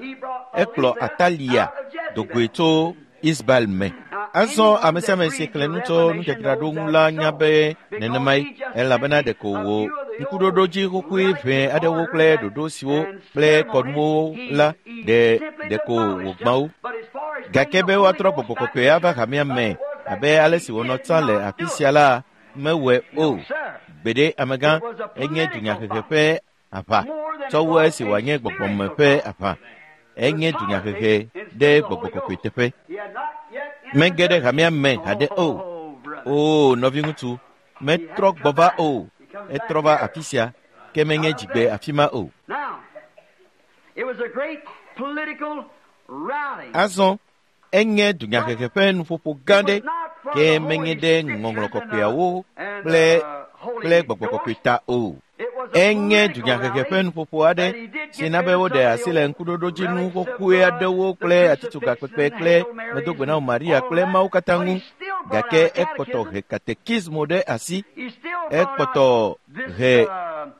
Ekplɔ Atalia dogoe tso Isbael me. Azɔ ame sia ame si xlẽ nu tso nudzadzraɖo ŋu la nya be nenemae, elabena ɖeko wò ŋkuɖoɖodzi xoxoe ʋɛ aɖewo kple ɖoɖo siwo kple kɔnuwo la ɖe ɖeko wògbã wo. Gake be woatrɔ gbɔgbɔ kɔkɔe ava hamea me abe ale si wònɔ tsã le afi sia la mewɔe o. Gbeɖe amegã enye dunyahehe ƒe aʋa tsɔ wu esi wòanye gbɔgbɔme ƒe aʋa. Enye dunyahehe ɖe gbɔgbɔ kɔkɔe teƒe. Mege ɖe hamea me haɖe o. Oo nɔviŋutsu, metrɔ gbɔ va o. Etrɔ va afi sia, ke menye dzigbe afi ma o. Azɔ enye dunyahehe ƒe nuƒoƒo gã ɖe, ke menye ɖe ŋɔŋlɔ kɔkɔeawo kple kple gbɔgbɔ kɔkɔe ta o. Enye dunyahehe ƒe nuƒoƒo aɖe si na be woɖe asi le ŋkuɖoɖodzinu xoxoe aɖewo kple atitsoga kpekpe kple medogbe na Maria kple Mawu katã ŋu. Gake ekpɔtɔ he katekismo ɖe asi. Ekpɔtɔ he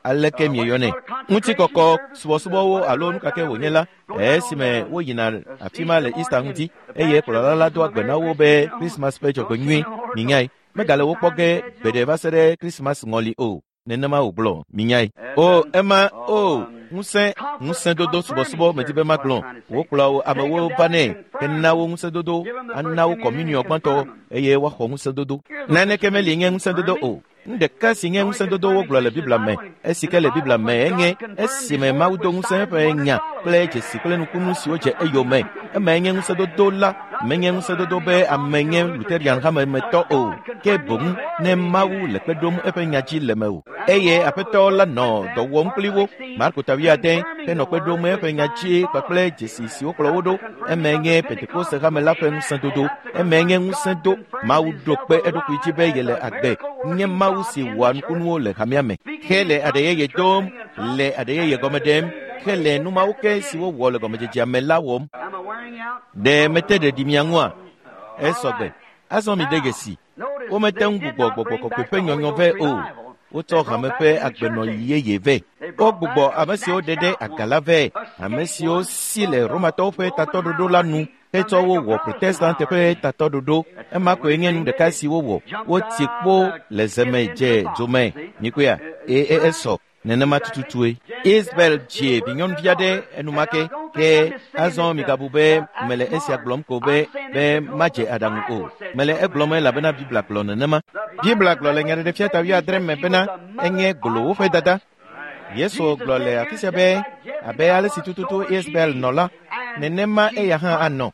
aleke mieyɔnɛ ŋutikɔkɔ subɔsubɔwo alo nu kake wònye la esime woyina afi ma le Easter ŋuti eye kplɔla la doa gbe na wo be Christmas ƒe dzɔgbenyui minyae. Megale wo kpɔ ge gbeɖe va se ɖe Christmas ŋɔli o. Nenema wògblɔ minyae. O ema o ŋusẽ ŋusẽdodo subɔsubɔ medi be magblɔ. Wokplɔa wo amewo vanɛ hena wo ŋusẽdodo ana wo kɔmuniɔ gbãtɔ eye woaxɔ ŋusẽdodo. Naneke meli nye ŋusẽdodo o. Nu ɖeka si nye ŋusẽdodo wogblɔ le Biblia me, esi ke le Biblia me enye esime Mawu do ŋusẽ eƒe nya kple dzesi kple nukunu siwo dze eyome. Emae nye ŋusẽdodo la, menye ŋusẽdodo be ame nye Lutheran hamemetɔ o, ke boŋ ne Mawu le kpe ɖom eƒe nya dzi le mewò. Eye aƒetɔ la nɔ dɔ wɔm kpli wo. Marko ta wuiade henɔ kpe ɖom eƒe nya dzi kpakple dzesi siwo kplɔ wo ɖo. Eme nye Pentekoste hame la ƒe ŋusẽdodo. Eme nye ŋusẽ do. Mawu ɖo kpe eɖokui dzi be yele agbe. Nye Mawu si wɔa nukunuwo le hamea me. Hele aɖe yeye dom, le aɖe yeye gɔme ɖem. Hele nu mawo ke siwo wɔ le gɔmedzedzea me la wɔm. Ɖe mete ɖeɖi mia ŋua? Esɔgbe. Azɔ mi de dzesi. Womete ŋu gbugbɔ gbɔgbɔ kɔkɔe ƒe nyɔnyɔ vɛ o. Wotsɔ hame ƒe agbenɔyi yeye vɛ. Wogbugbɔ ame siwo ɖe ɖe aga la vɛ, ame siwo si le Romatɔwo ƒe tatɔɖoɖo la nu hetsɔ wo wɔ Protestante ƒe tatɔɖoɖo. Ema koe nye nu ɖeka si wowɔ. Woti kpo le zeme dze dzome. Mikpɔea? Eye esɔ. Nenema tututue. Isabel dzi vinyɔnuvi aɖe enumake ke azɔ migabu be mele esia gblɔm ko be be madze aɖaŋu o. Mele egblɔm elabena Biblia gblɔ nenema. Biblia gblɔ le Nyaɖeɖefia ta wuiadre me bena enye golowo ƒe dada. Yesu gblɔ le afi sia be abe ale si tututu Isabel nɔ la, nenema eya hã anɔ.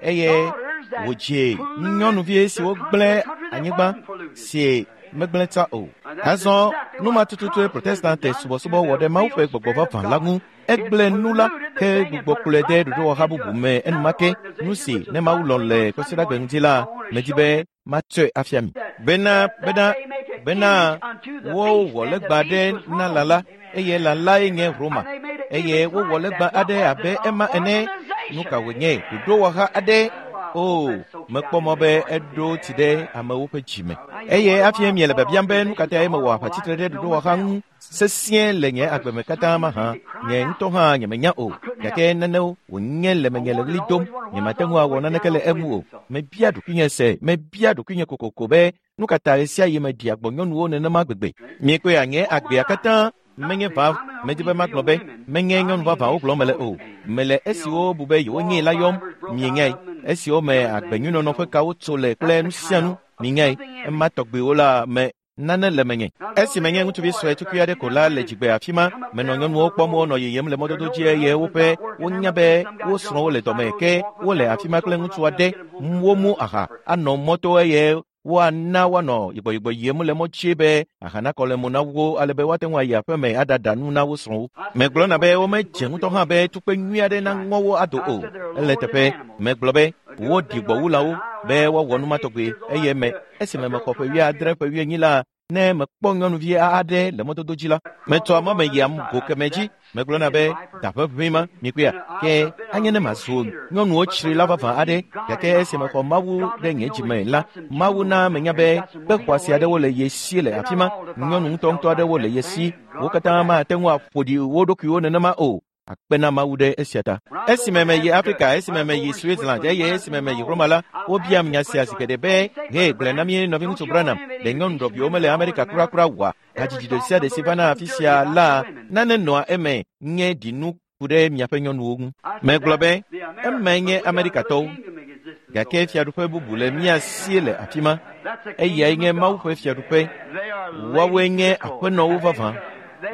Eye wòdzi nyɔnuvi siwo gblẽ anyigba si megblẽ ta o. Azɔ nu ma tututue Protestante subɔsubɔ wɔ ɖe Mawu ƒe gbɔgbɔ vavã la ŋu. Egblẽ nu la ke gbugbɔ kplɔe de ɖoɖowɔha bubu me enumake. Nu si ne Mawu lɔ̃ le Kwasiɖagbe ŋuti la, medi be matsɔe afia mi. Bena bena bena wowɔ legba aɖe na lã la, eye lã lae nye Roma. Eye wowɔ legba aɖe abe ema ene. Nu ka wònye? Ɖoɖowɔha aɖe. O, mekpɔ mɔ be eɖo tsi ɖe amewo ƒe dzime. Eye hafi miele biabiam be nu ka tae mewɔ aʋatsitre ɖe ɖoɖowɔha ŋu sesĩe le nye agbe me katã mahã, nye ŋutɔ hã nyemenya o. Gake nanewo wònye le menye le ɣli dom, nyemate ŋu awɔ naneke le eŋu o. Mebia ɖokuinye se, mebia ɖokuinye kokoko be nu ka ta ɣe sia ɣi meɖia gbɔ nyɔnuwo nenema gbegbe. Miekpɔea nye agbea katã menye va medi be magblɔ be menye nyɔnu vavãwo gblɔm mele o. Mele esiwo bu be yewonyee la yɔm. Mienyae. Esiwo me agbenyuinɔnɔ ƒe kawo tso le kple nu sia nu. Mienyae. Ema tɔgbiwo la me nane le menye. Esi menye ŋutsuvi sue tukui aɖe ko la le dzigbe afi ma, menɔ nyɔnuwo kpɔm wonɔ yiyim le mɔdodo dzi eye woƒe wonya be wo srɔ̃wo le dɔme ke wole afi ma kple ŋutsu aɖe. Womu aha anɔ mɔto eye woana woanɔ yibɔyibɔ yim le mɔ dzi be aha nakɔ le mo na wo ale be woate ŋu ayi aƒeme aɖaɖa nu na wo srɔ̃wo. Megblɔna be womedze ŋutɔ hã be tukpe nyui aɖe naŋɔ wo ado o. Ele teƒe megblɔ be woɖi gbɔ wu lãwo be woawɔ nu ma tɔgbi eye me esime mexɔ ƒe wuiadre ƒe wuienyi la, ne mekpɔ nyɔnuvi aɖe le mɔdodo dzi la, metsɔa mɔ me yiam go keme dzi. Megblɔna be daƒe ʋĩ ma mikpɔea ke anye ne mazu nyɔnuwo tsri la vavã aɖe. Gake esi mexɔ Mawu ɖe nye dzime la, Mawu na menya be kpe xɔasi aɖewo le ye si le afi ma. Nyɔnu ŋutɔŋutɔ aɖewo le ye si. Wo katã mate ŋu aƒo ɖi wo ɖokuiwo nenema o. Akpe na Mawu ɖe esia ta. Esime meyi Afrika, esime meyi Switzerland eye esime meyi Roma la, wobiam nya sia zi geɖe be, "He, gblɔe na mí nɔviŋutsu Branham, ɖe nyɔnu ɖɔviwo mele Amerika kurakura oa? Hadzidzi ɖe sia ɖe si vana afi sia la, nane nɔa eme nye ɖinu ku ɖe miaƒe nyɔnuwo ŋu." Megblɔ be, eme nye Amerikatɔwo. Gake fiaɖuƒe bubu le mía si le afi ma. Eyae nye Mawu ƒe fiaɖuƒe. Woawoe nye aƒenɔwo vavã.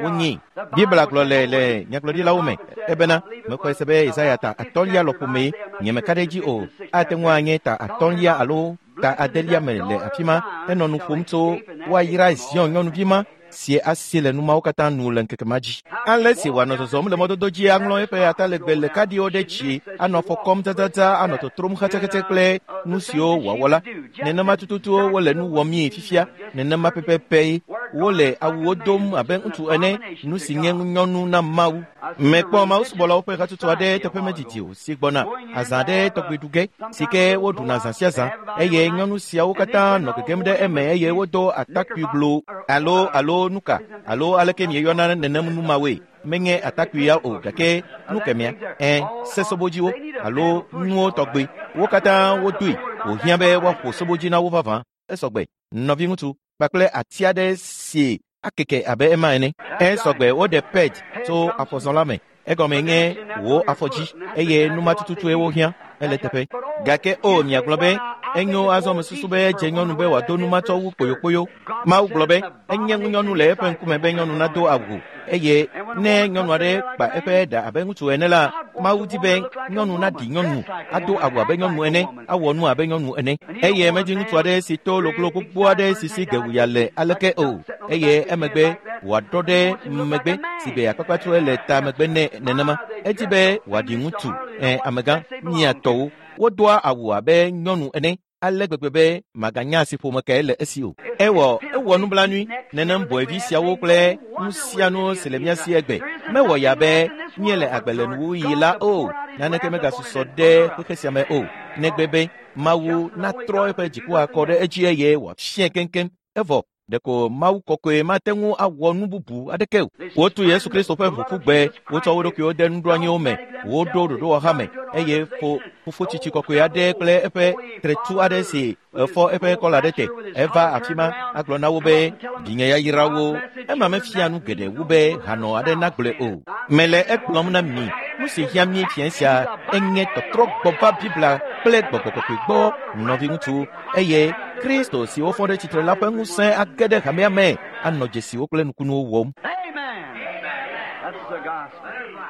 Wonyi. Biblia gblɔ le le nyagblɔɖilawo me ebena mexɔe se be Yesaya ta atɔ̃lia lɔƒo mee nyemeka ɖe edzi o. Ate ŋu anye ta atɔ̃lia alo ta adelia me le afi ma. Enɔ nu ƒom tso woayra Zion nyɔnuvi ma si asi le numawo katã nu le ŋkeke ma dzi. Ale si wòanɔ zɔzɔm le mɔdodo dzi aŋlɔ eƒe atalegbe le kaɖiwo ɖe dzi, anɔ afɔ kɔm dzadzadza, anɔ totrom xetsexetse kple nu siwo wòawɔ la. Nenema tututu wole nu wɔmii fifia. Nenema pɛpɛpɛ wole awuwo dom abe ŋutsu ene, nu si nye ŋunyɔnu na Mawu. Mekpɔ mawusubɔlawo ƒe hatsotso aɖe teƒe medidi o si gbɔna azã aɖe tɔgbi ɖu ge si ke woɖuna zã sia zã eye nyɔnu siawo katã nɔ gegem ɖe eme eye wodo atakpui glo alo alo nuka alo aleke mieyɔna nenem nu mawoe. Menye atakpui ya o gake nu kemea ɛ sesobodziwo alo nuwo tɔgbi wo katã wodoe wòhiã be woaƒo sobodzi na wo vavã. Esɔgbe nɔviŋutsu kpakple ati aɖe si akeke abe ema ene. Esɔgbe woɖe ped tso afɔzɔla me. Egɔme nye wò afɔdzi eye nu ma tututue wohiã. Ele teƒe. Gake o miagblɔ be enyo azɔ mesusu be edze nyɔnu be wòado nu matsɔ wu kpoyokpoyo. Mawu gblɔ be enye ŋunyɔnu le eƒe ŋkume be nyɔnu nado awu eye ne nyɔnu aɖe kpa eƒe ɖa abe ŋutsu ene la, Mawu di be nyɔnu naɖi nyɔnu, ado awu abe nyɔnu ene, awɔ nu abe nyɔnu ene. Eye medi ŋutsu aɖe si to loglo gbogbo aɖe si si gewuya le aleke o eye emegbe wòaɖɔ ɖe megbe si be akpakpatsue le ta megbe nɛ nenema. Edi be wòaɖi ŋutsu ɛ amegã mia tɔwo. Wodoa awu abe nyɔnu ene ale gbegbe be maganya si ƒome kae le esi o. Ewɔ ewɔ nublanui nenem bɔevi siawo kple nu sia nu si le mía si egbe. Mewɔ ya be míele agbe le nuwuɣi la o. Naneke megasusɔ ɖe xexe sia me o. Negbe be Mawu natrɔ eƒe dziku akɔ ɖe edzi eye wòafiae keŋkeŋ. Evɔ ɖeko Mawu kɔkɔe mate ŋu awɔ nu bubu aɖeke o. Wotu Yesu Kristo ƒe ʋu ƒu gbe, wotsɔ wo ɖokuiwo de nuɖoanyiwo me, woɖo ɖoɖowɔha me eye fo fofotsitsi kɔkɔe aɖe kple eƒe tretu aɖe si efɔ eƒe kɔla ɖe te. Eva afi ma agblɔ na wo be vinye yayrawo. Ema mefia nu geɖe wu be hanɔ aɖe nagblɔe o. Mele egblɔm na mi, nu si hiã mí fia sia enye tɔtrɔ gbɔ va Biblia kple gbɔgbɔ kɔkɔe gbɔ nɔviŋutsu eye Kristo si wofɔ ɖe tsitre la ƒe ŋusẽ age ɖe hamea me anɔ dzesiwo kple nukunuwo wɔm.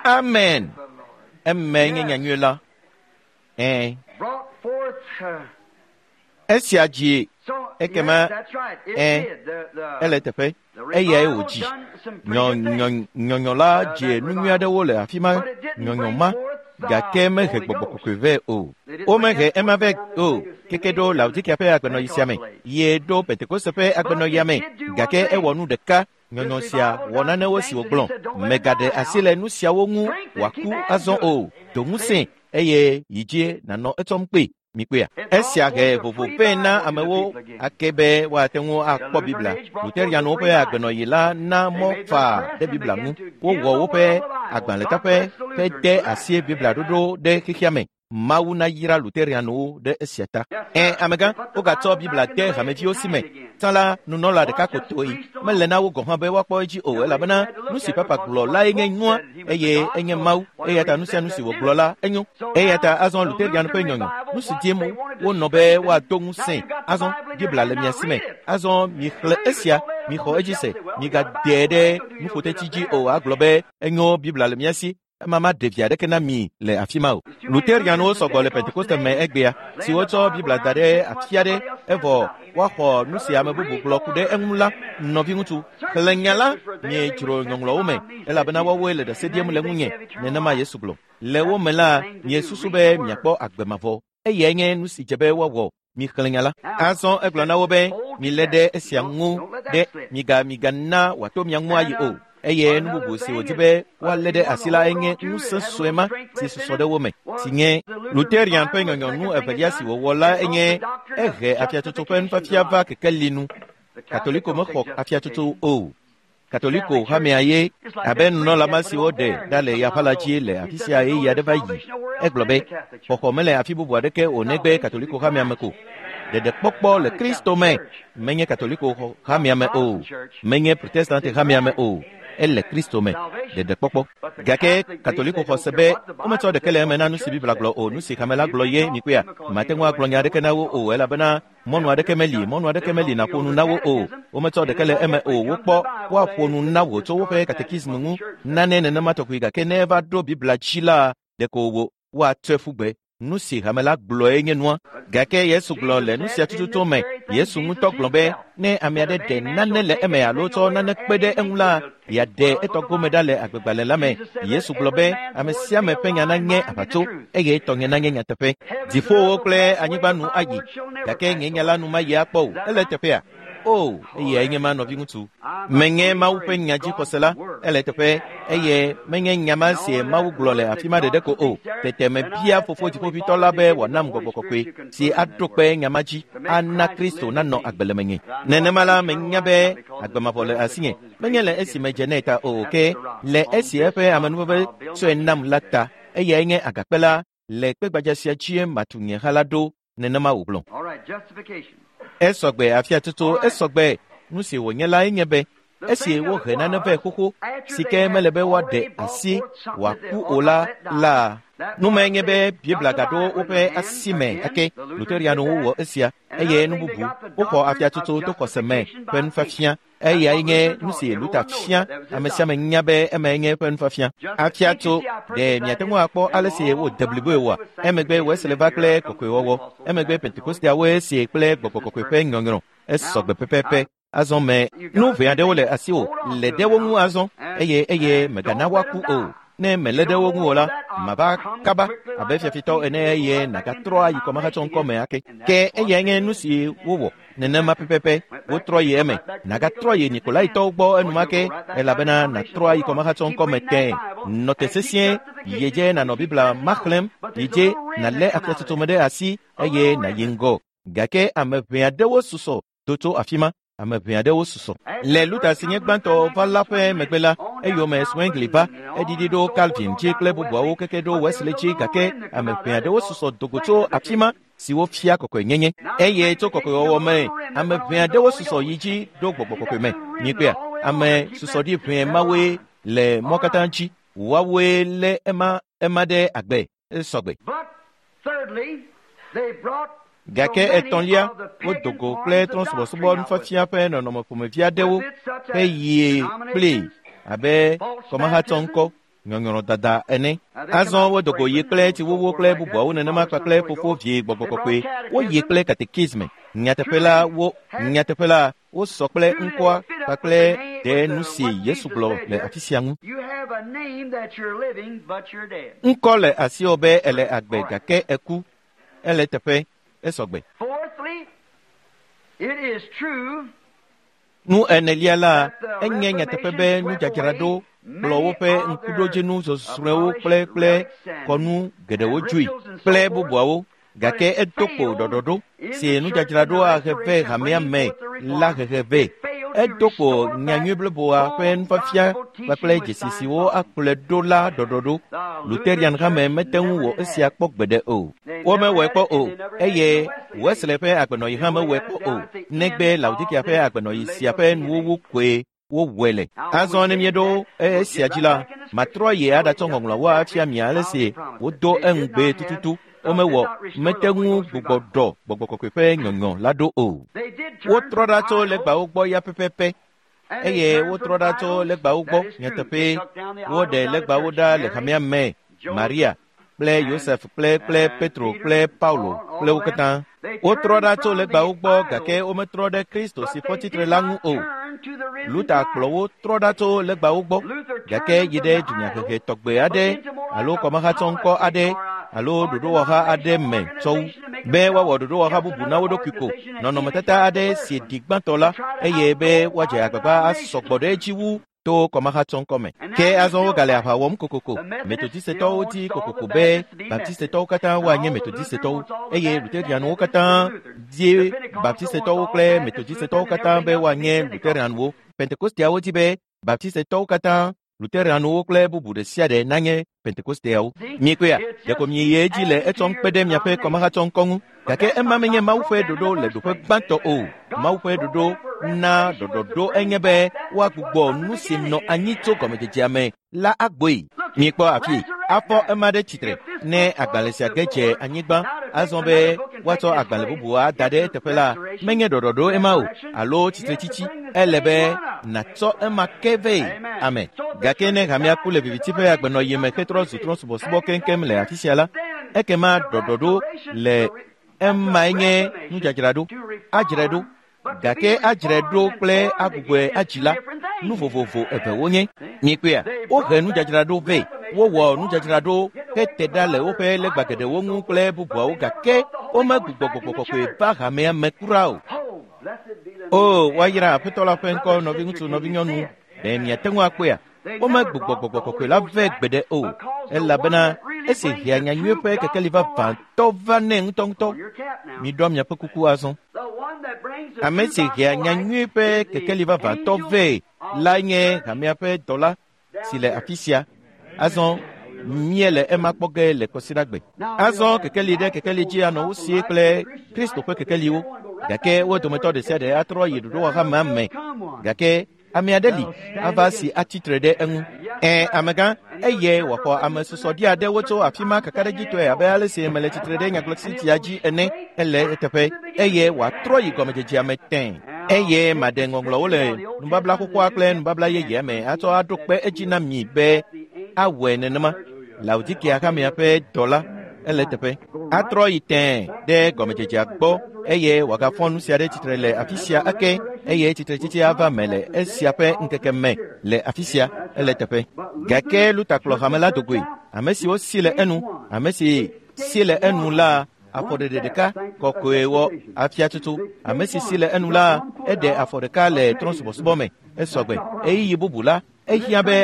Amen. Eme nye nyanyui la. Ɛ. Esia dzi ekema ɛ ele teƒe eyae wòdzi. Nyɔ nyɔnyɔ la dze nu nyui aɖewo le afi ma nyɔnyɔ ma gake mehe gbɔgbɔ kɔkɔe vɛ o. Womehe ema vɛ o. Keke ɖo Laodikea ƒe agbenɔɣi sia me ye ɖo Pentekoste ƒe agbenɔɣia me gake ewɔ nu ɖeka. Nyɔnyɔ sia wɔ nanewo si wògblɔ. Megaɖe asi le nu siawo ŋu wòaku azɔ o. Do ŋusẽ eye yi dzi nànɔ etsɔm kpe. Mikpea. Esia he vovo vɛ na amewo ake be woate ŋu akpɔ Biblia. Luterianwo ƒe agbenɔɣi la na mɔ faa ɖe Biblia ŋu. Wowɔ woƒe agbalẽtaƒe hede asi Biblia ɖoɖo ɖe xexea me. Mawu nayra Luterianwo ɖe esia ta. Ɛ amegã, wogatsɔ Biblia de hameviwo si me. Tsã la, nunɔla ɖeka ko toe. Mele na wo gɔ̃ hã be woakpɔ edzi o elabena nu si papa gblɔ lae nye nua eye enye Mawu. Eya ta nu sia nu si wògblɔ la enyo. Eya ta azɔ Luterian ƒe nyɔnyɔ, nu si dim wonɔ be woado ŋusẽ. Azɔ Biblia le mia si me. Azɔ mixlẽ esia, mixɔ edzi se, migaɖee ɖe nuƒotetsi dzi o agblɔ be enyo Biblia le mia si. Ema maɖe vi aɖeke na mi le afi ma o. Luterianwo sɔgbɔ le Pentekoste me egbea si wotsɔ Biblia da ɖe afi aɖe evɔ woaxɔ nu si ame bubu gblɔ ku ɖe eŋu la. Nɔviŋutsu, xlẽ nya la miedzro ŋɔŋlɔwo me elabena woawoe le ɖase ɖim le ŋunye. Nenema Yesu gblɔ. Le wo me la, miesusu be miakpɔ agbe mavɔ. Eyae nye nu si dze be woawɔ. Mixlẽ nya la. Azɔ egblɔ na wo be milé ɖe esia ŋu ɖe miga migana wòato mia ŋu ayi o. Eye nu bubu si wòdi be woalé ɖe asi la enye ŋusẽ sue ma si susɔ ɖe wo me si nye Luterian ƒe nyɔnyɔnu evelia si wòwɔ la enye ehe afiatsotso ƒe nufiafia va kekeli nu. Katoliko mexɔ afiatsotso o. Katoliko hamea ye abe nunɔla ma si woɖe ɖa le yaƒa la dzi le afi sia ɣeyiɣi aɖe va yi. Egblɔ be xɔxɔ mele afi bubu aɖeke o negbe Katoliko hamea me ko. Ɖeɖekpɔkpɔ le Kristo me menye Katoliko hamea me o, menye Protestante hamea me o. Ele Kristo me ɖeɖekpɔkpɔ. Gake Katoliko xɔ se be wometsɔ ɖeke le eme na nu si Biblia gblɔ o. Nu si hame la gblɔ ye mikpɔea. Mate ŋu agblɔ nya aɖeke na wo o elabena mɔnu aɖeke meli, mɔnu aɖeke meli nàƒo nu na wo o. Wometsɔ ɖeke le eme o. Wokpɔ woaƒo nu na wò tso woƒe katekismu ŋu nane nenema tɔgbi gake ne eva ɖo Biblia dzi la, ɖeko wò woatsɔe ƒu gbe. Nu si hame la gblɔe nye nua. Gake Yesu gblɔ le nu sia tututu me. Yesu ŋutɔ gblɔ be ne ame aɖe ɖe nane le eme alo tsɔ nane kpe ɖe eŋu la, yeaɖe etɔ gome ɖa le agbegbalẽ la me. Yesu gblɔ be ame sia ame ƒe nya nanye aʋatso eye tɔnye nanye nyateƒe. Dziƒowo kple anyigba nu ayi gake nye nya la nu mayi akpɔ o. Ele teƒea? O, eyae nye ma nɔviŋutsu. Menye Mawu ƒe nya dzixɔse la, ele teƒe eye menye nya ma si Mawu gblɔ le afi ma ɖeɖe ko o. Tete mebia fofo dziƒoʋĩtɔ la be wòanam gbɔgbɔ kɔkɔe si aɖo kpe nya ma dzi ana Kristo nanɔ agbe le menye. Nenema la menya be agbe mavɔ le asinye. Menye le esi medze nɛ ta o ke le esi eƒe amenuveve tsɔe nam la ta. Eyae nye agakpe la le kpegbadza sia dzie matu nye ha la ɖo. Nenema wògblɔ. Esɔgbe afiatsotso esɔgbe. Nu si wònye lae nye be esi wohe nane vɛ xoxo si ke mele be woaɖe asi wòaku o la la Numae nye be Biblia gaɖo woƒe asi me ake Luterianwo wɔ esia eye nu bubu woxɔ afiatsotso to xɔse me ƒe nufiafia eyae nye nu si Luther fia ame sia ame nya be emae nye eƒe nufiafia. Afiatso ɖe miate ŋu akpɔ ale si wode bliboe oa? Emegbe Wesley va kple kɔkɔewɔwɔ. Emegbe Pentekosteawoe sie kple gbɔgbɔ kɔkɔe ƒe nyɔnyrɔ. Esɔgbe pɛpɛpɛ. Azɔ me nu ʋɛ aɖewo le asiwò le ɖe wo ŋu azɔ eye eye mègana woaku o. Ne mèlé ɖe wo ŋu o la, mava kaba abe fiafitɔ ene eye nàgatrɔ ayi kɔmahatsɔ ŋkɔ me ake. Ke eyae nye nu si wowɔ nenema pɛpɛpɛ wotrɔ yi eme. Nàgatrɔ yi Nikolaitɔwo gbɔ enumake elabena nàtrɔ ayi kɔmahatsɔ ŋkɔ me tẽe. Nɔ te sesĩe yi dze nànɔ Biblia ma xlẽm yi dze nàlé afiatsotso me ɖe asi eye nàyi ŋgɔ. Gake ame ʋɛ aɖewo susɔ do tso afi ma. Ame ʋɛ aɖewo susɔ. Le Luther si nye gbãtɔ va la ƒe megbe la, eyome Zwingli va, eɖiɖi ɖo Calvin dzi kple bubuawo keke ɖo Wesley dzi gake ame ʋɛ aɖewo susɔ dogo tso afi ma siwo fia kɔkɔenyenye. Eye tso kɔkɔewɔwɔ me, ame ʋɛ aɖewo susɔ yi dzi ɖo gbɔgbɔ kɔkɔe me. Mikpɔea, ame susɔ ɖi ʋɛ mawoe le mɔ katã dzi. Woawoe lé ema ema ɖe agbe esɔgbe. Gake etɔ̃lia, wodo go kple trɔ̃subɔsubɔ nufiafia ƒe nɔnɔme ƒomevi aɖewo heyie kplii abe kɔmahatsɔ ŋkɔ, nyɔnyrɔdada ene. Azɔ wodo go yi kple tsiwuwu kple bubuawo nenema kpakple fofo vie gbɔgbɔ kɔkɔe. Woyi kple katekisme. Nyateƒe la wo nyateƒe la wosɔ kple ŋkɔa kpakple ɖe nu si Yesu gblɔ le afi sia ŋu. Ŋkɔ le asiwò be ele agbe gake eku. Ele teƒe esɔgbe. Nu enelia la, enye nyateƒe be nudzadzraɖo kplɔ woƒe ŋkuɖodzinu zɔzrɔ̃ewo kple kple kɔnu geɖewo dzoe kple bubuawo gake edo kpo ɖɔɖɔɖo si nudzadzraɖo ahe vɛ hamea me la hehe vɛ. Edo kpo nyanyui bliboa ƒe nufiafia kpakple dzesi siwo akplɔe ɖo la ɖɔɖɔɖo. Luterian hame mete ŋu wɔ esia kpɔ gbeɖe o. Womewɔe kpɔ o eye Wesley ƒe agbenɔyi hã mewɔe kpɔ o negbe Laodikea ƒe agbenɔyi sia ƒe nuwuwu koe wowɔe le. Azɔ ne míeɖo esia dzi la, matrɔ yi aɖatsɔ ŋɔŋlɔawo afia mi ale si wodo eŋugbe tututu. Womewɔ mete ŋu gbugbɔ ɖɔ gbɔgbɔ kɔkɔe ƒe nyɔnyɔ la ɖo o. Wotrɔ ɖa tso legbawo gbɔ ya pɛpɛpɛ eye wotrɔ ɖa tso legbawo gbɔ nyateƒee. Woɖe legbawo ɖa le hamea me, Maria kple Yosef kple kple Petro kple Paulo kple wo katã. Wotrɔ ɖa tso legbawo gbɔ gake wometrɔ ɖe Kristo si fɔ tsitre la ŋu o. Luther kplɔ wo trɔ ɖa tso legbawo gbɔ gake yi ɖe dunyahehe tɔgbe aɖe alo kɔmahatsɔ ŋkɔ aɖe alo ɖoɖowɔha aɖe me tsɔ wu be woawɔ ɖoɖowɔha bubu na wo ɖokui ko nɔnɔmetata aɖe si ɖi gbãtɔ la eye be woadze agbagba asɔgbɔ ɖe edzi wu to kɔmahatsɔ ŋkɔ me. Ke azɔ wogale aʋa wɔm kokoko. Metodistetɔwo di kokoko be Baptistetɔwo katã woanye Metodistetɔwo eye Luterianwo katã die Baptistetɔwo kple Metodistetɔwo katã be woanye Luterianwo. Pentekosteawo di be Baptistetɔwo katã Luterianwo kple bubu ɖe sia ɖe nanye Pentekosteawo. Mikpɔea, ɖeko miyi edzi le etsɔm kpe ɖe miaƒe kɔmahatsɔ ŋkɔ ŋu. Gake ema menye Mawu ƒe ɖoɖo le ɖoƒe gbãtɔ o. Mawu ƒe ɖoɖo na ɖɔɖɔɖo enye be woagbugbɔ nu si nɔ anyi tso gɔmedzedzea me la agboe. Mikpɔ afi afɔ ema ɖe tsitre ne agbalẽ sia ge dze anyigba azɔ be woatsɔ agbalẽ bubu ada ɖe eteƒe la menye ɖɔɖɔɖo ema o alo tsitretsitsi. Ele be nàtsɔ ema ke vɛ. Amen. Gake ne hamea ku le viviti ƒe agbenɔyi me hetrɔ zu trɔ̃subɔsubɔ keŋkeŋ le afi sia la, ekema ɖɔɖɔɖo le emae nye nudzadzraɖo adzrae ɖo. Gake adzrae ɖo kple agbugbɔe adzi la, nu vovovo eve wonye. Mikpɔea, wohe nudzadzraɖo vɛ, wowɔ nudzadzraɖo hete ɖa le woƒe legba geɖewo ŋu kple bubuawo gake womegbugbɔ gbɔgbɔ kɔkɔe va hamea me kura o. O, woayra Aƒetɔ la ƒe ŋkɔ nɔviŋutsu nɔvinyɔnu, ɖe miate ŋu akpɔea? Womegbugbɔ gbɔgbɔ kɔkɔe la vɛ gbeɖe o elabena esi hea nyanyui ƒe kekeli vavãtɔ va nɛ ŋutɔŋutɔ. Miɖɔ miaƒe kuku azɔ. Ame si hea nyanyui ƒe kekeli vavãtɔ vɛ la nye hamea ƒe dɔla si le afi sia. Azɔ míele ema kpɔ ge le kɔsiɖagbe. Azɔ kekeli ɖe kekeli dzi anɔ wo sie kple Kristo ƒe kekeliwo gake wo dometɔ ɖe sia ɖe atrɔ yi ɖoɖowɔha ma me gake ame aɖe li ava si atsitre ɖe eŋu. Ẽ, amegã, eye wòaxɔ ame susɔ ɖi aɖewo tso afi ma kakaɖedzitɔe abe ale si mele tsitre ɖe nyagblɔɖi dzi ene ele eteƒe eye wòatrɔ yi gɔmedzedzea me tẽ eye maɖe ŋɔŋlɔwo le nubabla xoxoa kple nubabla yeyea me atsɔ aɖo kpe edzi na mi be awɔe nenema Laodikea hamea ƒe dɔla ele teƒe atrɔ yi tẽ ɖe gɔmedzedzea gbɔ eye wòagafɔ nu sia ɖe tsitre le afi sia ake eye tsitretsitsi ava me le esia ƒe ŋkeke me le afi sia ele teƒe gake Luther kplɔ hame la dogoe ame siwo si le enu ame si si le enu la afɔɖeɖe ɖeka kɔkɔe wɔ afiatutu ame si si le enu la eɖe afɔ ɖeka le trɔ̃subɔsubɔ me esɔgbe ɣeyiɣi bubu la ehiã be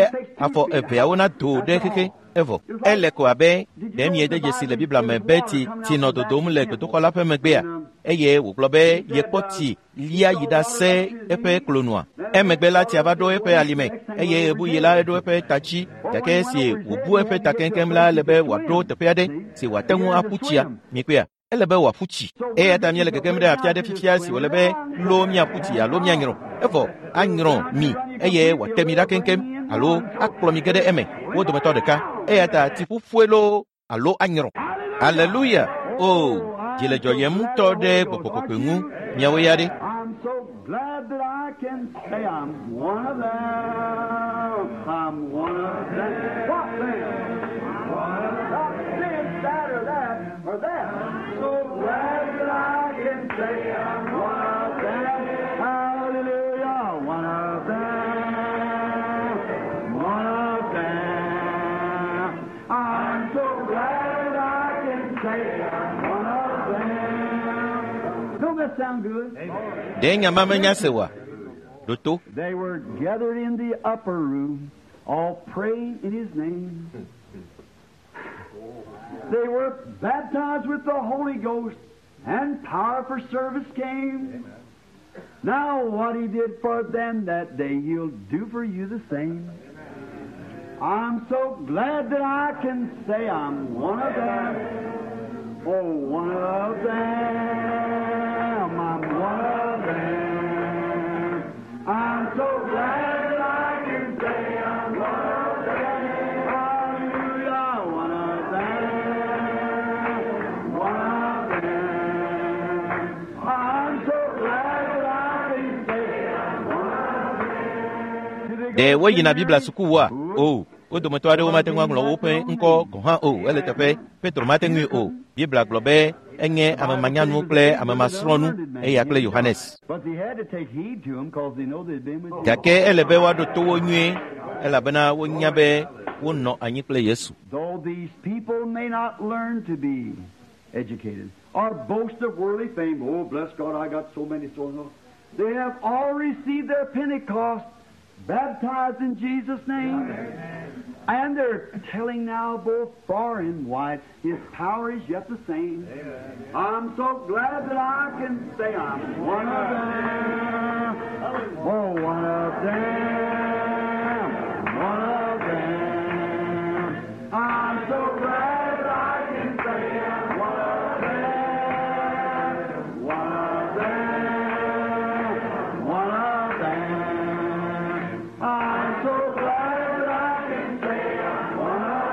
afɔ eveawo nado ɖe xexe evɔ ele ko abe ɖe miede dzesi le Biblia me be tsi tsi nɔ dodom le gbedoxɔ la ƒe megbea eye wògblɔ be yekpɔ tsi lia yi ɖase eƒe klonua emegbe la tsia va ɖo eƒe alime eye ɣebuɣi la eɖo eƒe ta dzi gake esi wòbu eƒe ta keŋkeŋ la ele be wòaɖo teƒe aɖe si wòate ŋu aƒu tsia mikpɔea ele be wòaƒu tsi eya ta míele gegem ɖe afi aɖe fifia si wòle be lo míaƒu tsi alo míanyrɔ evɔ anyrɔ mi eye wòate mi ɖa keŋkeŋ alo akplɔ mi ge ɖe eme wo dometɔ ɖeka eya ta tsiƒuƒue loo alo anyrɔ aleluya o dzi le dzɔyem ŋutɔ ɖe gbɔgbɔ kɔkɔe ŋu miawo ya ɖe I'm so glad that I can say I'm one of them. I'm one of them. What then? One of them. Not this, that, or that, or that. So glad that I can say I'm one of them. Hallelujah. One of them. One of them. I'm so glad I can say I'm one of them. Don't that sound good? ɖe nya ma menya se oa ɖo to They were gathered in the upper room, all praying in His name. They were baptized with the Holy Ghost, and power for service came. Now, what He did for them that day, He'll do for you the same. I'm so glad that I can say I'm one of them. Oh, one of them. I'm one of them. I'm so glad that I can say I'm one of them. Hallelujah, one of them. One of them. I'm so glad that I can say I'm one of them. ɖe woyina Biblia sukuwoa o wo dometɔ aɖewo mate ŋu aŋlɔ woƒe ŋkɔ gɔ̃ hã o ele teƒe Petro mate ŋui o Biblia gblɔ be enye ame manyanu kple ame masrɔ̃nu eya kple Yohanes But they had to take heed to him because they know they'd been with gake ele be woaɖo to wo nyuie elabena wonya be wonɔ anyi kple Yesu Though these people may not learn to be educated or boast of worldly fame, oh, bless God, I got so many so and so. They have all received their Pentecost, baptized in Jesus' name. And they're telling now both far and wide, His power is yet the same. I'm so glad that I can say I'm one of them. Oh, one of them. One of them. I'm so glad I can say I'm one of them. One of them. One of them. I'm so glad I can say I'm one of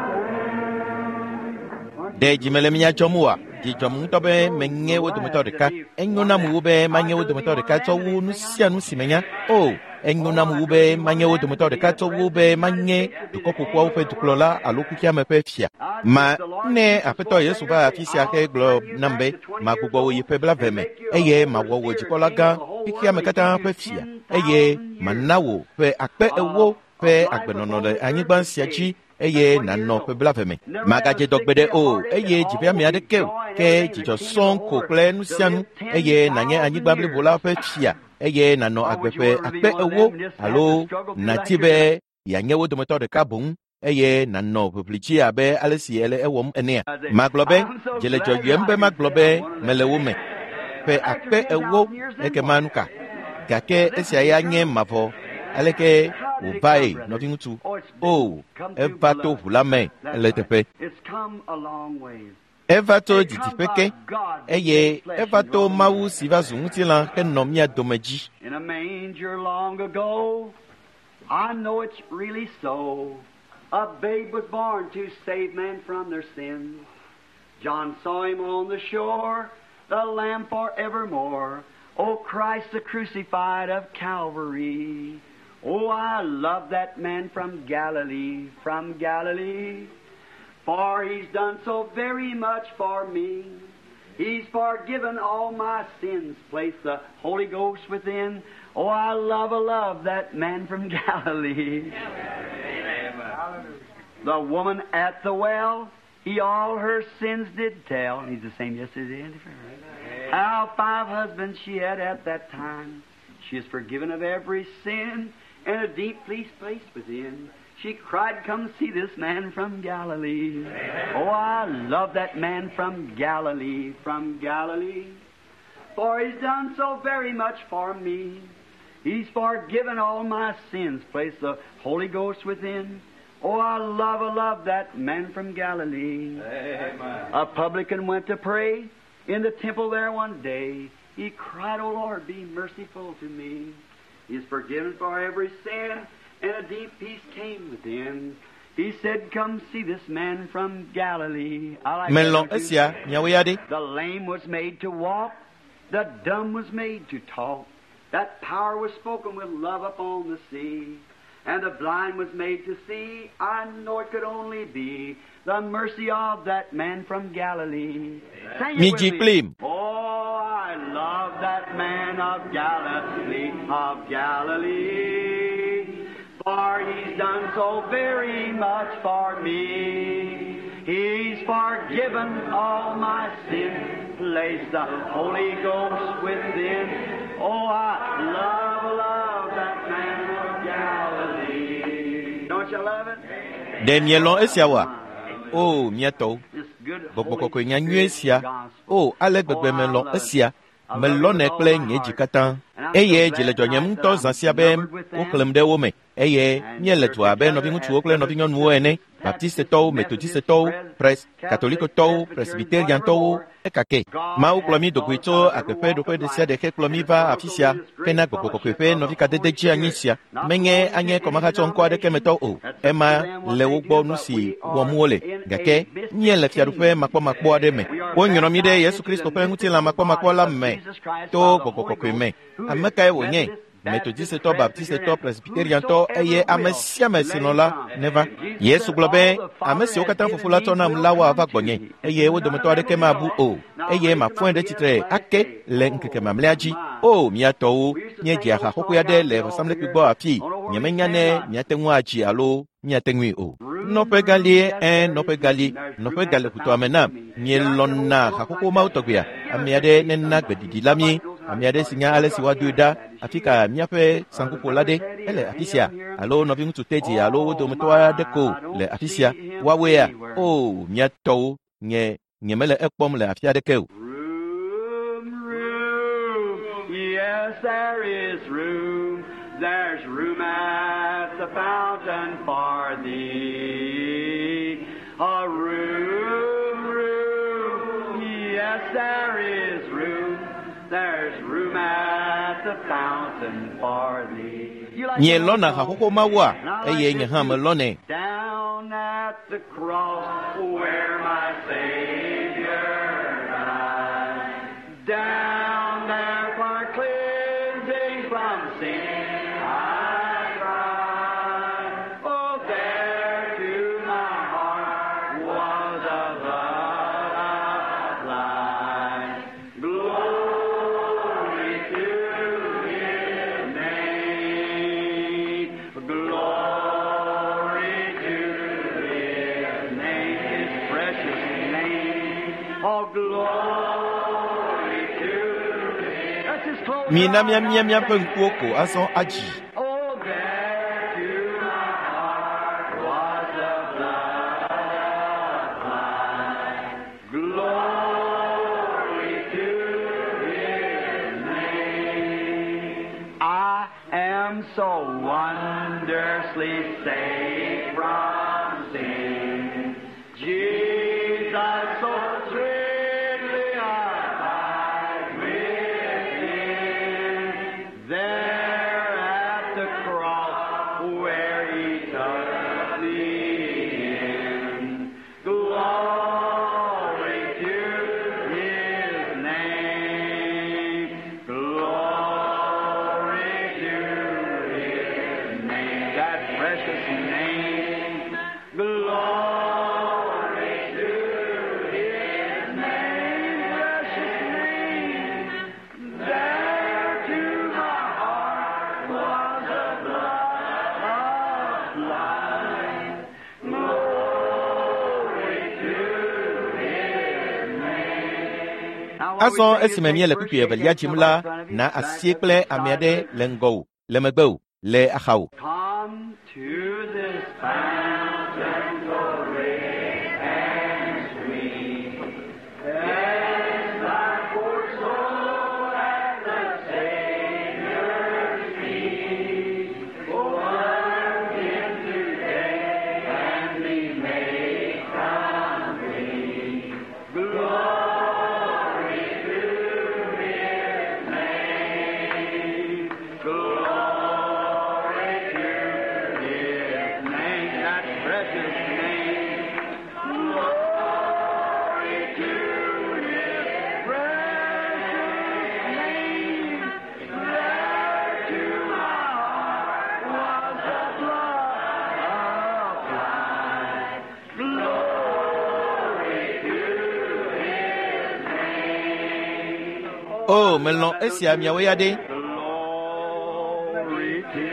them. ɖe dzi mele mía dzɔm oa dzi dzɔm ŋutɔ be menye wo dometɔ ɖeka enyo nam wu be manye wo dometɔ ɖeka tsɔ wu nu sia nu si menya o enyo nam wu be manye wo dometɔ ɖeka tsɔ wu be manye dukɔ ƒoƒuawo ƒe dukplɔla alo xexeame ƒe fia ma ne aƒetɔ Yesu va afi sia ke gblɔ nam be magbugbɔ wò yi ƒe blaeve me eye mawɔ wò dzikpɔla gã xexeame katã ƒe fia eye mana wò ƒe akpe ewo ƒe agbenɔnɔ le anyigba sia dzi eye nànɔ ƒe blaeve me magadze dɔ gbeɖe o eye dziƒeame aɖeke o ke dzidzɔ sɔŋ ko kple nu sia nu eye nànye anyigba blibo la ƒe fia eye nànɔ agbe ƒe akpe ewo alo nàti be yeanye wo dometɔ ɖeka boŋ eye nànɔ ʋiʋli dzi abe ale si ele ewɔm enea magblɔ be dzi le dzɔdzɔem be magblɔ be mele wo me ƒe akpe ewo ekema nu ka gake esia ya nye mavɔ aleke wòvae nɔviŋutsu o eva to ʋu la me ele teƒe It's come a long ways. eva to didiƒe ke eye eva to Mawu si va zu ŋutilã henɔ mía dome dzi In a manger long ago, I know it's really so. A babe was born to save man from their sins. John saw him on the shore, the Lamb forevermore. O Christ the crucified of Calvary. Oh, I love that man from Galilee, from Galilee. For he's done so very much for me. He's forgiven all my sins, placed the Holy Ghost within. Oh, I love, I love that man from Galilee. The woman at the well, he all her sins did tell. And he's the same yesterday and forever. How five husbands she had at that time. She is forgiven of every sin and a deep peace placed within. She cried, come see this man from Galilee. Oh, I love that man from Galilee, from Galilee. For he's done so very much for me. He's forgiven all my sins, placed the Holy Ghost within. Oh, I love, I love that man from Galilee. Amen. A publican went to pray in the temple there one day. He cried, O Lord, be merciful to me. He is forgiven for every sin, and a deep peace came within. He said, come see this man from Galilee. I like Melɔ̃ that one too. esia miawoe ya ɖe. The lame was made to walk, the dumb was made to talk. That power was spoken with love upon the sea. And the blind was made to see. I know it could only be the mercy of that man from Galilee. Sing it Mi with dzi me. kplim. Oh, I love that man of Galilee, of Galilee. For he's done so very much for me. He's forgiven all my sin, placed the Holy Ghost within. Oh, I love, love that man of Galilee. Don't you love it? Ɖe mielɔ̃ esia oa? O, mía tɔwo, This good gbɔgbɔ Holy kɔkɔe nya nyuie Spirit sia. gospel. O, ale gbegbe melɔ̃ esia. Melɔ̃nɛ kple nye dzi katã. Eye dzi le dzɔnyem ŋutɔ zã sia be woxlẽm ɖe wo me. Eye míele du abe nɔviŋutsuwo kple nɔvinyɔnuwo ene, Baptistetɔwo, Metodistetɔwo, Pres, Katolikotɔwo, Presbyteriantɔwo, ekake. Mawu kplɔ mí dogoe tso agbe ƒe ɖoƒe ɖe sia ɖe hekplɔ mí va afi sia hena gbɔgbɔ kɔkɔe ƒe nɔvikadede dzi anyi sia. Menye anye kɔmahatsɔ ŋkɔ aɖeke me tɔ o. Ema le wo gbɔ nu si wɔm wole. Gake míele fiaɖuƒe makpɔmakpɔ aɖe me. Wonyrɔ mí ɖe Yesu Kristo ƒe ŋutilã makpɔmakpɔ la me to gbɔgbɔ kɔkɔe me. Ame kae wònye? Metodistetɔ, Baptistetɔ, Presbyteriantɔ eye ame sia ame si lɔ̃ la neva. Yesu gblɔ be ame siwo katã Fofo la tsɔ nam la woava gbɔnye eye wo dometɔ aɖeke mabu o eye mafɔe ɖe tsitre ake le ŋkeke mamlɛa dzi. O, mía tɔwo, míedzi aha xoxoe aɖe le vɔsamlekpui gbɔ afii. Nyemenya ne miate ŋu adzi alo miate ŋui o. Nɔƒe galie, ẽ, nɔƒe galie, nɔƒe gale ƒutoa me nam. Mielɔ̃na haxoxo mawo tɔgbea. Ame aɖe nena gbeɖiɖi la mí. Ame aɖe si nya ale si woadoe ɖa afi ka míaƒe saŋkuƒola ɖe ele afi sia alo nɔviŋutsu Teddy alo wo dometɔ aɖe ko le afi sia. Woawoea? O, mía tɔwo, nye nyemele ekpɔm le afi aɖeke o. Room, room, yes, there is room. There's room at the fountain for thee. A room, room, yes, there is room. There's room at the fountain for thee. You like Nye that lɔ̃na song? haxoxo mawoa And I like eye this nye hã too. melɔ̃nɛ. Down at the cross where my Savior died. Down there for cleansing from sin I cried. Oh, there to my heart was the blood applied. Glory to His name. Glory to His name, His precious name. Oh, glory to His. Let's just close Mina our mía eyes mía now. míaƒe ŋkuwo ko azɔ adzi. Oh, there to my heart was the blood applied. Glory to His name. I am so wondrously saved from sin. Jesus so sweetly abides within. There at the cross where He took me precious name. Glory to His name, precious name. There to my heart was a blood applied. Glory to His name. Azɔ esime míele kpukpui evelia dzim la, na asie kple ame aɖe le ŋgɔwò, le megbewò, le axawò. Come to this fountain so rich and sweet. Cast thy poor soul at the Savior's feet. Plunge him today and be made complete. Glory to His name. Glory to His name, that precious name. Glory to His precious name. There to my heart was the blood applied. Glory to His name. O, melɔ̃ esia miawo ya ɖe. Glory to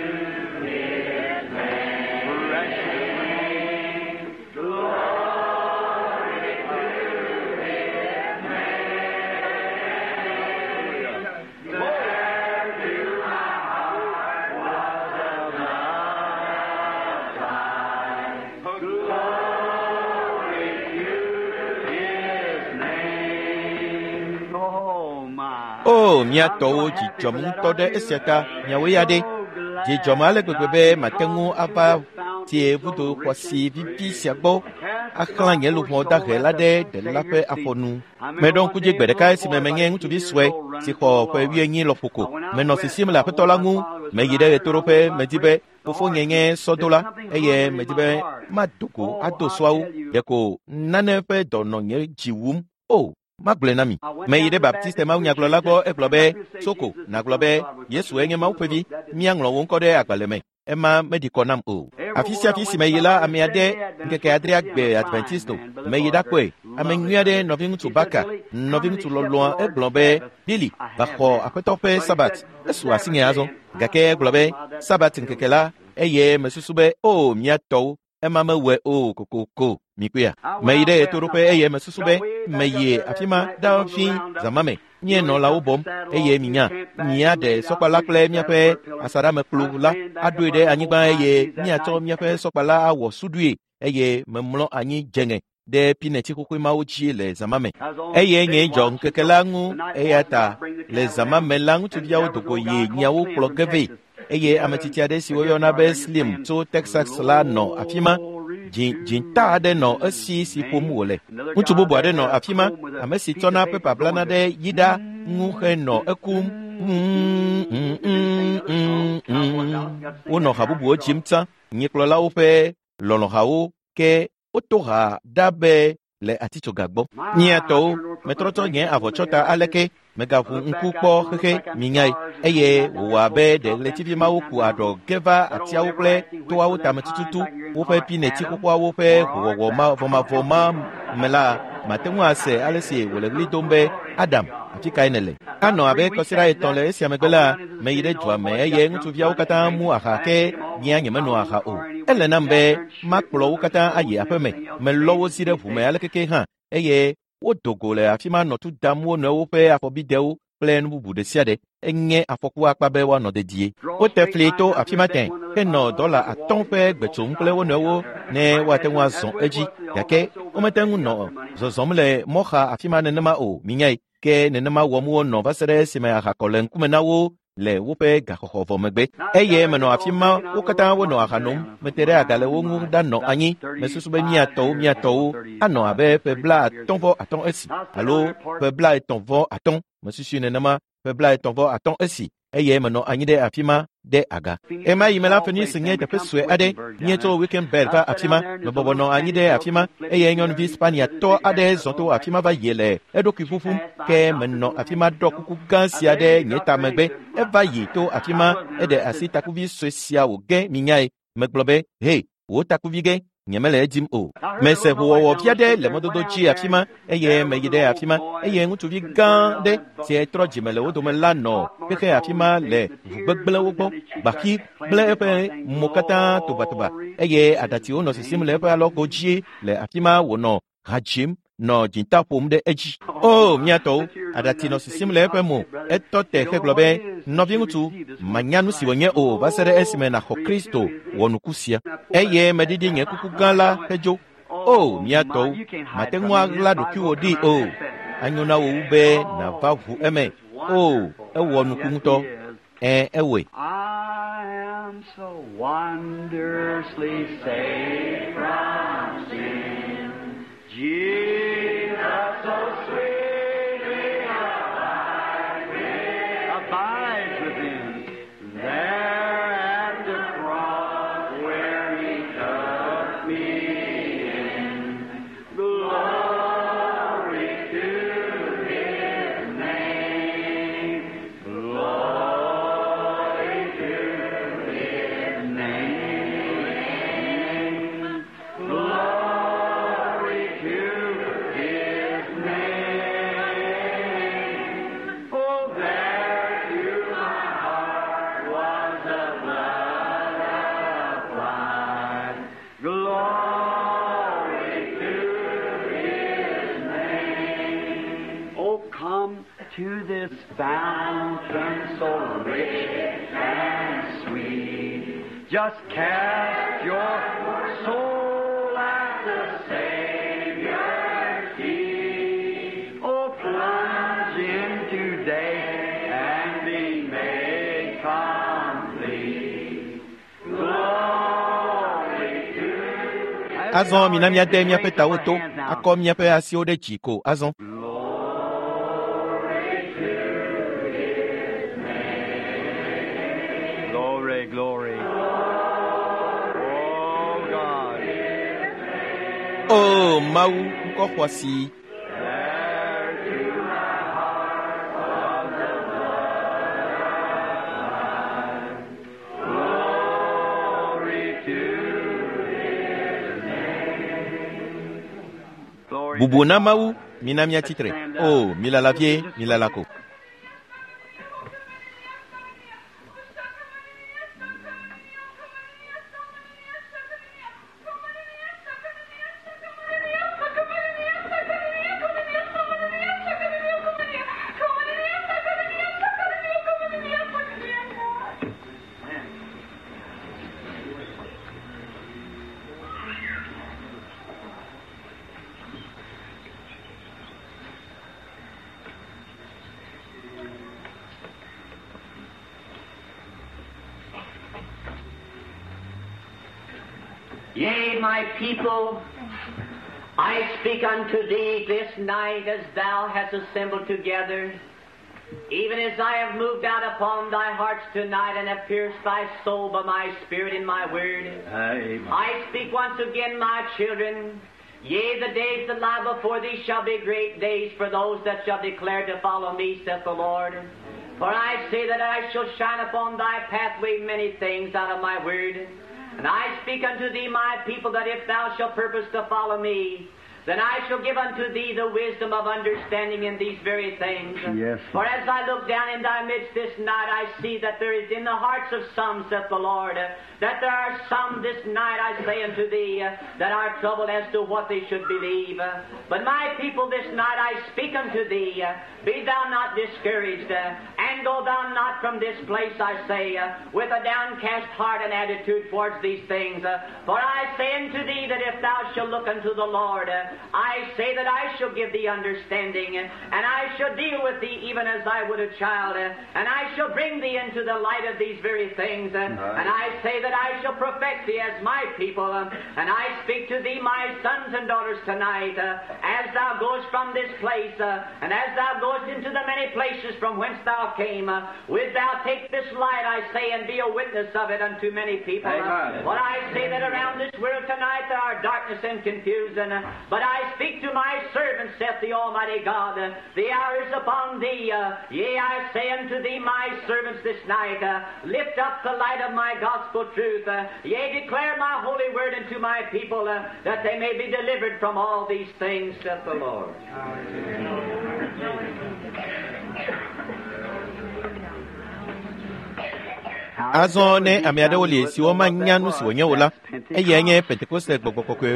His name, precious name. Glory to His name. There to my heart was the blood applied. Glory to His name. Oh my. O, mía tɔwo dzi dzɔm ŋutɔ ɖe esia ta miawo ya ɖe. Dzi dzɔm ale gbegbe be mate ŋu ava tie vudo xɔasi vivi sia gbɔ axlã nye luʋɔ dahe la ɖe ɖela ƒe afɔnu. Meɖo ŋku dzi gbe ɖeka esime menye ŋutsuvi sue si xɔ ƒe wuienyi lɔƒo ko. Menɔ sisim le aƒetɔ la ŋu. Meyi ɖe ɣetoɖoƒe medi be fofonye nye sɔdola eye medi be mado go ado sɔawo. Ɖeko nane ƒe dɔ nɔ nye dzi wum. O, magblɔe na mi. Meyi ɖe Baptiste mawunyagblɔla gbɔ egblɔ be, Soko, nàgblɔ be Yesue nye Mawu ƒe vi. Míaŋlɔ wò ŋkɔ ɖe agbalẽ me. Ema meɖi kɔ nam o. Afi sia afi si meyi la, ame aɖe ŋkeke adrea gbe Adventisto. Meyi ɖakpɔe. Ame nyui aɖe nɔviŋutsu Baka, nɔviŋutsu lɔlɔ̃a egblɔ be, Billy, va xɔ aƒetɔ ƒe Sabat. Esu asinye azɔ. Gake egblɔ be, Sabat ŋkeke la, eye mesusu be, o, mía tɔwo, ema mewɔe o kokoko. Mikpɔea? Meyi ɖe ɣetoɖoƒe eye mesusu be meyi afi ma ɖa fi zãma me. Míenɔ lãwo bɔm eye minya míaɖe sɔkpala kple míaƒe asaɖamekplu la aɖoe ɖe anyigba eye míatsɔ míaƒe sɔkpala awɔ suɖui eye memlɔ anyi dzeŋe ɖe pineti xoxoe mawo dzi le zãma me. Eye nye dzɔ ŋkeke la ŋu eya ta le zãma me la ŋutsuviawo dogo yi nyiawo kplɔ ge vɛ eye ame tsitsi aɖe si woyɔna be Slim tso Texas la nɔ afi ma. Dzi dzinta aɖe nɔ esi si ƒom wòle. Ŋutsu bubu aɖe nɔ afi ma, ame si tsɔna pepa blana ɖe yiɖa ŋu henɔ ekum. Mm, mm, mm, mm, mm. Wonɔ ha bubuwo dzim tsã, nyikplɔlawo ƒe lɔlɔ̃hawo ke woto ha ɖa be le atitsoga gbɔ. Mía tɔwo, metrɔ tsɔ nye avɔtsɔta aleke megaʋu ŋku kpɔ xexe minyae eye wòwɔ abe ɖe ɣletivi mawo ku aɖɔ ge va atiawo kple toawo tame tututu woƒe pineti xoxoawo ƒe howɔwɔ mavɔmavɔ ma me la mate ŋu ase ale si wòle ɣli dom be Adam, afi kae nèle? Anɔ abe kɔsiɖa etɔ̃ le esia megbe la, meyi ɖe dua me eye ŋutsuviawo katã mu aha ke nyea nyemenɔ aha o. Ele nam be makplɔ wo katã ayi aƒe me. Melɔ wo zi ɖe ʋu me alekeke hã eye wodo go le afi ma nɔ tu dam wo nɔewo ƒe afɔbidewo kple nu bubu ɖe sia ɖe. Enye afɔku akpa be woanɔ dedie. Wote fli to afi ma tẽ henɔ dɔla atɔ̃ ƒe gbe tsom kple wo nɔewo ne woate ŋu azɔ edzi gake womete ŋu nɔ zɔzɔm le mɔxa afi ma nenema o minyae ke nenema wɔm wonɔ va se ɖe esime aha kɔ le ŋkume na wo le woƒe gaxɔxɔ vɔ megbe. Eye menɔ afi ma wo katã wonɔ aha nom. Mete ɖe aga le wo ŋu ɖanɔ anyi. Mesusu be mía tɔwo mía tɔwo anɔ abe ƒe bla atɔ̃ vɔ atɔ̃ esi alo ƒe bla etɔ̃ vɔ atɔ̃. Mesusui nenema ƒe bla etɔ̃ vɔ atɔ̃ esi eye menɔ anyi ɖe afi ma ɖe aga. Ema yi me la Phoenix nye teƒe sue aɖe. Míetso Wickenburg va afi ma. Mebɔbɔ nɔ anyi ɖe afi ma eye nyɔnuvi Spaniatɔ aɖe zɔ to afi ma va yi le eɖokui ƒuƒum ke menɔ afi ma ɖɔ kuku gã sia ɖe nye ta megbe. Eva yi to afi ma eɖe asi takuvi sue sia wòge minyae. Megblɔ be, he, wò takuvi ge, nyemele edim o. Mese ʋuwɔwɔ fia ɖe le mɔdodo dzi afi ma eye meyi ɖe afi ma eye ŋutsuvi gã ɖe si trɔ dzime le wo dome la nɔ xexe afi ma le ʋu gbegblẽwo gbɔ. Gbaxi gblẽ eƒe mo katã tobatoba eye aɖatsiwo nɔ sisim le eƒe alɔgo dzi le afi ma wònɔ ha dzim nɔ dzinta ƒom ɖe edzi. O mía tɔwo, aɖatsi nɔ sisim le eƒe mo. Etɔ te hegblɔ be, nɔviŋutsu, manya nu si wònye o va se ɖe esime nàxɔ Kristo wɔ nuku sia. Eye meɖiɖi nye kuku gã la hedzo. O mía tɔwo, mate ŋu aɣla ɖokuiwò ɖi o. Anyo na wò wu be nàva ʋu eme. O, ewɔ nuku ŋutɔ. Ẽ, ewɔe. I am so wondrously saved from sin. Jesus so sweetly abides within, abides within. There at the cross where he took me in. Glory to his name. Glory to his name. Glory to his name. Oh, there to my heart was the blood applied. Glory to his name. Oh, come to this fountain so rich and sweet. Just cast your soul at the Savior's feet. Oh, plunge in today and be made complete. Glory to Azɔ mina míade míaƒe tawo to, akɔ míaƒe asiwo ɖe dzi ko azɔ. Glory, glory. Oh, God. O Mawu, ŋkɔ xɔasi. There to my heart was the blood. Glory to his name. Glory Bubu to na God. Mawu, mina míatsi tre. O, milala vie, milala ko. Yea, my people, I speak unto thee this night as thou hast assembled together, even as I have moved out upon thy hearts tonight and have pierced thy soul by my spirit and my word. Amen. I speak once again, my children. Yea, the days that lie before thee shall be great days for those that shall declare to follow me, saith the Lord. For I say that I shall shine upon thy pathway many things out of my word. And I speak unto thee, my people, that if thou shalt purpose to follow me, then I shall give unto thee the wisdom of understanding in these very things. Yes. For as I look down in thy midst this night, I see that there is in the hearts of some, saith the Lord, that there are some this night, I say unto thee, that are troubled as to what they should believe. But my people, this night I speak unto thee, be thou not discouraged, and go thou not from this place, I say, with a downcast heart and attitude towards these things. For I say unto thee that if thou shalt look unto the Lord, I say that I shall give thee understanding, and I shall deal with thee even as I would a child, and I shall bring thee into the light of these very things, and I say that I shall perfect thee as my people, and I speak to thee, my sons and daughters, tonight, as thou goest from this place, and as thou goest into the many places from whence thou came, wilt thou take this light, I say, and be a witness of it unto many people. Amen. But I say that around this world tonight there are darkness and confusion, but But I speak to my servants, saith the Almighty God. The hour is upon thee. Yea, I say unto thee, my servants, this night, lift up the light of my gospel truth. Yea, declare my holy word unto my people, that they may be delivered from all these things, saith the Lord. Azɔ ne ame aɖewo li siwo manya nu si wònye o la, eyae nye Pentekoste gbɔgbɔ kɔkɔe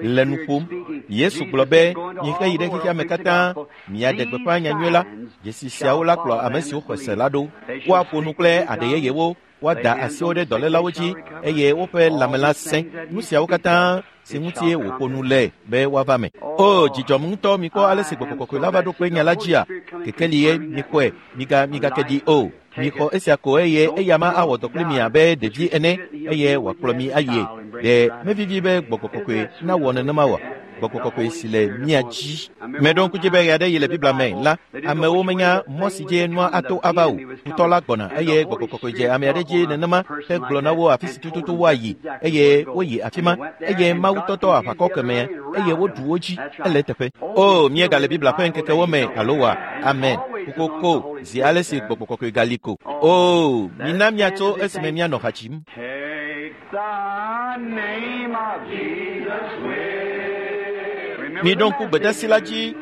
le nu ƒom. Yesu gblɔ be, mixe yi ɖe xexea me katã, miaɖe gbeƒã nyanyui la, dzesi siawo la kplɔ ame siwo xɔ se la ɖo. Woaƒo nu kple aɖe yeyewo, woada asiwo ɖe dɔlélawo dzi eye woƒe lãme la sẽ. Nu siawo katã si ŋutie wòƒo nu le be woava me. O, dzidzɔm ŋutɔ mikpɔ ale si gbɔgbɔ kɔkɔe la va ɖo kpe nya la dzia. Kekeli ye mikpɔe, miga migake ɖi o. Mixɔ esia ko eye eya ma awɔ dɔ kpli mi abe ɖevi ene eye wòakplɔ mi ayie. Ɖe mevivi be gbɔgbɔ kɔkɔe nawɔ nenema oa? Gbɔgbɔ kɔkɔe si le mía dzi. Meɖo ŋku dzi be ɣe aɖe yi le Biblia me la, amewo menya mɔ si dzi nua ato ava o. Futɔ la gbɔna eye gbɔgbɔ kɔkɔe dze ame aɖe dzi nenema hegblɔ na wo afi si tututu woayi eye woyi afi ma eye Mawu tɔtɔ aʋakɔ kemɛ eye woɖu wo dzi ele teƒe. O, míegale Biblia ƒe ŋkekewo me alo wa? Amen. Kokoko zi ale si gbɔgbɔ kɔkɔe gali ko. O, mina míatso esime míanɔ ha dzim. Miɖo ŋku gbedasi la dzi.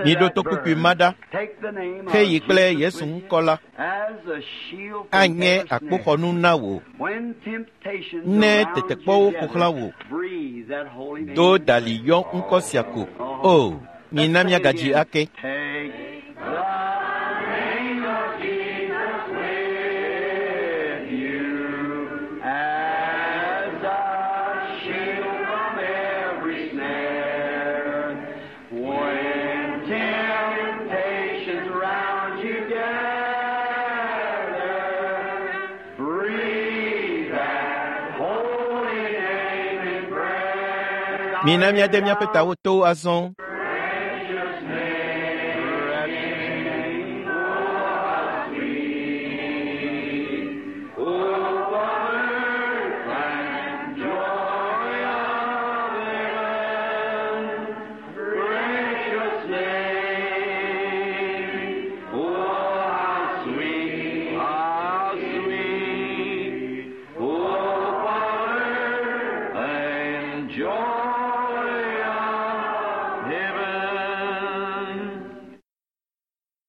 Miɖo to kpukpui ma ɖa. Xeyi kple Yesu ŋkɔ la anye akpoxɔnu na wò. Ne tetekpɔwo ƒo xlã wò, do dali yɔ ŋkɔ sia ko. O, mina míagadzi ake. Mina míade míaƒe tawo to azɔ. Joy.